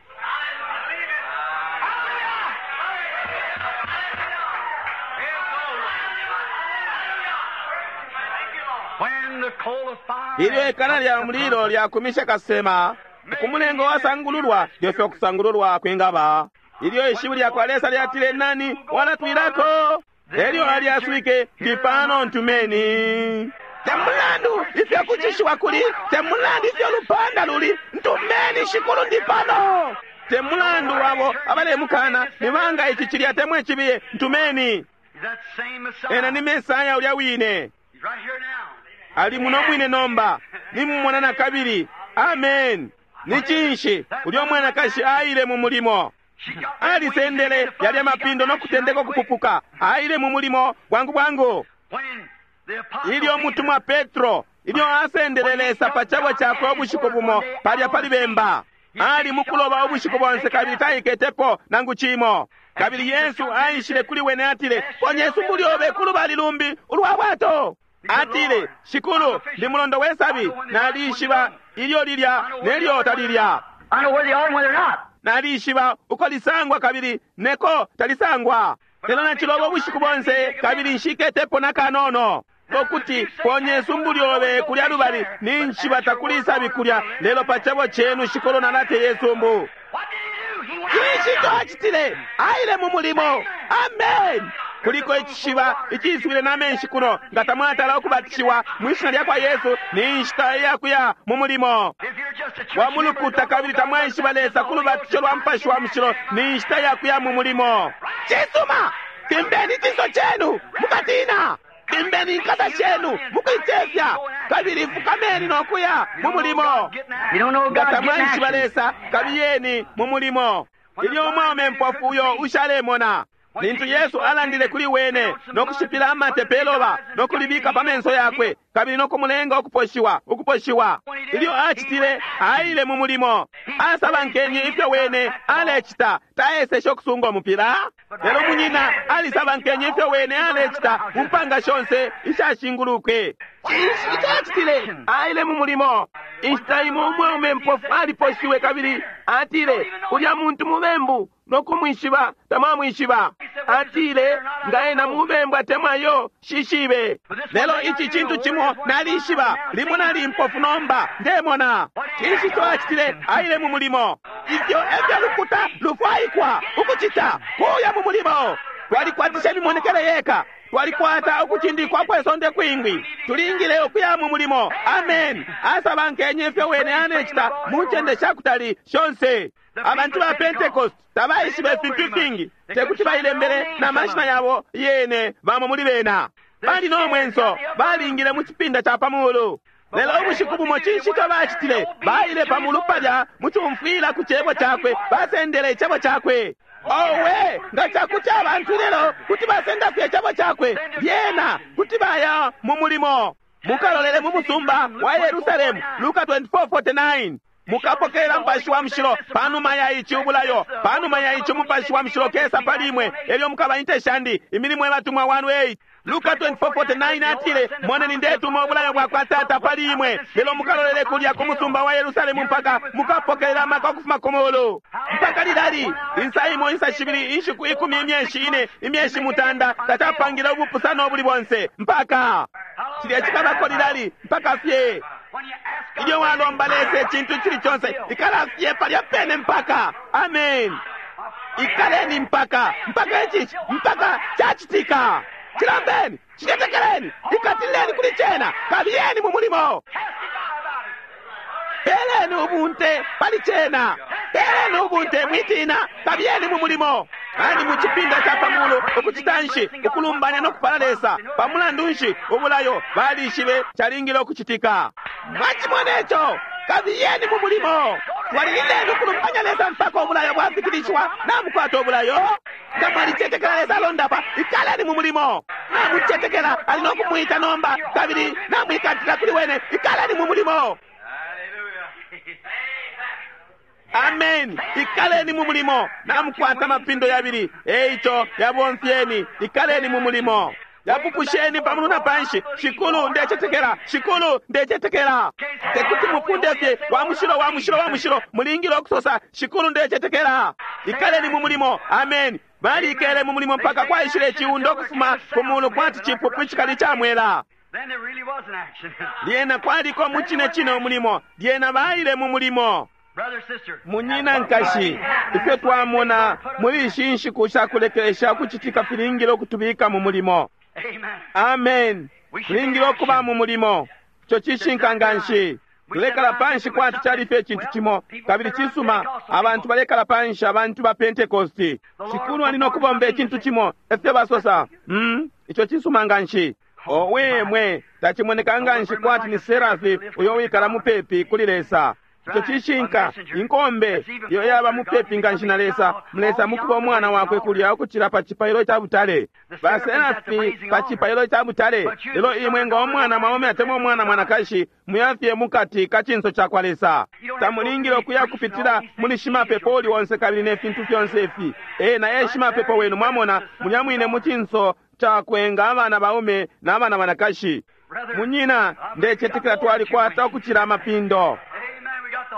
When the coal of fire Ilyo ikana lya mulilo lyakumisha kasema, kumulengo wasangululwa, lyofyo kusangululwa kwingaba. Ilyo ishiwi lya kwa Lesa lyatile, nani walatwilako? Elyo alyaswike, ndi pano ntumeni. Temulandu ifyo kucishiwa kuli, temulandu ifyo lupanda luli, ntumeni Shikulu ndi pano. Temulandu wabo abalemukana, nibanga ici cilya temwe cibiye, ntumeni. Is that same Messiah. Ena ni Mesaya ulya wine. He's right here now. Ali muno mwine nomba, nimumona na kabili. Amen. Ni cinshi ulya mwanakashi aile mu mulimo? She got Alisendele yalya mapindo no kutendeka ukupupuka. Aile mu mulimo bwangu bwangu. When the apostle Ilyo mutumwa Petro ilyo asendele Lesa pa cabo cakwe ubushiku bumo palya pali bemba, ali mukuloba ubushiku bonse kabili taiketepo nangu cimo. Kabili Yesu aishile kuli wene atile, ponye isumbu lyobe ku lubali lumbi ulwa bwato. Atile, Shikulu, ndi mulondo we sabi, nalishiba ilyo lilya nelyo talilya. I know where they are and where they're not. Nalishiba uko lisangwa kabili neko talisangwa. Lelo naciloba ubushiku bonse kabili nshiketepo na kanono. Ukuti ponye isumbu lyobe kulya lubali, ninshi batakuli isabi kulya, lelo pa cebo chenu shikolo nalateye isumbu. Cinshi ico acitile? Aile mu mulimo. Amen. Kuliko icishiba iciswile na menshi kuno, nga tamwatala ukubatishiwa mwishina lya kwa Yesu, ni nshita iyakuya mu mulimo wa mulukuta, kabili tamwaishiba Lesa ku lubatisho lwa Mupashi wa Mushilo, ni nshita iyakuya mu mulimo. Cisuma, timbeni icinso cenu mukatina, timbeni inkasa shenu mukuicefya, kabili fukameni no kuya mu mulimo. Nga tamwaishiba Lesa, kabiyeni mu mulimo. Ilyo umwaume mpofu uyo ushalemona, lintu Yesu alandile kuli wene no kushipila amate peloba no kulibika pa menso yakwe kabili no kumulenga ukuposhiwa ukuposhiwa, ilyo acitile aile mu mulimo. Asabankenye ifyo wene alecita, taeseshe ukusunga umupila, lelo munyina alisabankenye ifyo wene alecita mu mpanga shonse ishashingulukwe. Cinshi ico acitile? Aile mu mulimo. Inshita imo umwaume mpofu aliposhiwe kabili atile, ulya muntu mubembu, no kumwishiba tamwamwishiba. Atile, nga ena mubembu atemwa yo shishibe, lelo ici cintu cimo nalishiba, limo nali mpofu nomba ndemona. Cinshi ico acitile? Aile mu mulimo. Ifyo efyo lukuta lufwaikwa ukucita, kuya mu mulimo. Twalikwatisha imimonekele yeka, twalikwata ukucindikwa kwesonde kwingi, tulingile ukuya mu mulimo. Amen. Asabankenye ifyo wene anecita mu ncende shakutali shonse. Abantu ba Pentecost tabaishiba ifintu ifingi, tekuti bailembele na mashina yabo yene. Bamo muli bena bali no mwenso, balingile mu cipinda ca pa mulu. Lelo ubushiku bumo cinshi ico bacitile? Baile pa mulu palya mucumfwila ku cebo cakwe, basendele icebo cakwe. Owe, nga cakuti abantu lelo kuti basenda fye icebo cakwe, lyena kuti baya mu mulimo. Mukalolele mu musumba wa Yerusalemu, Luka twenty-four forty-nine. Mukapokelela Mupashi wa Mushilo panuma ya ici ubulayo, panuma ya ici Mupashi wa Mushilo kesa pali imwe, elyo mukaba inte shandi. Imilimo yabatumwa one eight. Luka twenty-four forty-nine atile, moneni ndetuma ubulayo bwa kwa Tata pali imwe, lelo mukalolele kulya ku musumba wa Yerusalemu mpaka mukapokelela amaka ukufuma ku mulu. Mpaka lilali? Insa imo, insa shibili, inshiku ikumi, imyeshi ine, imyeshi mutanda, tacapangile ubupusano ubuli bonse mpaka cilya cikabako lilali? Mpaka fye ilyo walomba Lesa icintu cili conse, ikala fye palya pene mpaka. Amen. Ikaleni mpaka, mpaka ici, mpaka cacitika. Cilambeni, cicetekeleni, ikatileni kuli cena, kabiyeni mu mulimo. Peleni ubunte pali cena, peleni ubunte, mwitina, kabiyeni mu mulimo. Bali mu cipinda ca pamulu ukucita nshi? Ukulumbanya no kupala Lesa. Pamulandu nshi? Ubulayo balishibe calingile ukucitika. Mwacimona ico? Kabiyeni mu mulimo. Twalilileni ukulumbanya Lesa mpaka ubulayo bwafikilishiwa. Namukwata ubulayo. Nga mwalicetekela Lesa alondapa, ikaleni mu mulimo. Namucetekela ali no kumwita nomba, kabili namwikatila kuli wene, ikaleni mu mulimo. Amen. Ikaleni mu mulimo. Namukwata mapindo yabili, eico yabomfyeni. Ikaleni mu mulimo. Yapupusheni pamulu na panshi. Shikulu ndecetekela, shikulu ndecetekela. Tekuti mufunde fye wa mushilo, wa mushilo, wa mushilo, mulingile okusosa shikulu ndecetekela. Ikaleni mu mulimo. Amen. Balikele mu mulimo mpaka kwaishile iciundo ukufuma ku mulu kwati cipupu icikali ca mwela. Lyena kwaliko mu cine cine umulimo. Lyena baile mu mulimo. Munyina nkashi, ifyo twamona muli ishi nshiku shakulekelesha ukucitika filingile ukutubika mu mulimo. Amen. Tulingile ukuba mu mulimo. Ico cishinka nganshi. Tulekala panshi kwati cali fye icintu cimo, kabili cisuma abantu balekala panshi, abantu ba Pentecosti. Shikulu ali no kubomba icintu cimo, efyo basosa. Mm, ico cisuma nganshi. Owe mwe, tacimoneka nganshi kwati ni Serafi uyo wikala mupepi kuli Lesa. Ico cishinka, inkombe iyo yaba mupepi nganshi na Lesa, Mulesa mukuba umwana wakwe kulya ukucila pa cipailo ca butale. Ba Serafi pa cipailo ca butale, lelo imwe nga umwana mwaume atemwa umwana mwanakashi, muyafye mukati ka cinso ca kwa Lesa. Tamulingile ukuya kupitila muli shimapepo uli onse kabili ne fintu fyonse ifi. Ena e shimapepo wenu, mwamona, mulya mwine mu cinso cakwe nga abana baume na abana banakashi. Munyina, ndecetekela twalikwata ukucila amapindo.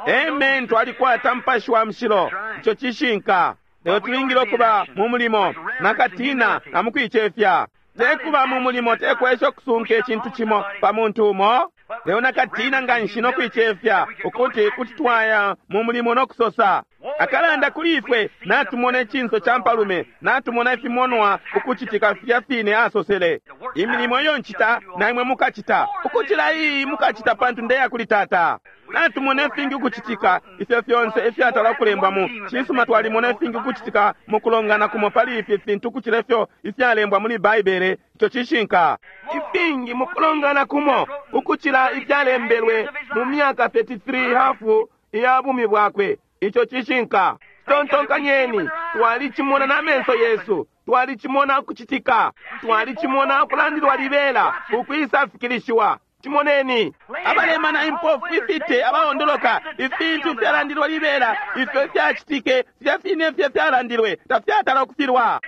Amen, twalikwata Mupashi wa Mushilo. Ico cishinka. Lelo tulingile ukuba mu mulimo nakatina na mukuicefya. Tekuba mu mulimo tekwesha ukusunka icintu cimo pa muntu umo, lelo nakatina nganshi nokuicefya ukuti kuti twaya mu mulimo nokusosa. Akalanda kuli ifwe, natumona icinso ca mpalume, natumona ifimonwa ukucitika filya fine asosele. Imilimo iyo ncita na imwe mukacita, ukucila iyi mukacita pantu ndeya kuli Tata. Natumona ifingi ukucitika, ifyo fyonse ifyatala ukulembwa mu cisuma. Twalimona ifingi ukucitika mu kulongana kumo pali ifi fintu ukucila ifyo ifyalembwa muli Baibele. Ico cishinka. Ifingi mu kulongana kumo ukucila ifyalembelwe mu myaka thirty-three hafu iya bumi bwakwe. Ico cishinka. Tontonkanyeni, twalicimona na menso yesu, twalicimona ukucitika, twalicimona ukulandilwa libela ukwisa fikilishiwa. Cimoneni abalemana, impofu, ifite, abaondoloka, ifintu fyalandilwa libela ifyo ifyacitike filya fine ifyo fyalandilwe tafyatala ukufilwa.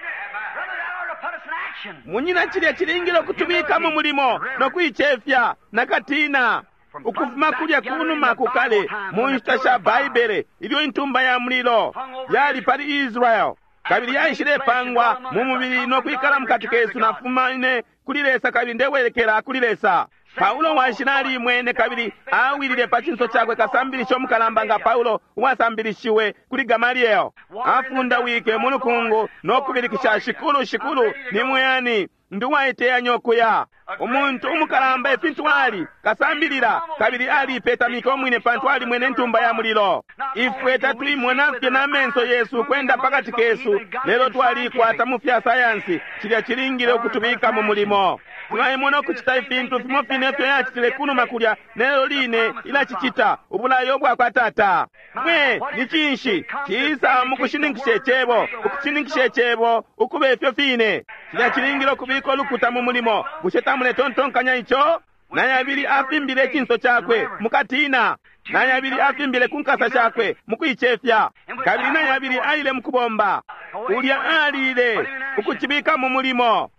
Munyina, cilya cilingile ukutubika mu mulimo nokuicefya nakatina. Ukufuma kulya kunuma kukale mu nshita sha Baibele, ilyo intumba ya mulilo yali pali Israel kabili yaishilepangwa mu mubili nokwikala mukati kesu, nafuma ine kuli Lesa kabili ndewelekela kuli Lesa. Paulo washila alimwene kabili awilile pa cinso cakwe. Kasambilisho omukalamba nga Paulo uwasambilishiwe kuli Gamaliel afundawike mu lukungu nokubilikisha, Shikulu, Shikulu, ni mweyani ndi uwaiteyanya ukuya. Umuntu umukalamba ifintu ali kasambilila kabili aliipetamika umwine pantu alimwene intumba ya mulilo. Ifwe tatuimona fye na menso yesu kwenda pakati kesu, lelo twaliikwata mu fya sayansi. Cilya cilingile ukutubika mu mulimo. Twaimona ukucita ifintu fimo fine ifyo yacitile kunuma kulya, nelyo line ilacicita ubulayo bwa kwa Tata. Mwe ni cinshi ciisa mu kushininkisha icebo, ukushininkisha icebo ukuba ifyo fine. Cilya cilingile ukubika ulukuta mu mulimo. Bushe tamuletontonkanya ico? Na yabili afimbile icinso cakwe mukatina, na yabili afimbile ku nkasa shakwe mukuicefya, kabili na yabili aile mukubomba. Ulya alile ukucibika mu mulimo.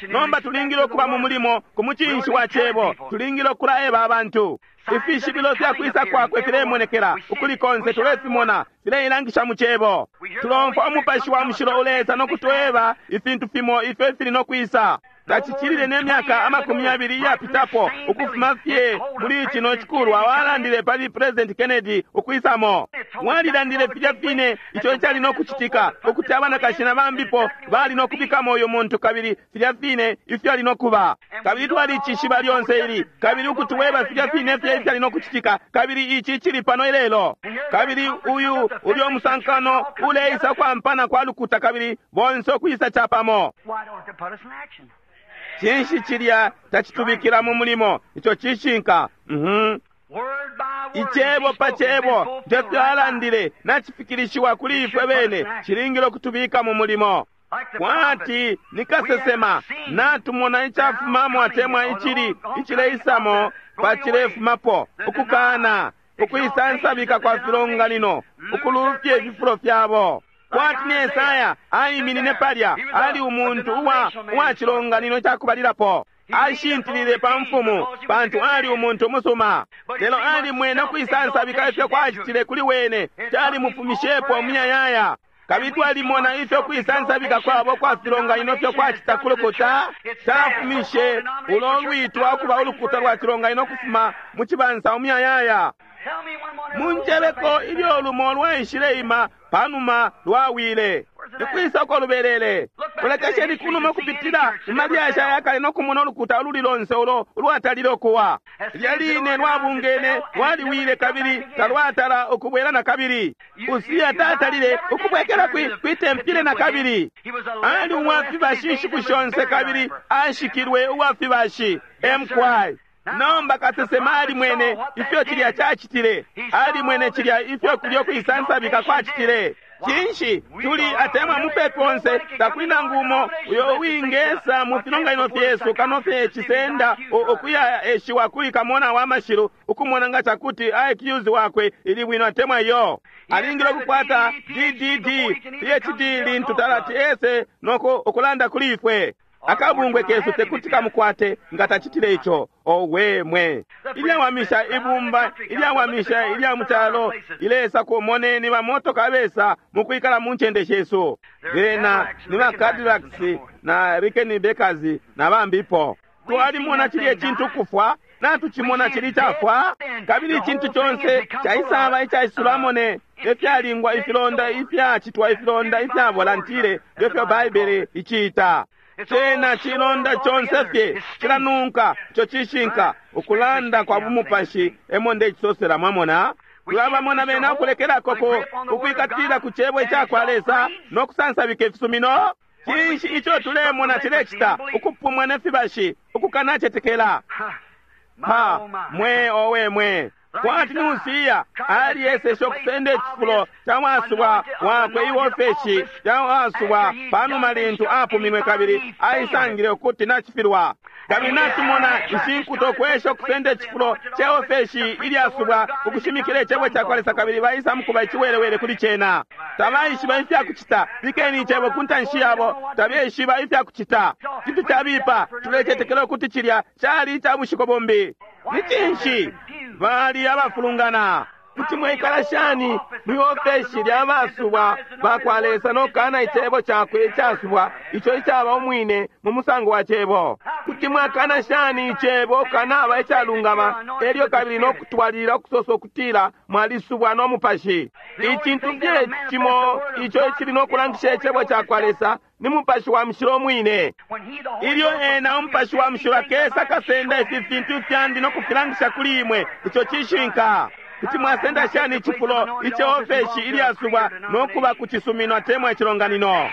Nomba tulingile ukuba mu mulimo ku mucinshi wa cebo. Tulingile ukulaeba abantu ifishibilo fya kwisa kwakwe filemonekela ukuli konse, tulefimona fileilangisha mu cebo. Tulomfwa umupashi wa mushilo ulesa nokutweba ifintu fimo ifyo ifili nokwisa. Tacicilile ne myaka amakumi yabili iyapitapo ukufuma fye muli cino cikulwa walandile pali President Kennedy ukwisamo. Walilandile filya fine ico icali nokucitika, ukuti abanakashi na bambipo bali nokubikamo uyu muntu kabili filya fine ifyo ali nokuba. Kabili twalicishiba lyonse ili, kabili ukutuweba filya fine fye ifyali nokucitika, kabili ici cili pano ilelo. Kabili uyu ulyo musankano uleisa kwampana kwa lukuta kabili bonse ukwisa capamo. Cinshi cilya tacitubikila mu mulimo? Ico cishinka. Mhm. Icebo pa cebo ndefyo alandile nacifikilishiwa kuli ifwe bene, cilingile ukutubika mu mulimo. Kwati nikasesema natumona icafumamo atemwa icili icileisamo pacilefumapo, ukukana ukuisansabika kwa filonganino, ukulufya ififulo fyabo. Kwati ni Esaya aiminine palya, ali umuntu uwa uwa cilonganino cakubalilapo. Ashintilile pa mfumu pantu ali umuntu umusuma, lelo alimwene ukuisansabika ifyo kwacitile kuli wene, calimufumishepo umuyayaya. Kabili twalimona ifyo kuisansabika kwabo kwa filonganino fyo kwacita ku lukuta cafumishe ulo lwitwa ukuba ulukuta lwa cilonganino kufuma mu cibansa umuyayaya. Munjebeko ilyo lumo lwaishileima panuma lwawile ikwisa uko lubelele. Ulekesheni kunuma ukupitila mu malyashi ayakale nokumona ulukuta ululi lonse ulo ulwatalile ukuwa. Lilya line lwabungene lwaliwile kabili talwatala ukubwela na kabili. Usiya tatalile ukubwekela kwi tempile na kabili. Ali uwafibashi inshiku shonse kabili ashikilwe uwafibashi. M K. Nomba kasesema alimwene ifyo cilya cacitile, alimwene cilya ifyo kulya kuisansabika kwacitile. Cinshi tuli atemwa mupepi onse, takuli nangu umo uyo uwingesa mu filonganino fyesu kano fye cisenda ukuya eshiwa kuli kamona wa mashilu ukumona nga cakuti I Q wakwe ili bwino atemwa iyo. Alingile ukukwata D D D P H D lintu talati ese noko ukulanda kuli ifwe. Akabungwe kesu tekuti kamukwate nga tacitile ico. Owe mwe, ilyawamisha ibumba ilyawamisha ilya mucalo ilesa kumoneni bamotoka besa mukwikala mu ncende shesu. Bena ni ba Cadillacs na Rickenbackers na bambipo. Twalimona chilye chintu kufwa, natuchimona chili chafwa, kabili chintu chonse chaisaba ichaisulamo ne ifyalingwa ifilonda ifyachitwa ifilonda ifya volantile ngefyo Baibele ichiita. Chena chilonda chonse fye chilanunka icho chishinka ukulanda kwa bumupashi emo ndechisosela mwamona. Tulabamona bena ukulekelako ukwikatila ku chebo ichakwa Lesa nokusansabika ifisumino. Chinshi icho tulemona chilecita ukupumwa nefibashi ukukanachetekela. Ha mwe owe mwe kwati nusiya aliyesesha okusenda echifulo cha wasubwa wakwe iwofeshi cha wasubwa panuma lintu apuminwe kabili aisangile ukuti nachifilwa. Kabili natumona ishinkuto okwesha okusenda echifulo che ofeshi ilyasubwa ukushimikila echebo chakwa Lesa kabili baisa mukuba ichiwelewele kuli chena. Tabaishiba ifyakuchita, bikeni ichebo ku ntanshi yabo, tabaishiba ifyakuchita. Chintu chabipa tulechetekela ukuti chilya chali icha bushiko bombi. Ni chinshi bali abafulungana. Kuti mwekala shani mwi ofeshi lya basubwa bakwa Lesa nokana icebo chakwe ichasubwa icho ichaba umwine mu musango wa chebo. Kuti mwakana shani icebo kanaba ichalungama elyo kabili nokutwalilila okusosa okutila mwalisubwa n'omupashi. Ichintu fye chimo icho ichili nokulangisha icebo chakwa Lesa ni mupashi wa mushilo mwine. Ilyo ena umupashi wa mushilo akesa kasenda ifi fintu fyandi nokufilangisha kuli imwe icho chishinka. Kuti mwasenda shani ichifulo iche ofeshi ilyasubwa nokuba kuchisumino atemwa echilonganino.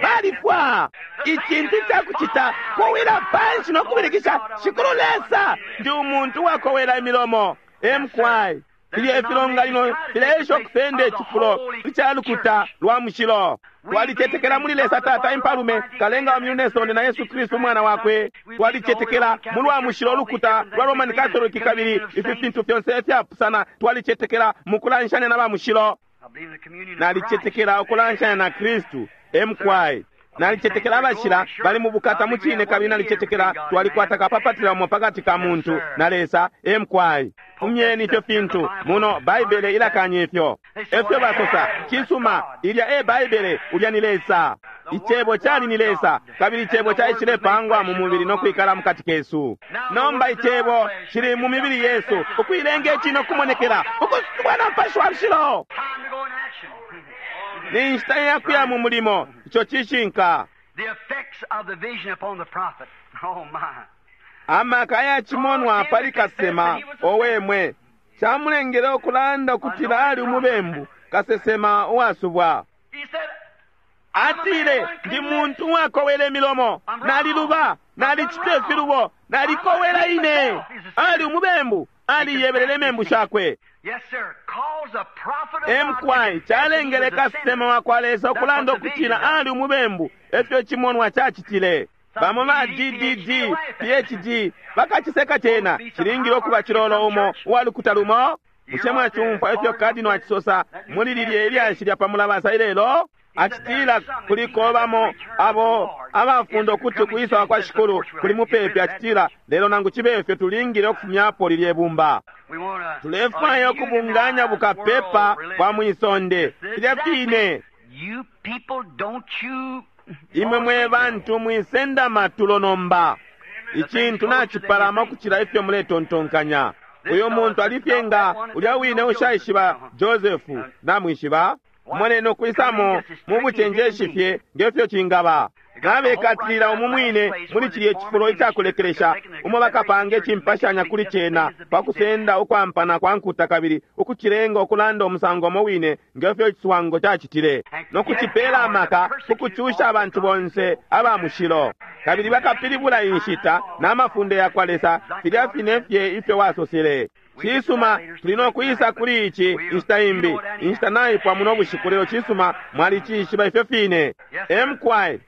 Balifwa ichintu chakuchita kuwila panshi nokubilikisha Shikulu Lesa ndi umuntu wakowela imilomo. Emkwai filya ifilonganino fileesha okusenda echifulo ichalukuta lwa mushilo. Twalichetekela muli Lesa Tata impalume kalenga wa myulu nesonde na Yesu Kristu umwana wakwe. Twalichetekela mu lwa mushilo ulukuta lwa Roman Catholic kabili ifi fintu fyonse ifyapusana. Twalichetekela mu kulanshanya na ba mushilo. Nalichetekela ukulanshanya na Kristu. Emkwai nalichetekela abashila bali mu bukata mu chine kabili nalichetekela twalikwata kapapatila umo pakati ka muntu na Lesa. Emkwai fumyeni ifyo fintu muno Baibele ilakanya ifyo. Efyo basosa chisuma ilya e Baibele ulya ni Lesa. Ichebo chali ni Lesa kabili ichebo chaishile pangwa mu mubili nokwikala mukati kesu. Nomba ichebo chili mu mibili yesu ukuilenga ichino kumonekela ukusubwa na Mupashi wa Mushilo. Ni nshita yakuya mu mulimo icho chishinka. The effects of the vision upon the prophet. Oh my. Amaka yachimonwa pali kasema owemwe chamulengele okulanda okutila ali umubembu kasesema uwasubwa. He said, Atile ndi muntu uwakowela emilomo, naliluba, nalichita ifilubo, nalikowela ine. Ali umubembu, aliyebelele emembu shakwe. Yes, sir. Calls a prophet of God Emkwai chalengele kasesema wakwa Lesa okulanda okutila ali umubembu efyo chimonwa chachitile. Bamo ba D D D, P H D bakachiseka chena chilingile okuba chilolo umo uwalukuta lumo. Bushe mwachumfwa ifyo kadino achisosa muli lilye ilyashi lya pamulabasa ilelo? Achitila kuliko bamo abo abafunda okuti okuyisawa kwa Shikulu kuli mupepi. Achitila lelo nangu chibe ifyo tulingile okufumyapo lilye bumba. We wanna Tulefwaya okubunganya bukapepa bwa mwisonde filya fine. You people, don't you Imwe mwe bantu mwisenda matulo nomba. Ichintu nachipalama okuchila ifyo muletontonkanya. Uyo muntu alifye nga ulya wine ushaishiba Josefu namwishiba. Moneni okwisamo mu buchenjeshi fye ngefyo chingaba. Nabekatilila umu mwine muli chilye chifulo ichakulekelesha umo bakapanga echimpashanya kuli chena pakusenda ukwampana kwa nkuta kabili ukuchilenga okulanda omusango omo wine ngefyo echiswango chachitile nokuchipela amaka kukuchusha abantu bonse aba mushilo kabili bakapilibula inshita n'amafunde yakwa Lesa filya fine fye ifyo wasosele. Chisuma tuli nokwisa kuli ichi inshita imbi inshita naipwa muno bushiku lelo chisuma mwalichishiba ifyo fine. Emkwai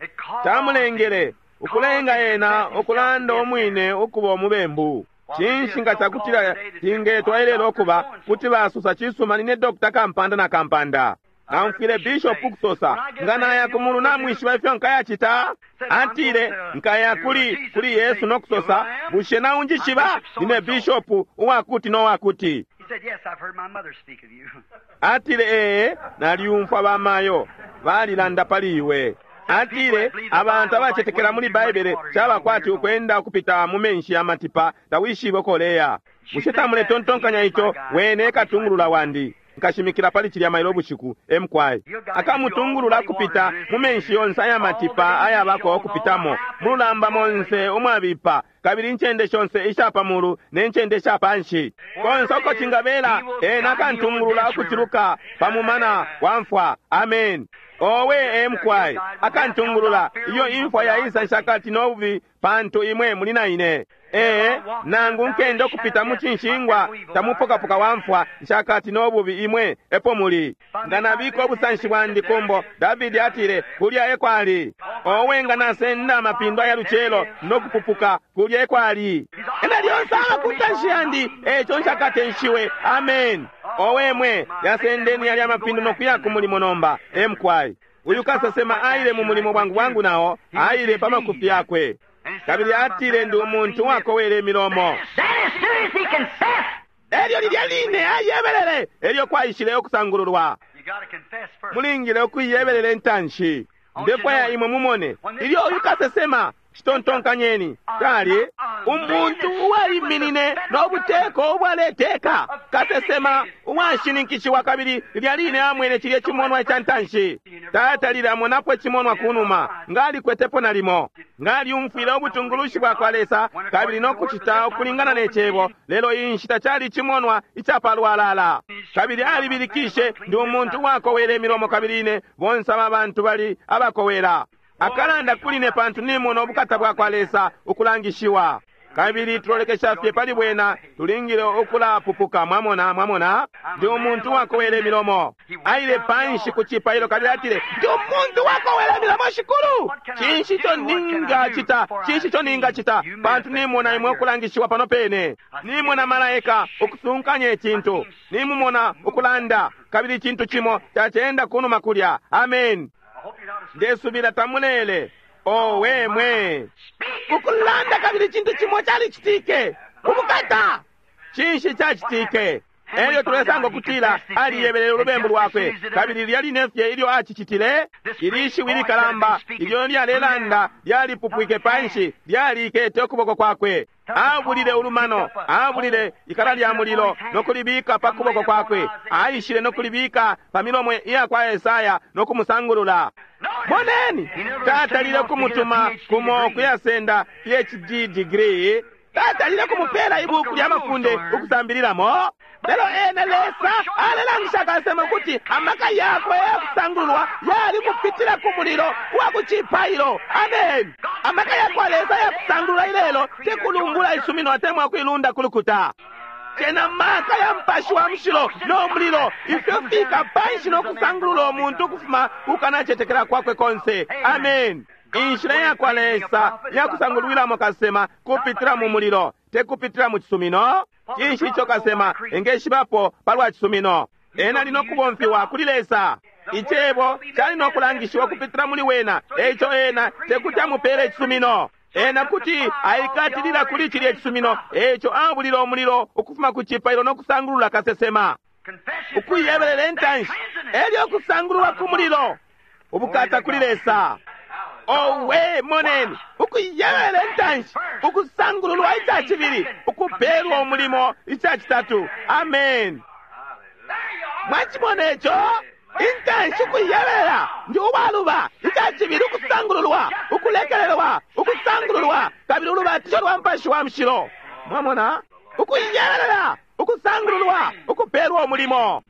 chamulengele ukulenga ena okulanda omwine okuba omubembu. Chinshi nga chakutila tingetwa ilelo okuba kuti basosa chisuma nine Doctor Kampanda na Kampanda. Namfwile Bishop kusosa nga naya kumulu namwishiba ifyo nkayachita. Atile nkaya kuli kuli Yesu nokusosa bushe naunjishiba nine Bishop uwakuti nowakuti. Atile, ee, naliumfwa bamayo balilanda pali iwe. Atile, abantu abacetekela muli Baibele caba kwati ukwenda ukupita mu menshi ya matipa, tawishibe ukoleya. Bushe tamuletontonkanya ico? Wene katungulula wandi. Nkashimikila pali cilya mailo ubushiku, emkwai. Akamutungulula kupita mu menshi yonse aya matipa ayabako okupitamo, mululamba monse umwabipa, kabili incende shonse isha pamulu ne ncende isha panshi. Konse uko cingabela, ena akantungulula ukuciluka pa mumana wa mfwa. Amen. Owe emkwai, akantungulula iyo imfwa yaisa nshakati nobubi, pantu imwe muli na ine. Ee, nangu nkende okupita mu cinshingwa tamupokapoka wa mfwa, nshakati nobubi imwe epo muli. Nga nabika obusanshi bwandi kumbo, Davidi atile, kulya ekwali. Owe nga nasenda amapindo aya lucelo nokupupuka, kulya ekwali. Ena lyonse aba ku ntanshi yandi, eco nshakatenshiwe. Amen. Owe mwe, yasendeni yali amapindo nokuya ku mulimo nomba, emkwai. Uyu kasesema aile mu mulimo bwangu bwangu nao, aile pa makufi yakwe. Kabili atile, ndi umuntu wakowele imilomo. Elyo lilya line ayebelele, elyo kwaishile okusangululwa. Mulingile okuiyebelela intanshi. Ndefwaya imwe mumone ilyo uyu kasesema, citontonkanyeni, kali umuntu uwaiminine n'obuteko ubwaleteka, kasesema uwashininkishiwa, kabili lilya line amwene cilye cimonwa ica ntanshi. Tatalile amonapo icimonwa kunuma, ngalikwetepo nalimo, ngalyumfwile ubutungulushi bwa kwa Lesa kabili nokucita ukulingana ne cebo, lelo iyi nshita cali icimonwa icapalwalala. Kabili alibilikishe, ndi umuntu uwakowela imilomo, kabili ine bonse aba bantu bali abakowela. Akalanda kuli ne pantu nimona ubukata bwa kwa Lesa ukulangishiwa. Kabili tulolekesha fye pali bwena, tulingile ukulapupuka. Mwamona, mwamona, ndi umuntu wakowela imilomo. Aile panshi ku cipailo kabili atile, ndi umuntu wakowela imilomo, Shikulu. Cinshi ico ningacita? Cinshi ico ningacita? Pantu nimona imwe ukulangishiwa pano pene. Nimona malaika ukusunkanya icintu. Nimumona ukulanda, kabili icintu cimo cacenda kunuma kulya. Amen. Ndesubila tamulele. Owe mwe, ukulanda kabili icintu cimo calicitike. Ubukata! Cinshi cacitike? Elyo tulesanga ukutila aliyebelele ulubembu lwakwe, kabili lilya line fye ilyo acicitile, ili shiwi likalamba ilyo lyalelanda lyalipupwike panshi, lyalikete ukuboko kwakwe. Abulile ulumano, abulile ikala lya mulilo nokulibika pa kuboko kwakwe, aishile nokulibika pa milomo iya kwa Esaya nokumusangulula. Moneni, tatalile kumutuma kumo kuyasenda P H D degree, tatalile kumupela ibuku lya mafunde ukusambililamo. Lelo ene Lesa alelangisha kasema kuti amaka yakwe yakusangululwa yali kupitila ku mulilo wa ku cipailo. Amen. Amaka yakwa Lesa yakusangulula ilelo tekulumbula isumino atemwa kuilunda kulukuta. Cena maka ya mpashi wa mushilo no mulilo ifyo fika panshi no kusangulula umuntu ukufuma kukanacetekela kwakwe konse. Amen. Inshila yakwa Lesa yakusangulwilamo kasema kupitila mu mulilo, tekupitila mu cisumino. Cinshi ico kasema engeshibapo palwa cisumino? Ena ali nokubomfiwa kuli Lesa. Icebo cali nokulangishiwa kupitila muli wena, eico ena tekuti amupele icisumino. Ena kuti aikatilila kuli cilya cisumino, eico abulile umulilo ukufuma ku cipailo nokusangulula kasesema. Ukuyebelela intanshi, elyo kusangululwa ku mulilo. Ubukata kuli Lesa. Owe, moneni, ukuyebelela intanshi, ukusangululwa ica cibili, ukupelwa umulimo ica citatu. Amen. Mwacimona ico? Intanshi ukuyebelela ndi uwaluba, ica cibili ukusangululwa, ukulekelelwa, ukusangululwa, kabili ulubatisho lwa Mupashi wa Mushilo. Mwamona? Ukuyebelela, ukusangululwa, ukupelwa umulimo.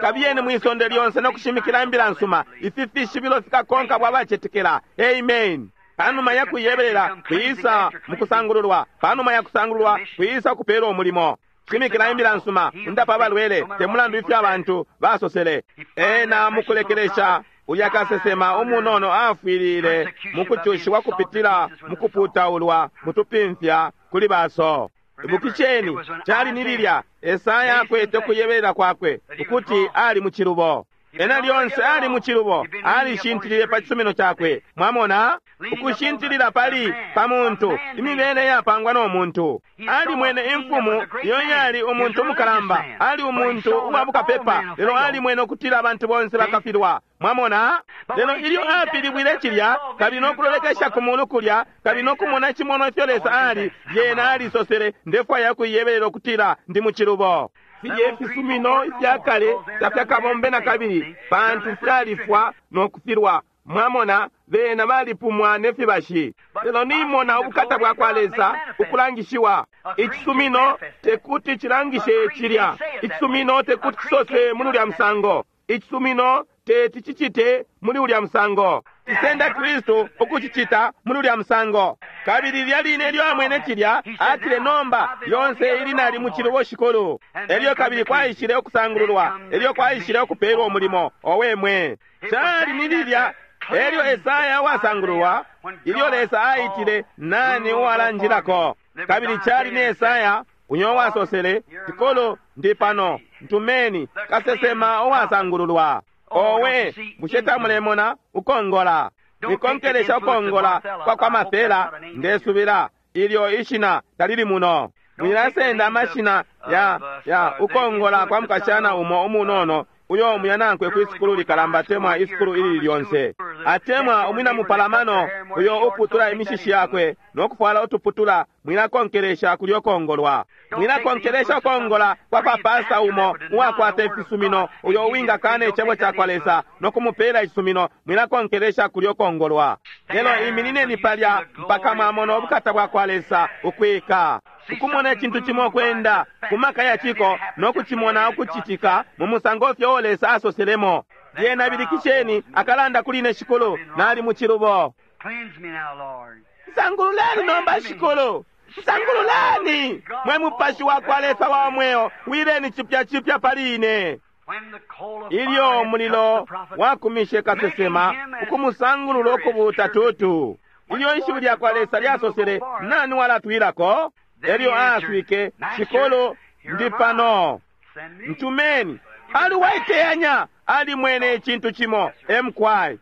Kabiyeni mwisonde lyonse nokushimikila imbila nsuma. Ifi fishibilo fikakonka bwa bacetekela. Amen. Panuma ya kuyebelela kwisa mukusangululwa, panuma ya kusangululwa kwisa kupelwa umulimo. Shimikila imbila nsuma, undapa abalwele, te mulandu ifyo abantu basosele. Ena mukulekelesha ulya kasesema umunono afwilile mukucushiwa kupitila mukuputaulwa mutupimfya kuli baso. Ibukisheni, cali ni lilya Esaya akwete ukuyebelela kwakwe ukuti ali mu cilubo. Ena lyonse ali mu cilubo, alishintilile pa cisumino cakwe. Mwamona? Ukushintilila pali pa muntu, imibele yapangwa no muntu. Alimwene imfumu iyo yali umuntu umukalamba, ali umuntu uwa bukapepa, lelo alimwene ukutila abantu bonse bakafilwa. Mwamona? Lelo ilyo apilibwile cilya, kabili nokulolekesha ku mulu kulya, kabili nokumona icimono ifyo Lesa ali, lyena alisosele, ndefwaya kuiyebelela ukutila ndi mu cilubo. Filye ifisumino ifya kale tafyakabombe na kabili, pantu fyalifwa no kufilwa. Mwamona, bena balipumwa ne fibashi. Lelo nimona ubukata bwa kwa Lesa ukulangishiwa. Icisumino tekuti cilangishe cilya. Icisumino tekuti cisose muli ulya musango. Icisumino teti cicite muli ulya musango. Cisenda Kristu ukucicita muli ulya musango. Kabili lilya line ilyo amwene cilya, atile nomba yonse ili nali mu cilubo shikulu. Elyo kabili kwaishile ukusangululwa, elyo kwaishile ukupelwa umulimo. Owe mwe! Cali ni lilya elyo Esaya uwasangululwa, ilyo Lesa aitile nani uwalanjilako. Kabili cali ni Esaya uyo wasosele, Shikulu, ndi pano, ntumeni, kasesema uwasangululwa. Owe, bushe tamulemona ukongola? Nikonkelesha ukongola kwa kwa mafela, ndesubila ilyo ishina talili muno. Mwilasenda amashina ya ya ukongola kwa mukashana umo umunono uyo umuyanankwe kwi sukulu likalamba atemwa isukulu ilili lyonse, atemwa umwina mupalamano uyo uputula imishishi yakwe no kufwala utuputula. Mwilakonkelesha kulyo kongolwa. Mwilakonkelesha ukongola kwa kwa pasta umo uwakwata ifisumino uyo uwingakana icebo ca kwa Lesa no kumupela icisumino. Mwilakonkelesha kulyo kongolwa. Lelo iminineni palya mpaka mwamona ubukata bwa kwa Lesa ukwika, ukumona icintu cimo kwenda ku maka ya ciko no kucimona ukucitika mu musango fyo uo Lesa asoselemo. Lyena bilikisheni akalanda kuli ine, Shikulu, nali mu cilubo. Cleanse me now, Lord. Nsangululeni nomba, Shikulu. Nsangululeni mwe mupashi wa kwa Lesa wa mweo, wileni cipya cipya pali ine. When the coal of Ilyo fire had touched umulilo the prophet, wakumishe kasesema ukumusangulula ukubuuta tutu, ilyo ishiwi lya kwa Lesa lyasosele, nani walatwilako? Elyo aaswike, Shikulu, ndi pano, send me. ntumeni. Ali waiteyanya, alimwene icintu cimo emkwai.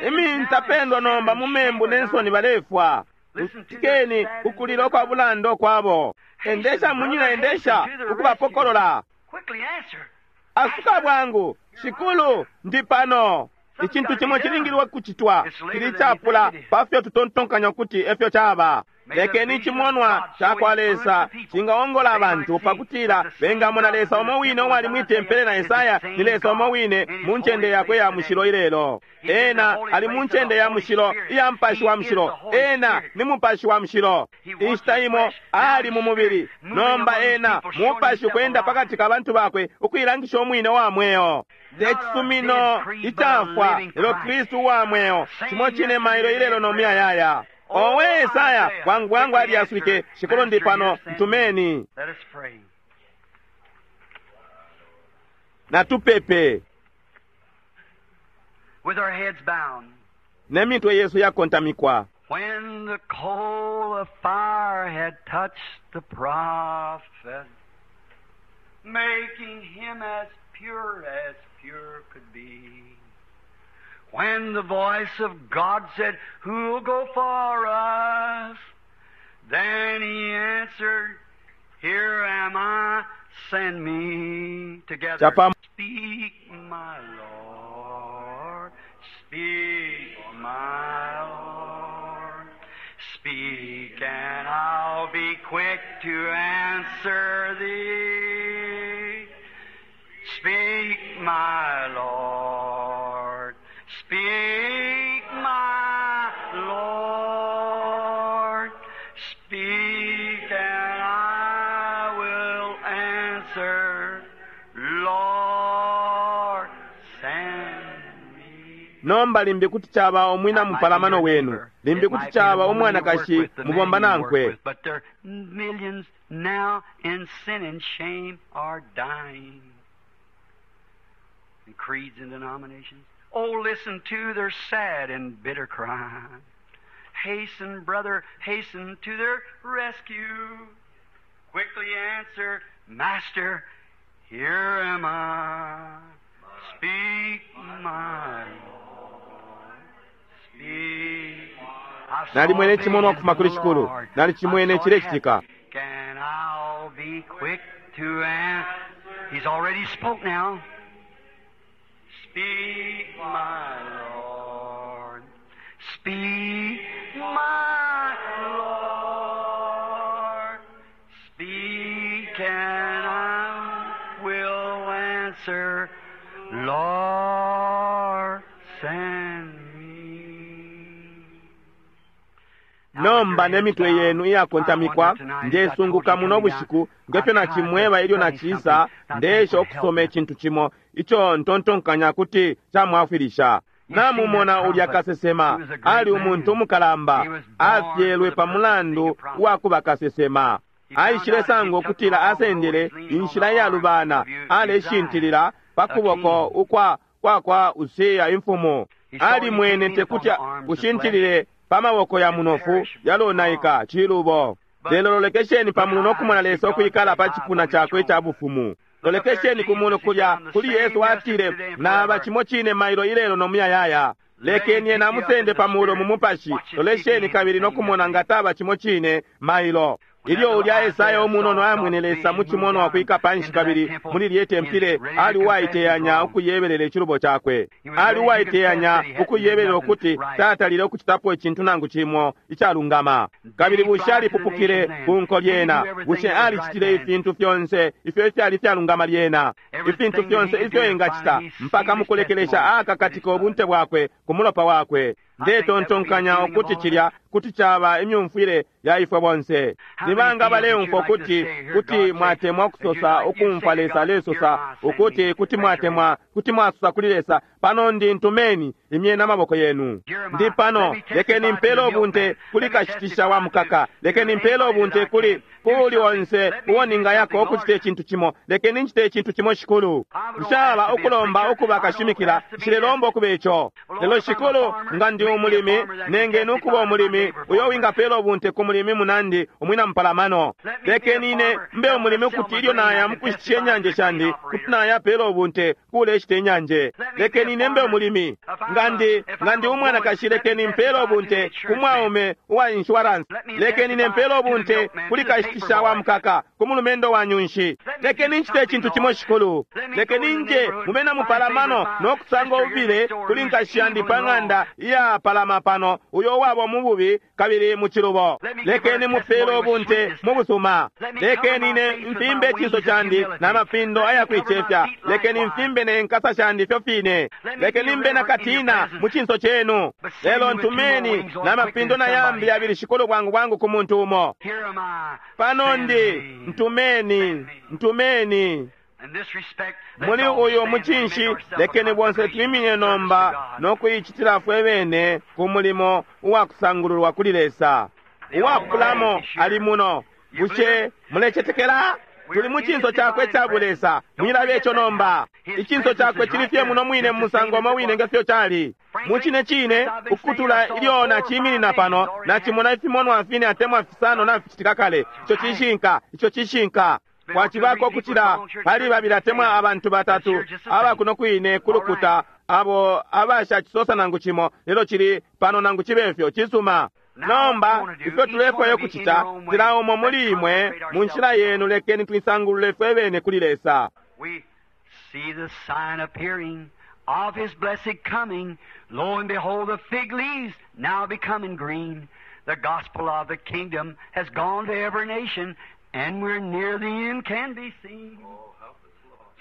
Imintapendwa nomba mu membu ne nsoni balefwa. Kutikeni ukulila ukwa bulanda kwabo. Endesha munyina, endesha ukubapokolola. Quickly answer. Asuka bwangu, Shikulu, ndi pano. Icintu cimo cilingilwe kucitwa, cili capula pafyo tutontonkanya ukuti efyo caba. Lekeni icimonwa ca kwa Lesa cingaongola abantu pakutila bengamona Lesa umo wine uwali mwi tempele na Esaya ni Lesa umo wine mu ncende yakwe ya mushilo ilelo. Ena ali mu ncende ya mushilo iya Mupashi wa Mushilo. Ena ni Mupashi wa Mushilo. Inshita imo ali mu mubili, nomba ena Mupashi ukwenda pakati ka bantu bakwe ukuilangisha umwine wa mweo. Te cisumino icafwa, lelo Kristu uwa mweo, cimo cine mailo ilelo no muyayaya. Owe Esaya, bwangu bwangu aliyaswike, Shikulu ndi pano, ntumeni. Let us pray. Natupepe With our heads bowed. ne mitwe yesu yakontamikwa. When the coal of fire had touched the prophet, making him as pure as pure could be. When the voice of God said, Who'll go for us? Then he answered, Here am I, send me. Together. Chapa- Speak, my Lord. Speak, my Lord. Speak, and I'll be quick to answer thee. Speak, my Lord. Speak, my Lord. Speak, and I will answer. Lord, send me. Nomba limbi kuti caba umwina mupalamano wenu, limbi kuti caba umwanakashi mubomba nankwe. But there are millions now in sin and shame are dying. And creeds and denominations. Oh, listen to their sad and bitter cry. Hasten, brother, hasten to their rescue. Quickly answer, Master, here am I. Speak, my Lord. Speak, my Nalimwene icimonwa ukufuma kuli Shikulu. Nalicimwene cilecitika. Can I be quick to answer? He's already spoke now. Speak, my Lord. Speak, my Lord. Speak, and I will answer. Lord, send me. Nomba ne mitwe yenu iyakontamikwa, ndesunguka muno bushiku ngefyo nacimweba ilyo naciisa, ndeesha ukusoma icintu cimo ico ntontonkanya kuti camwafwilisha. Namumona ulya kasesema ali umuntu umukalamba, afyelwe pa mulandu wa kuba kasesema. Aishile sanga ukutila asendele inshila iyalubana, aleshintilila pa kuboko ukwa kwa kwa Usiya imfumu. Alimwene tekuti ushintilile pa maboko ya munofu yalonaika cilubo. Lelo lolekesheni pa mulu nokumona Lesa ukwikala pa cipuna cakwe ica bufumu. Lolekesheni ku mulu kulya kuli Yesu atile, naba cimo cine mailo ilelo no muyayaya. Lekeni ena amusende pa mulo mu mupashi. Lolesheni kabili nokumona nga taba cimo cine mailo. Ilyo ulya Esaya umunono amwene Lesa mu cimonwa kwika panshi kabili muli lye tempile, ali uwaiteyanya ukuyebelela icilubo cakwe. Ali uwaiteyanya ukuyebelela ukuti tatalile ukucitapo icintu nangu cimo icalungama. Kabili bushe alipupukile ku nko lyena? Bushe alicitile ifintu fyonse ifyo ifyali ifyalungama lyena? Ifintu fyonse ifyo engacita mpaka mukulekelesha akakatika ubunte bwakwe ku mulopa wakwe. Ndetontonkanya ukuti cilya kuti caba imyumfwile ya ifwe bonse. Nibanga baleumfwa ukuti kuti mwatemwa ukusosa ukumfwa Lesa alesosa ukuti kuti mwatemwa kuti mwasosa kuli Lesa, pano ndi ntumeni, imyeni amaboko yenu. Ndi pano, lekeni mpele ubunte kuli kashitisha wa mukaka, lekeni mpele ubunte kuli kuli onse uwo ningayako ukucita icintu cimo, lekeni ncite icintu cimo Shikulu. Nshaba ukulomba ukuba kashimikila, nshilelomba ukuba ico. Lelo Shikulu, nga ndi umulimi, nengeni ukuba umulimi uyo wingapela ubunte ku mulimi munandi umwina mupalamano. Lekeni ine mbe umulimi ukuti ilyo naya mukushitisha inyanje shandi, kuti nayapela ubunte kuleshita inyanje. Lekeni ine mbe umulimi. Nga ndi nga ndi umwanakashi, lekeni mpele ubunte ku mwaume uwa insurance. Lekeni ine mpele ubunte kuli kashitisha wa mukaka, ku mulumendo wa nyunshi. Lekeni ncite icintu cimo Shikulu. Lekeni nje mubena mupalamano nokusanga ububile kuli nkashi yandi pa ng'anda iyapalama pano, uyo uwaba mububi kabili mu cilubo. Lekeni mupele ubunte mu busuma. Lekeni ine mfimbe icinso candi na mapindo ayakuicefya. Lekeni mfimbe ne nkasa shandi ifyo fine. Lekeni mbe na katina mu cinso cenu. Lelo ntumeni na mapindo na yambi yabili Shikulu bwangu bwangu ku muntu umo. Here am I. Pano Send ndi me. ntumeni, ntumeni. In this respect, let's Muli all uyu stand and mucinshi make ourselves a lekeni bonse consecration twimine service to nomba God. nokuicitila fwe bene ku mulimo uwakusangululwa kuli Lesa. Uwapulamo ali muno. Bushe mulecetekela? Tuli mu cinso cakwe ca bulesa. Mwilabe ico nomba. Icinso cakwe cili fye muno mwine mu musango umo wine nge fyo cali. Mu cine cine, ukutula ilyo naciminina pano, nacimona ifimonwa fine atemwa fisano naficitika kale. Ico cishinka, ico cishinka. Kwacibako ukucila pali babili atemwa abantu batatu aba kuno kwine kulukuta abo abashacisosa nangu cimo, lelo cili pano nangu cibe fyo cisuma. Nomba ifyo tulefwayo kucita, cila umo muli imwe mu nshila yenu, lekeni twisangulule fwe bene kuli Lesa. We see the sign appearing of his blessed coming. Lo and behold, the fig leaves now becoming green. The gospel of the kingdom has gone to every nation, and we're near the end can be seen.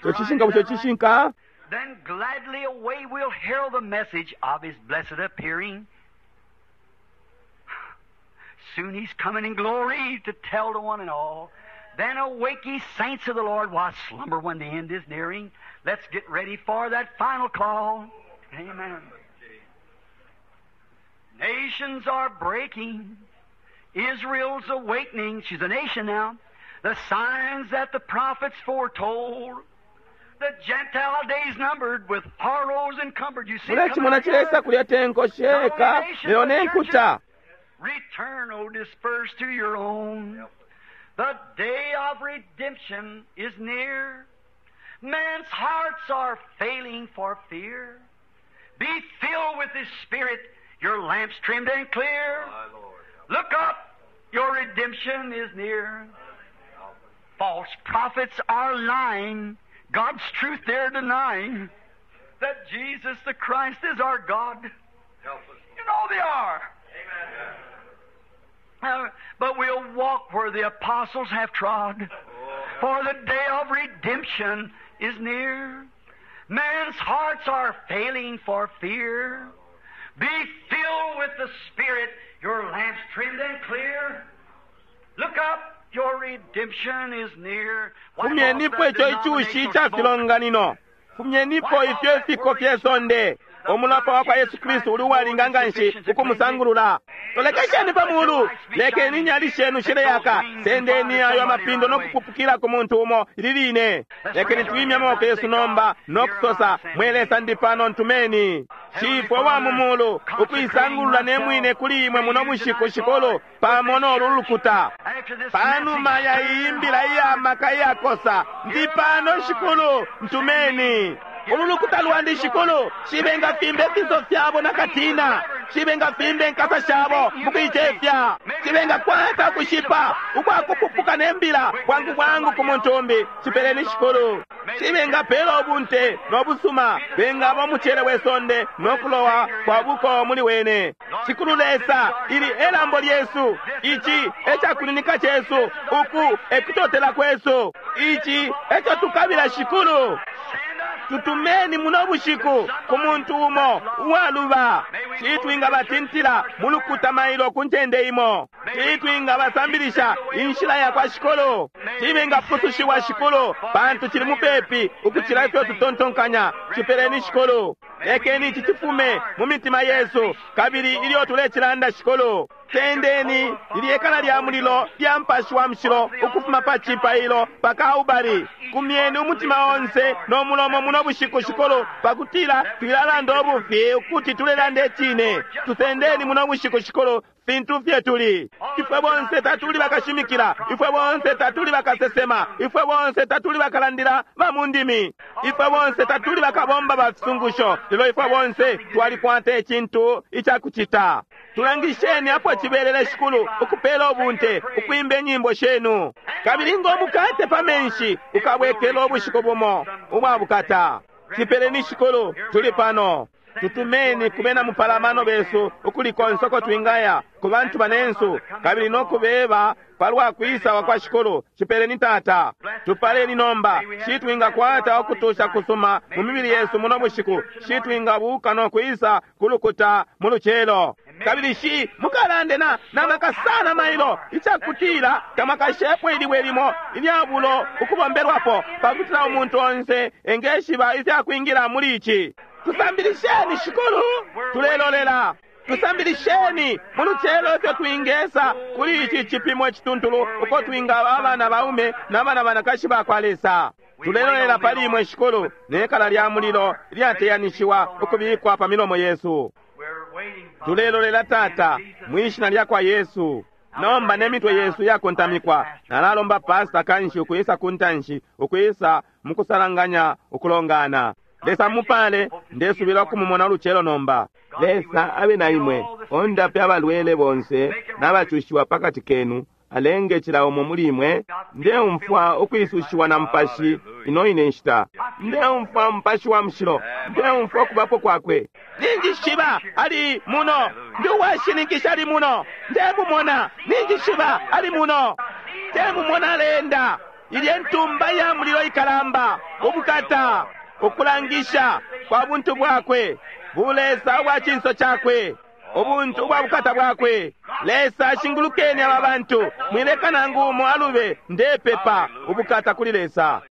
Ico cishinka, bushe cishinka? Then gladly away we'll herald the message of his blessed appearing. Soon he's coming in glory to tell to one and all. Then awake ye saints of the Lord, why slumber when the end is nearing? Let's get ready for that final call. Amen. Nations are breaking. Israel's awakening. She's a nation now. The signs that the prophets foretold. The Gentile days numbered with horrors encumbered. You see it coming Mulecimona together? cilesa kulya tenko sheka, lelo ne nkuta. Return, O dispersed to your own. The day of redemption is near. Man's hearts are failing for fear. Be filled with His Spirit. Your lamps trimmed and clear. Look up, your redemption is near. False prophets are lying. God's truth they're denying. That Jesus the Christ is our God. You know they are. Uh, but we'll walk where the apostles have trod. For the day of redemption is near. Man's hearts are failing for fear. Be filled with the Spirit, your lamps trimmed and clear. Look up, your redemption is near. Wipe off Fumyenipo that ico icushi denominational ica smoke. filonganino. Fumyenipo ifyo ifiko fye sonde. Umulapa wa kwa Yesu Kristu uli uwalinga nganshi ukumusangulula. Tolekesheni pa mulu, lekeni inyali shenu shileyaka, sendeni ayo amapindo no kupupukila ku muntu umo ili line. Lekeni twimye amaboko yesu nomba no kusosa, mwe Lesa ndi pano ntumeni. Shifwe wa mu mulu, ukuisangulula ne mwine kuli imwe muno bushiku shikulu, pamo nolu lukuta. After this Panuma message, ya iyi mbila iyamaka iyakosa, ndi pano shikulu, ntumeni. Ulu lukuta lwandi shikulu, shibenga fimbe fiso fyabo na katina, shibenga fimbe nkasa shabo mukuicefya, shibenga kwata kushipa ukwakupupuka ne mbila bwangu bwangu ku muntu umbi, chipeleni shikulu. Shibenga pela ubunte nobusuma, bengaba umucele we sonde nokulowa kwa buko muli wene. Shikulu Lesa, ili elambo lyesu, ichi echakuninika chesu, uku ekutotela kwesu, ichi echo tukabila shikulu. send us Tutumeni muno bushiku ku muntu umo uwaluba citwingabatintila mulukuta mailo ku ncende imo citwingabasambilisha inshila ya kwa shikulu cibengapusushiwa shikulu pantu cili mupepi ukucila ifyo tutontonkanya cipeleni shikulu lekeni ici cifume mu mitima yesu kabili ilyo tulecilanda shikulu tendeni lilyekala lya mulilo lya mpashi wa mushilo ukufuma pa cipailo pa Kalbale kumyeni umutima onse no mulomo muno bushiku shikulu pakutila twilalanda ubufi ukuti tulelanda icine tusendeni muno bushiku shikulu fintu fye tuli ifwe bonse tatuli bakashimikila ifwe bonse tatuli bakasesema ifwe bonse tatuli bakalandila ba mu ndimi ifwe bonse tatuli bakabomba ba fisungusho lelo ifwe bonse twalikwata icintu icakucita tulangisheni apo cibelele shikulu ukupela ubunte ukwimba inyimbo shenu kabili ng'omukate pa menshi ukabwekela ubushiku bumo ubwa bukata cipeleni shikulu tuli pano tutumeni kubena mupalamano besu ukuli konse uko twingaya ku bantu banensu kabili nokubeba palwa kwisa kwa shikulu cipeleni tata tupaleni nomba shitwingakwata ukutusha kusuma mu mibili yesu muno bushiku shitwingabuka nokwisa kulukuta mu lucelo kabili shi mukalande na namaka sana mailo icakutila tamakashepo ilibwe limo ilyabulo ukubombelwapo pakutila umuntu onse engeshiba ifyakwingila muli ici tusambilisheni shikulu tulelolela tusambilisheni mu lucelo ifyo twingesa kuli ici cipimo icituntulu uko twingaba abana baume n'abana banakashi ba kwa Lesa tulelolela pali imwe shikulu nekala lya mulilo lyateyanishiwa ukubikwa pa milomo yesu We're waiting for tulelolela tata mwishina lya kwa Yesu nomba ne mitwe yesu yakontamikwa nalalomba pasta kanshi ukwisa kuntanshi ukwisa mukusalanganya ukulongana Lesa mupale ndesubila okumumona ulucelo nomba Lesa abe na imwe ondape abalwele bonse n'abacushiwa pakati kenu alenge cila umo muli imwe ndeumfwa ukwisushiwa na mpashi ino ine nshita ndeumfwa mpashi wa mushilo ndeumfwa ukubapo kwakwe ninjishiba ali muno ndi uwashininkisha ali muno ndemumona ninjishiba ali muno ndemumona alenda ilye ntumba ya mulilo ikalamba ubukata ukulangisha kwa buntu bwakwe bulesa ubwa cinso cakwe ubuntu ubwa bukata bwakwe Lesa ashingulukeni aba bantu mwileka nangu umo alube ndepepa ubukata kuli Lesa.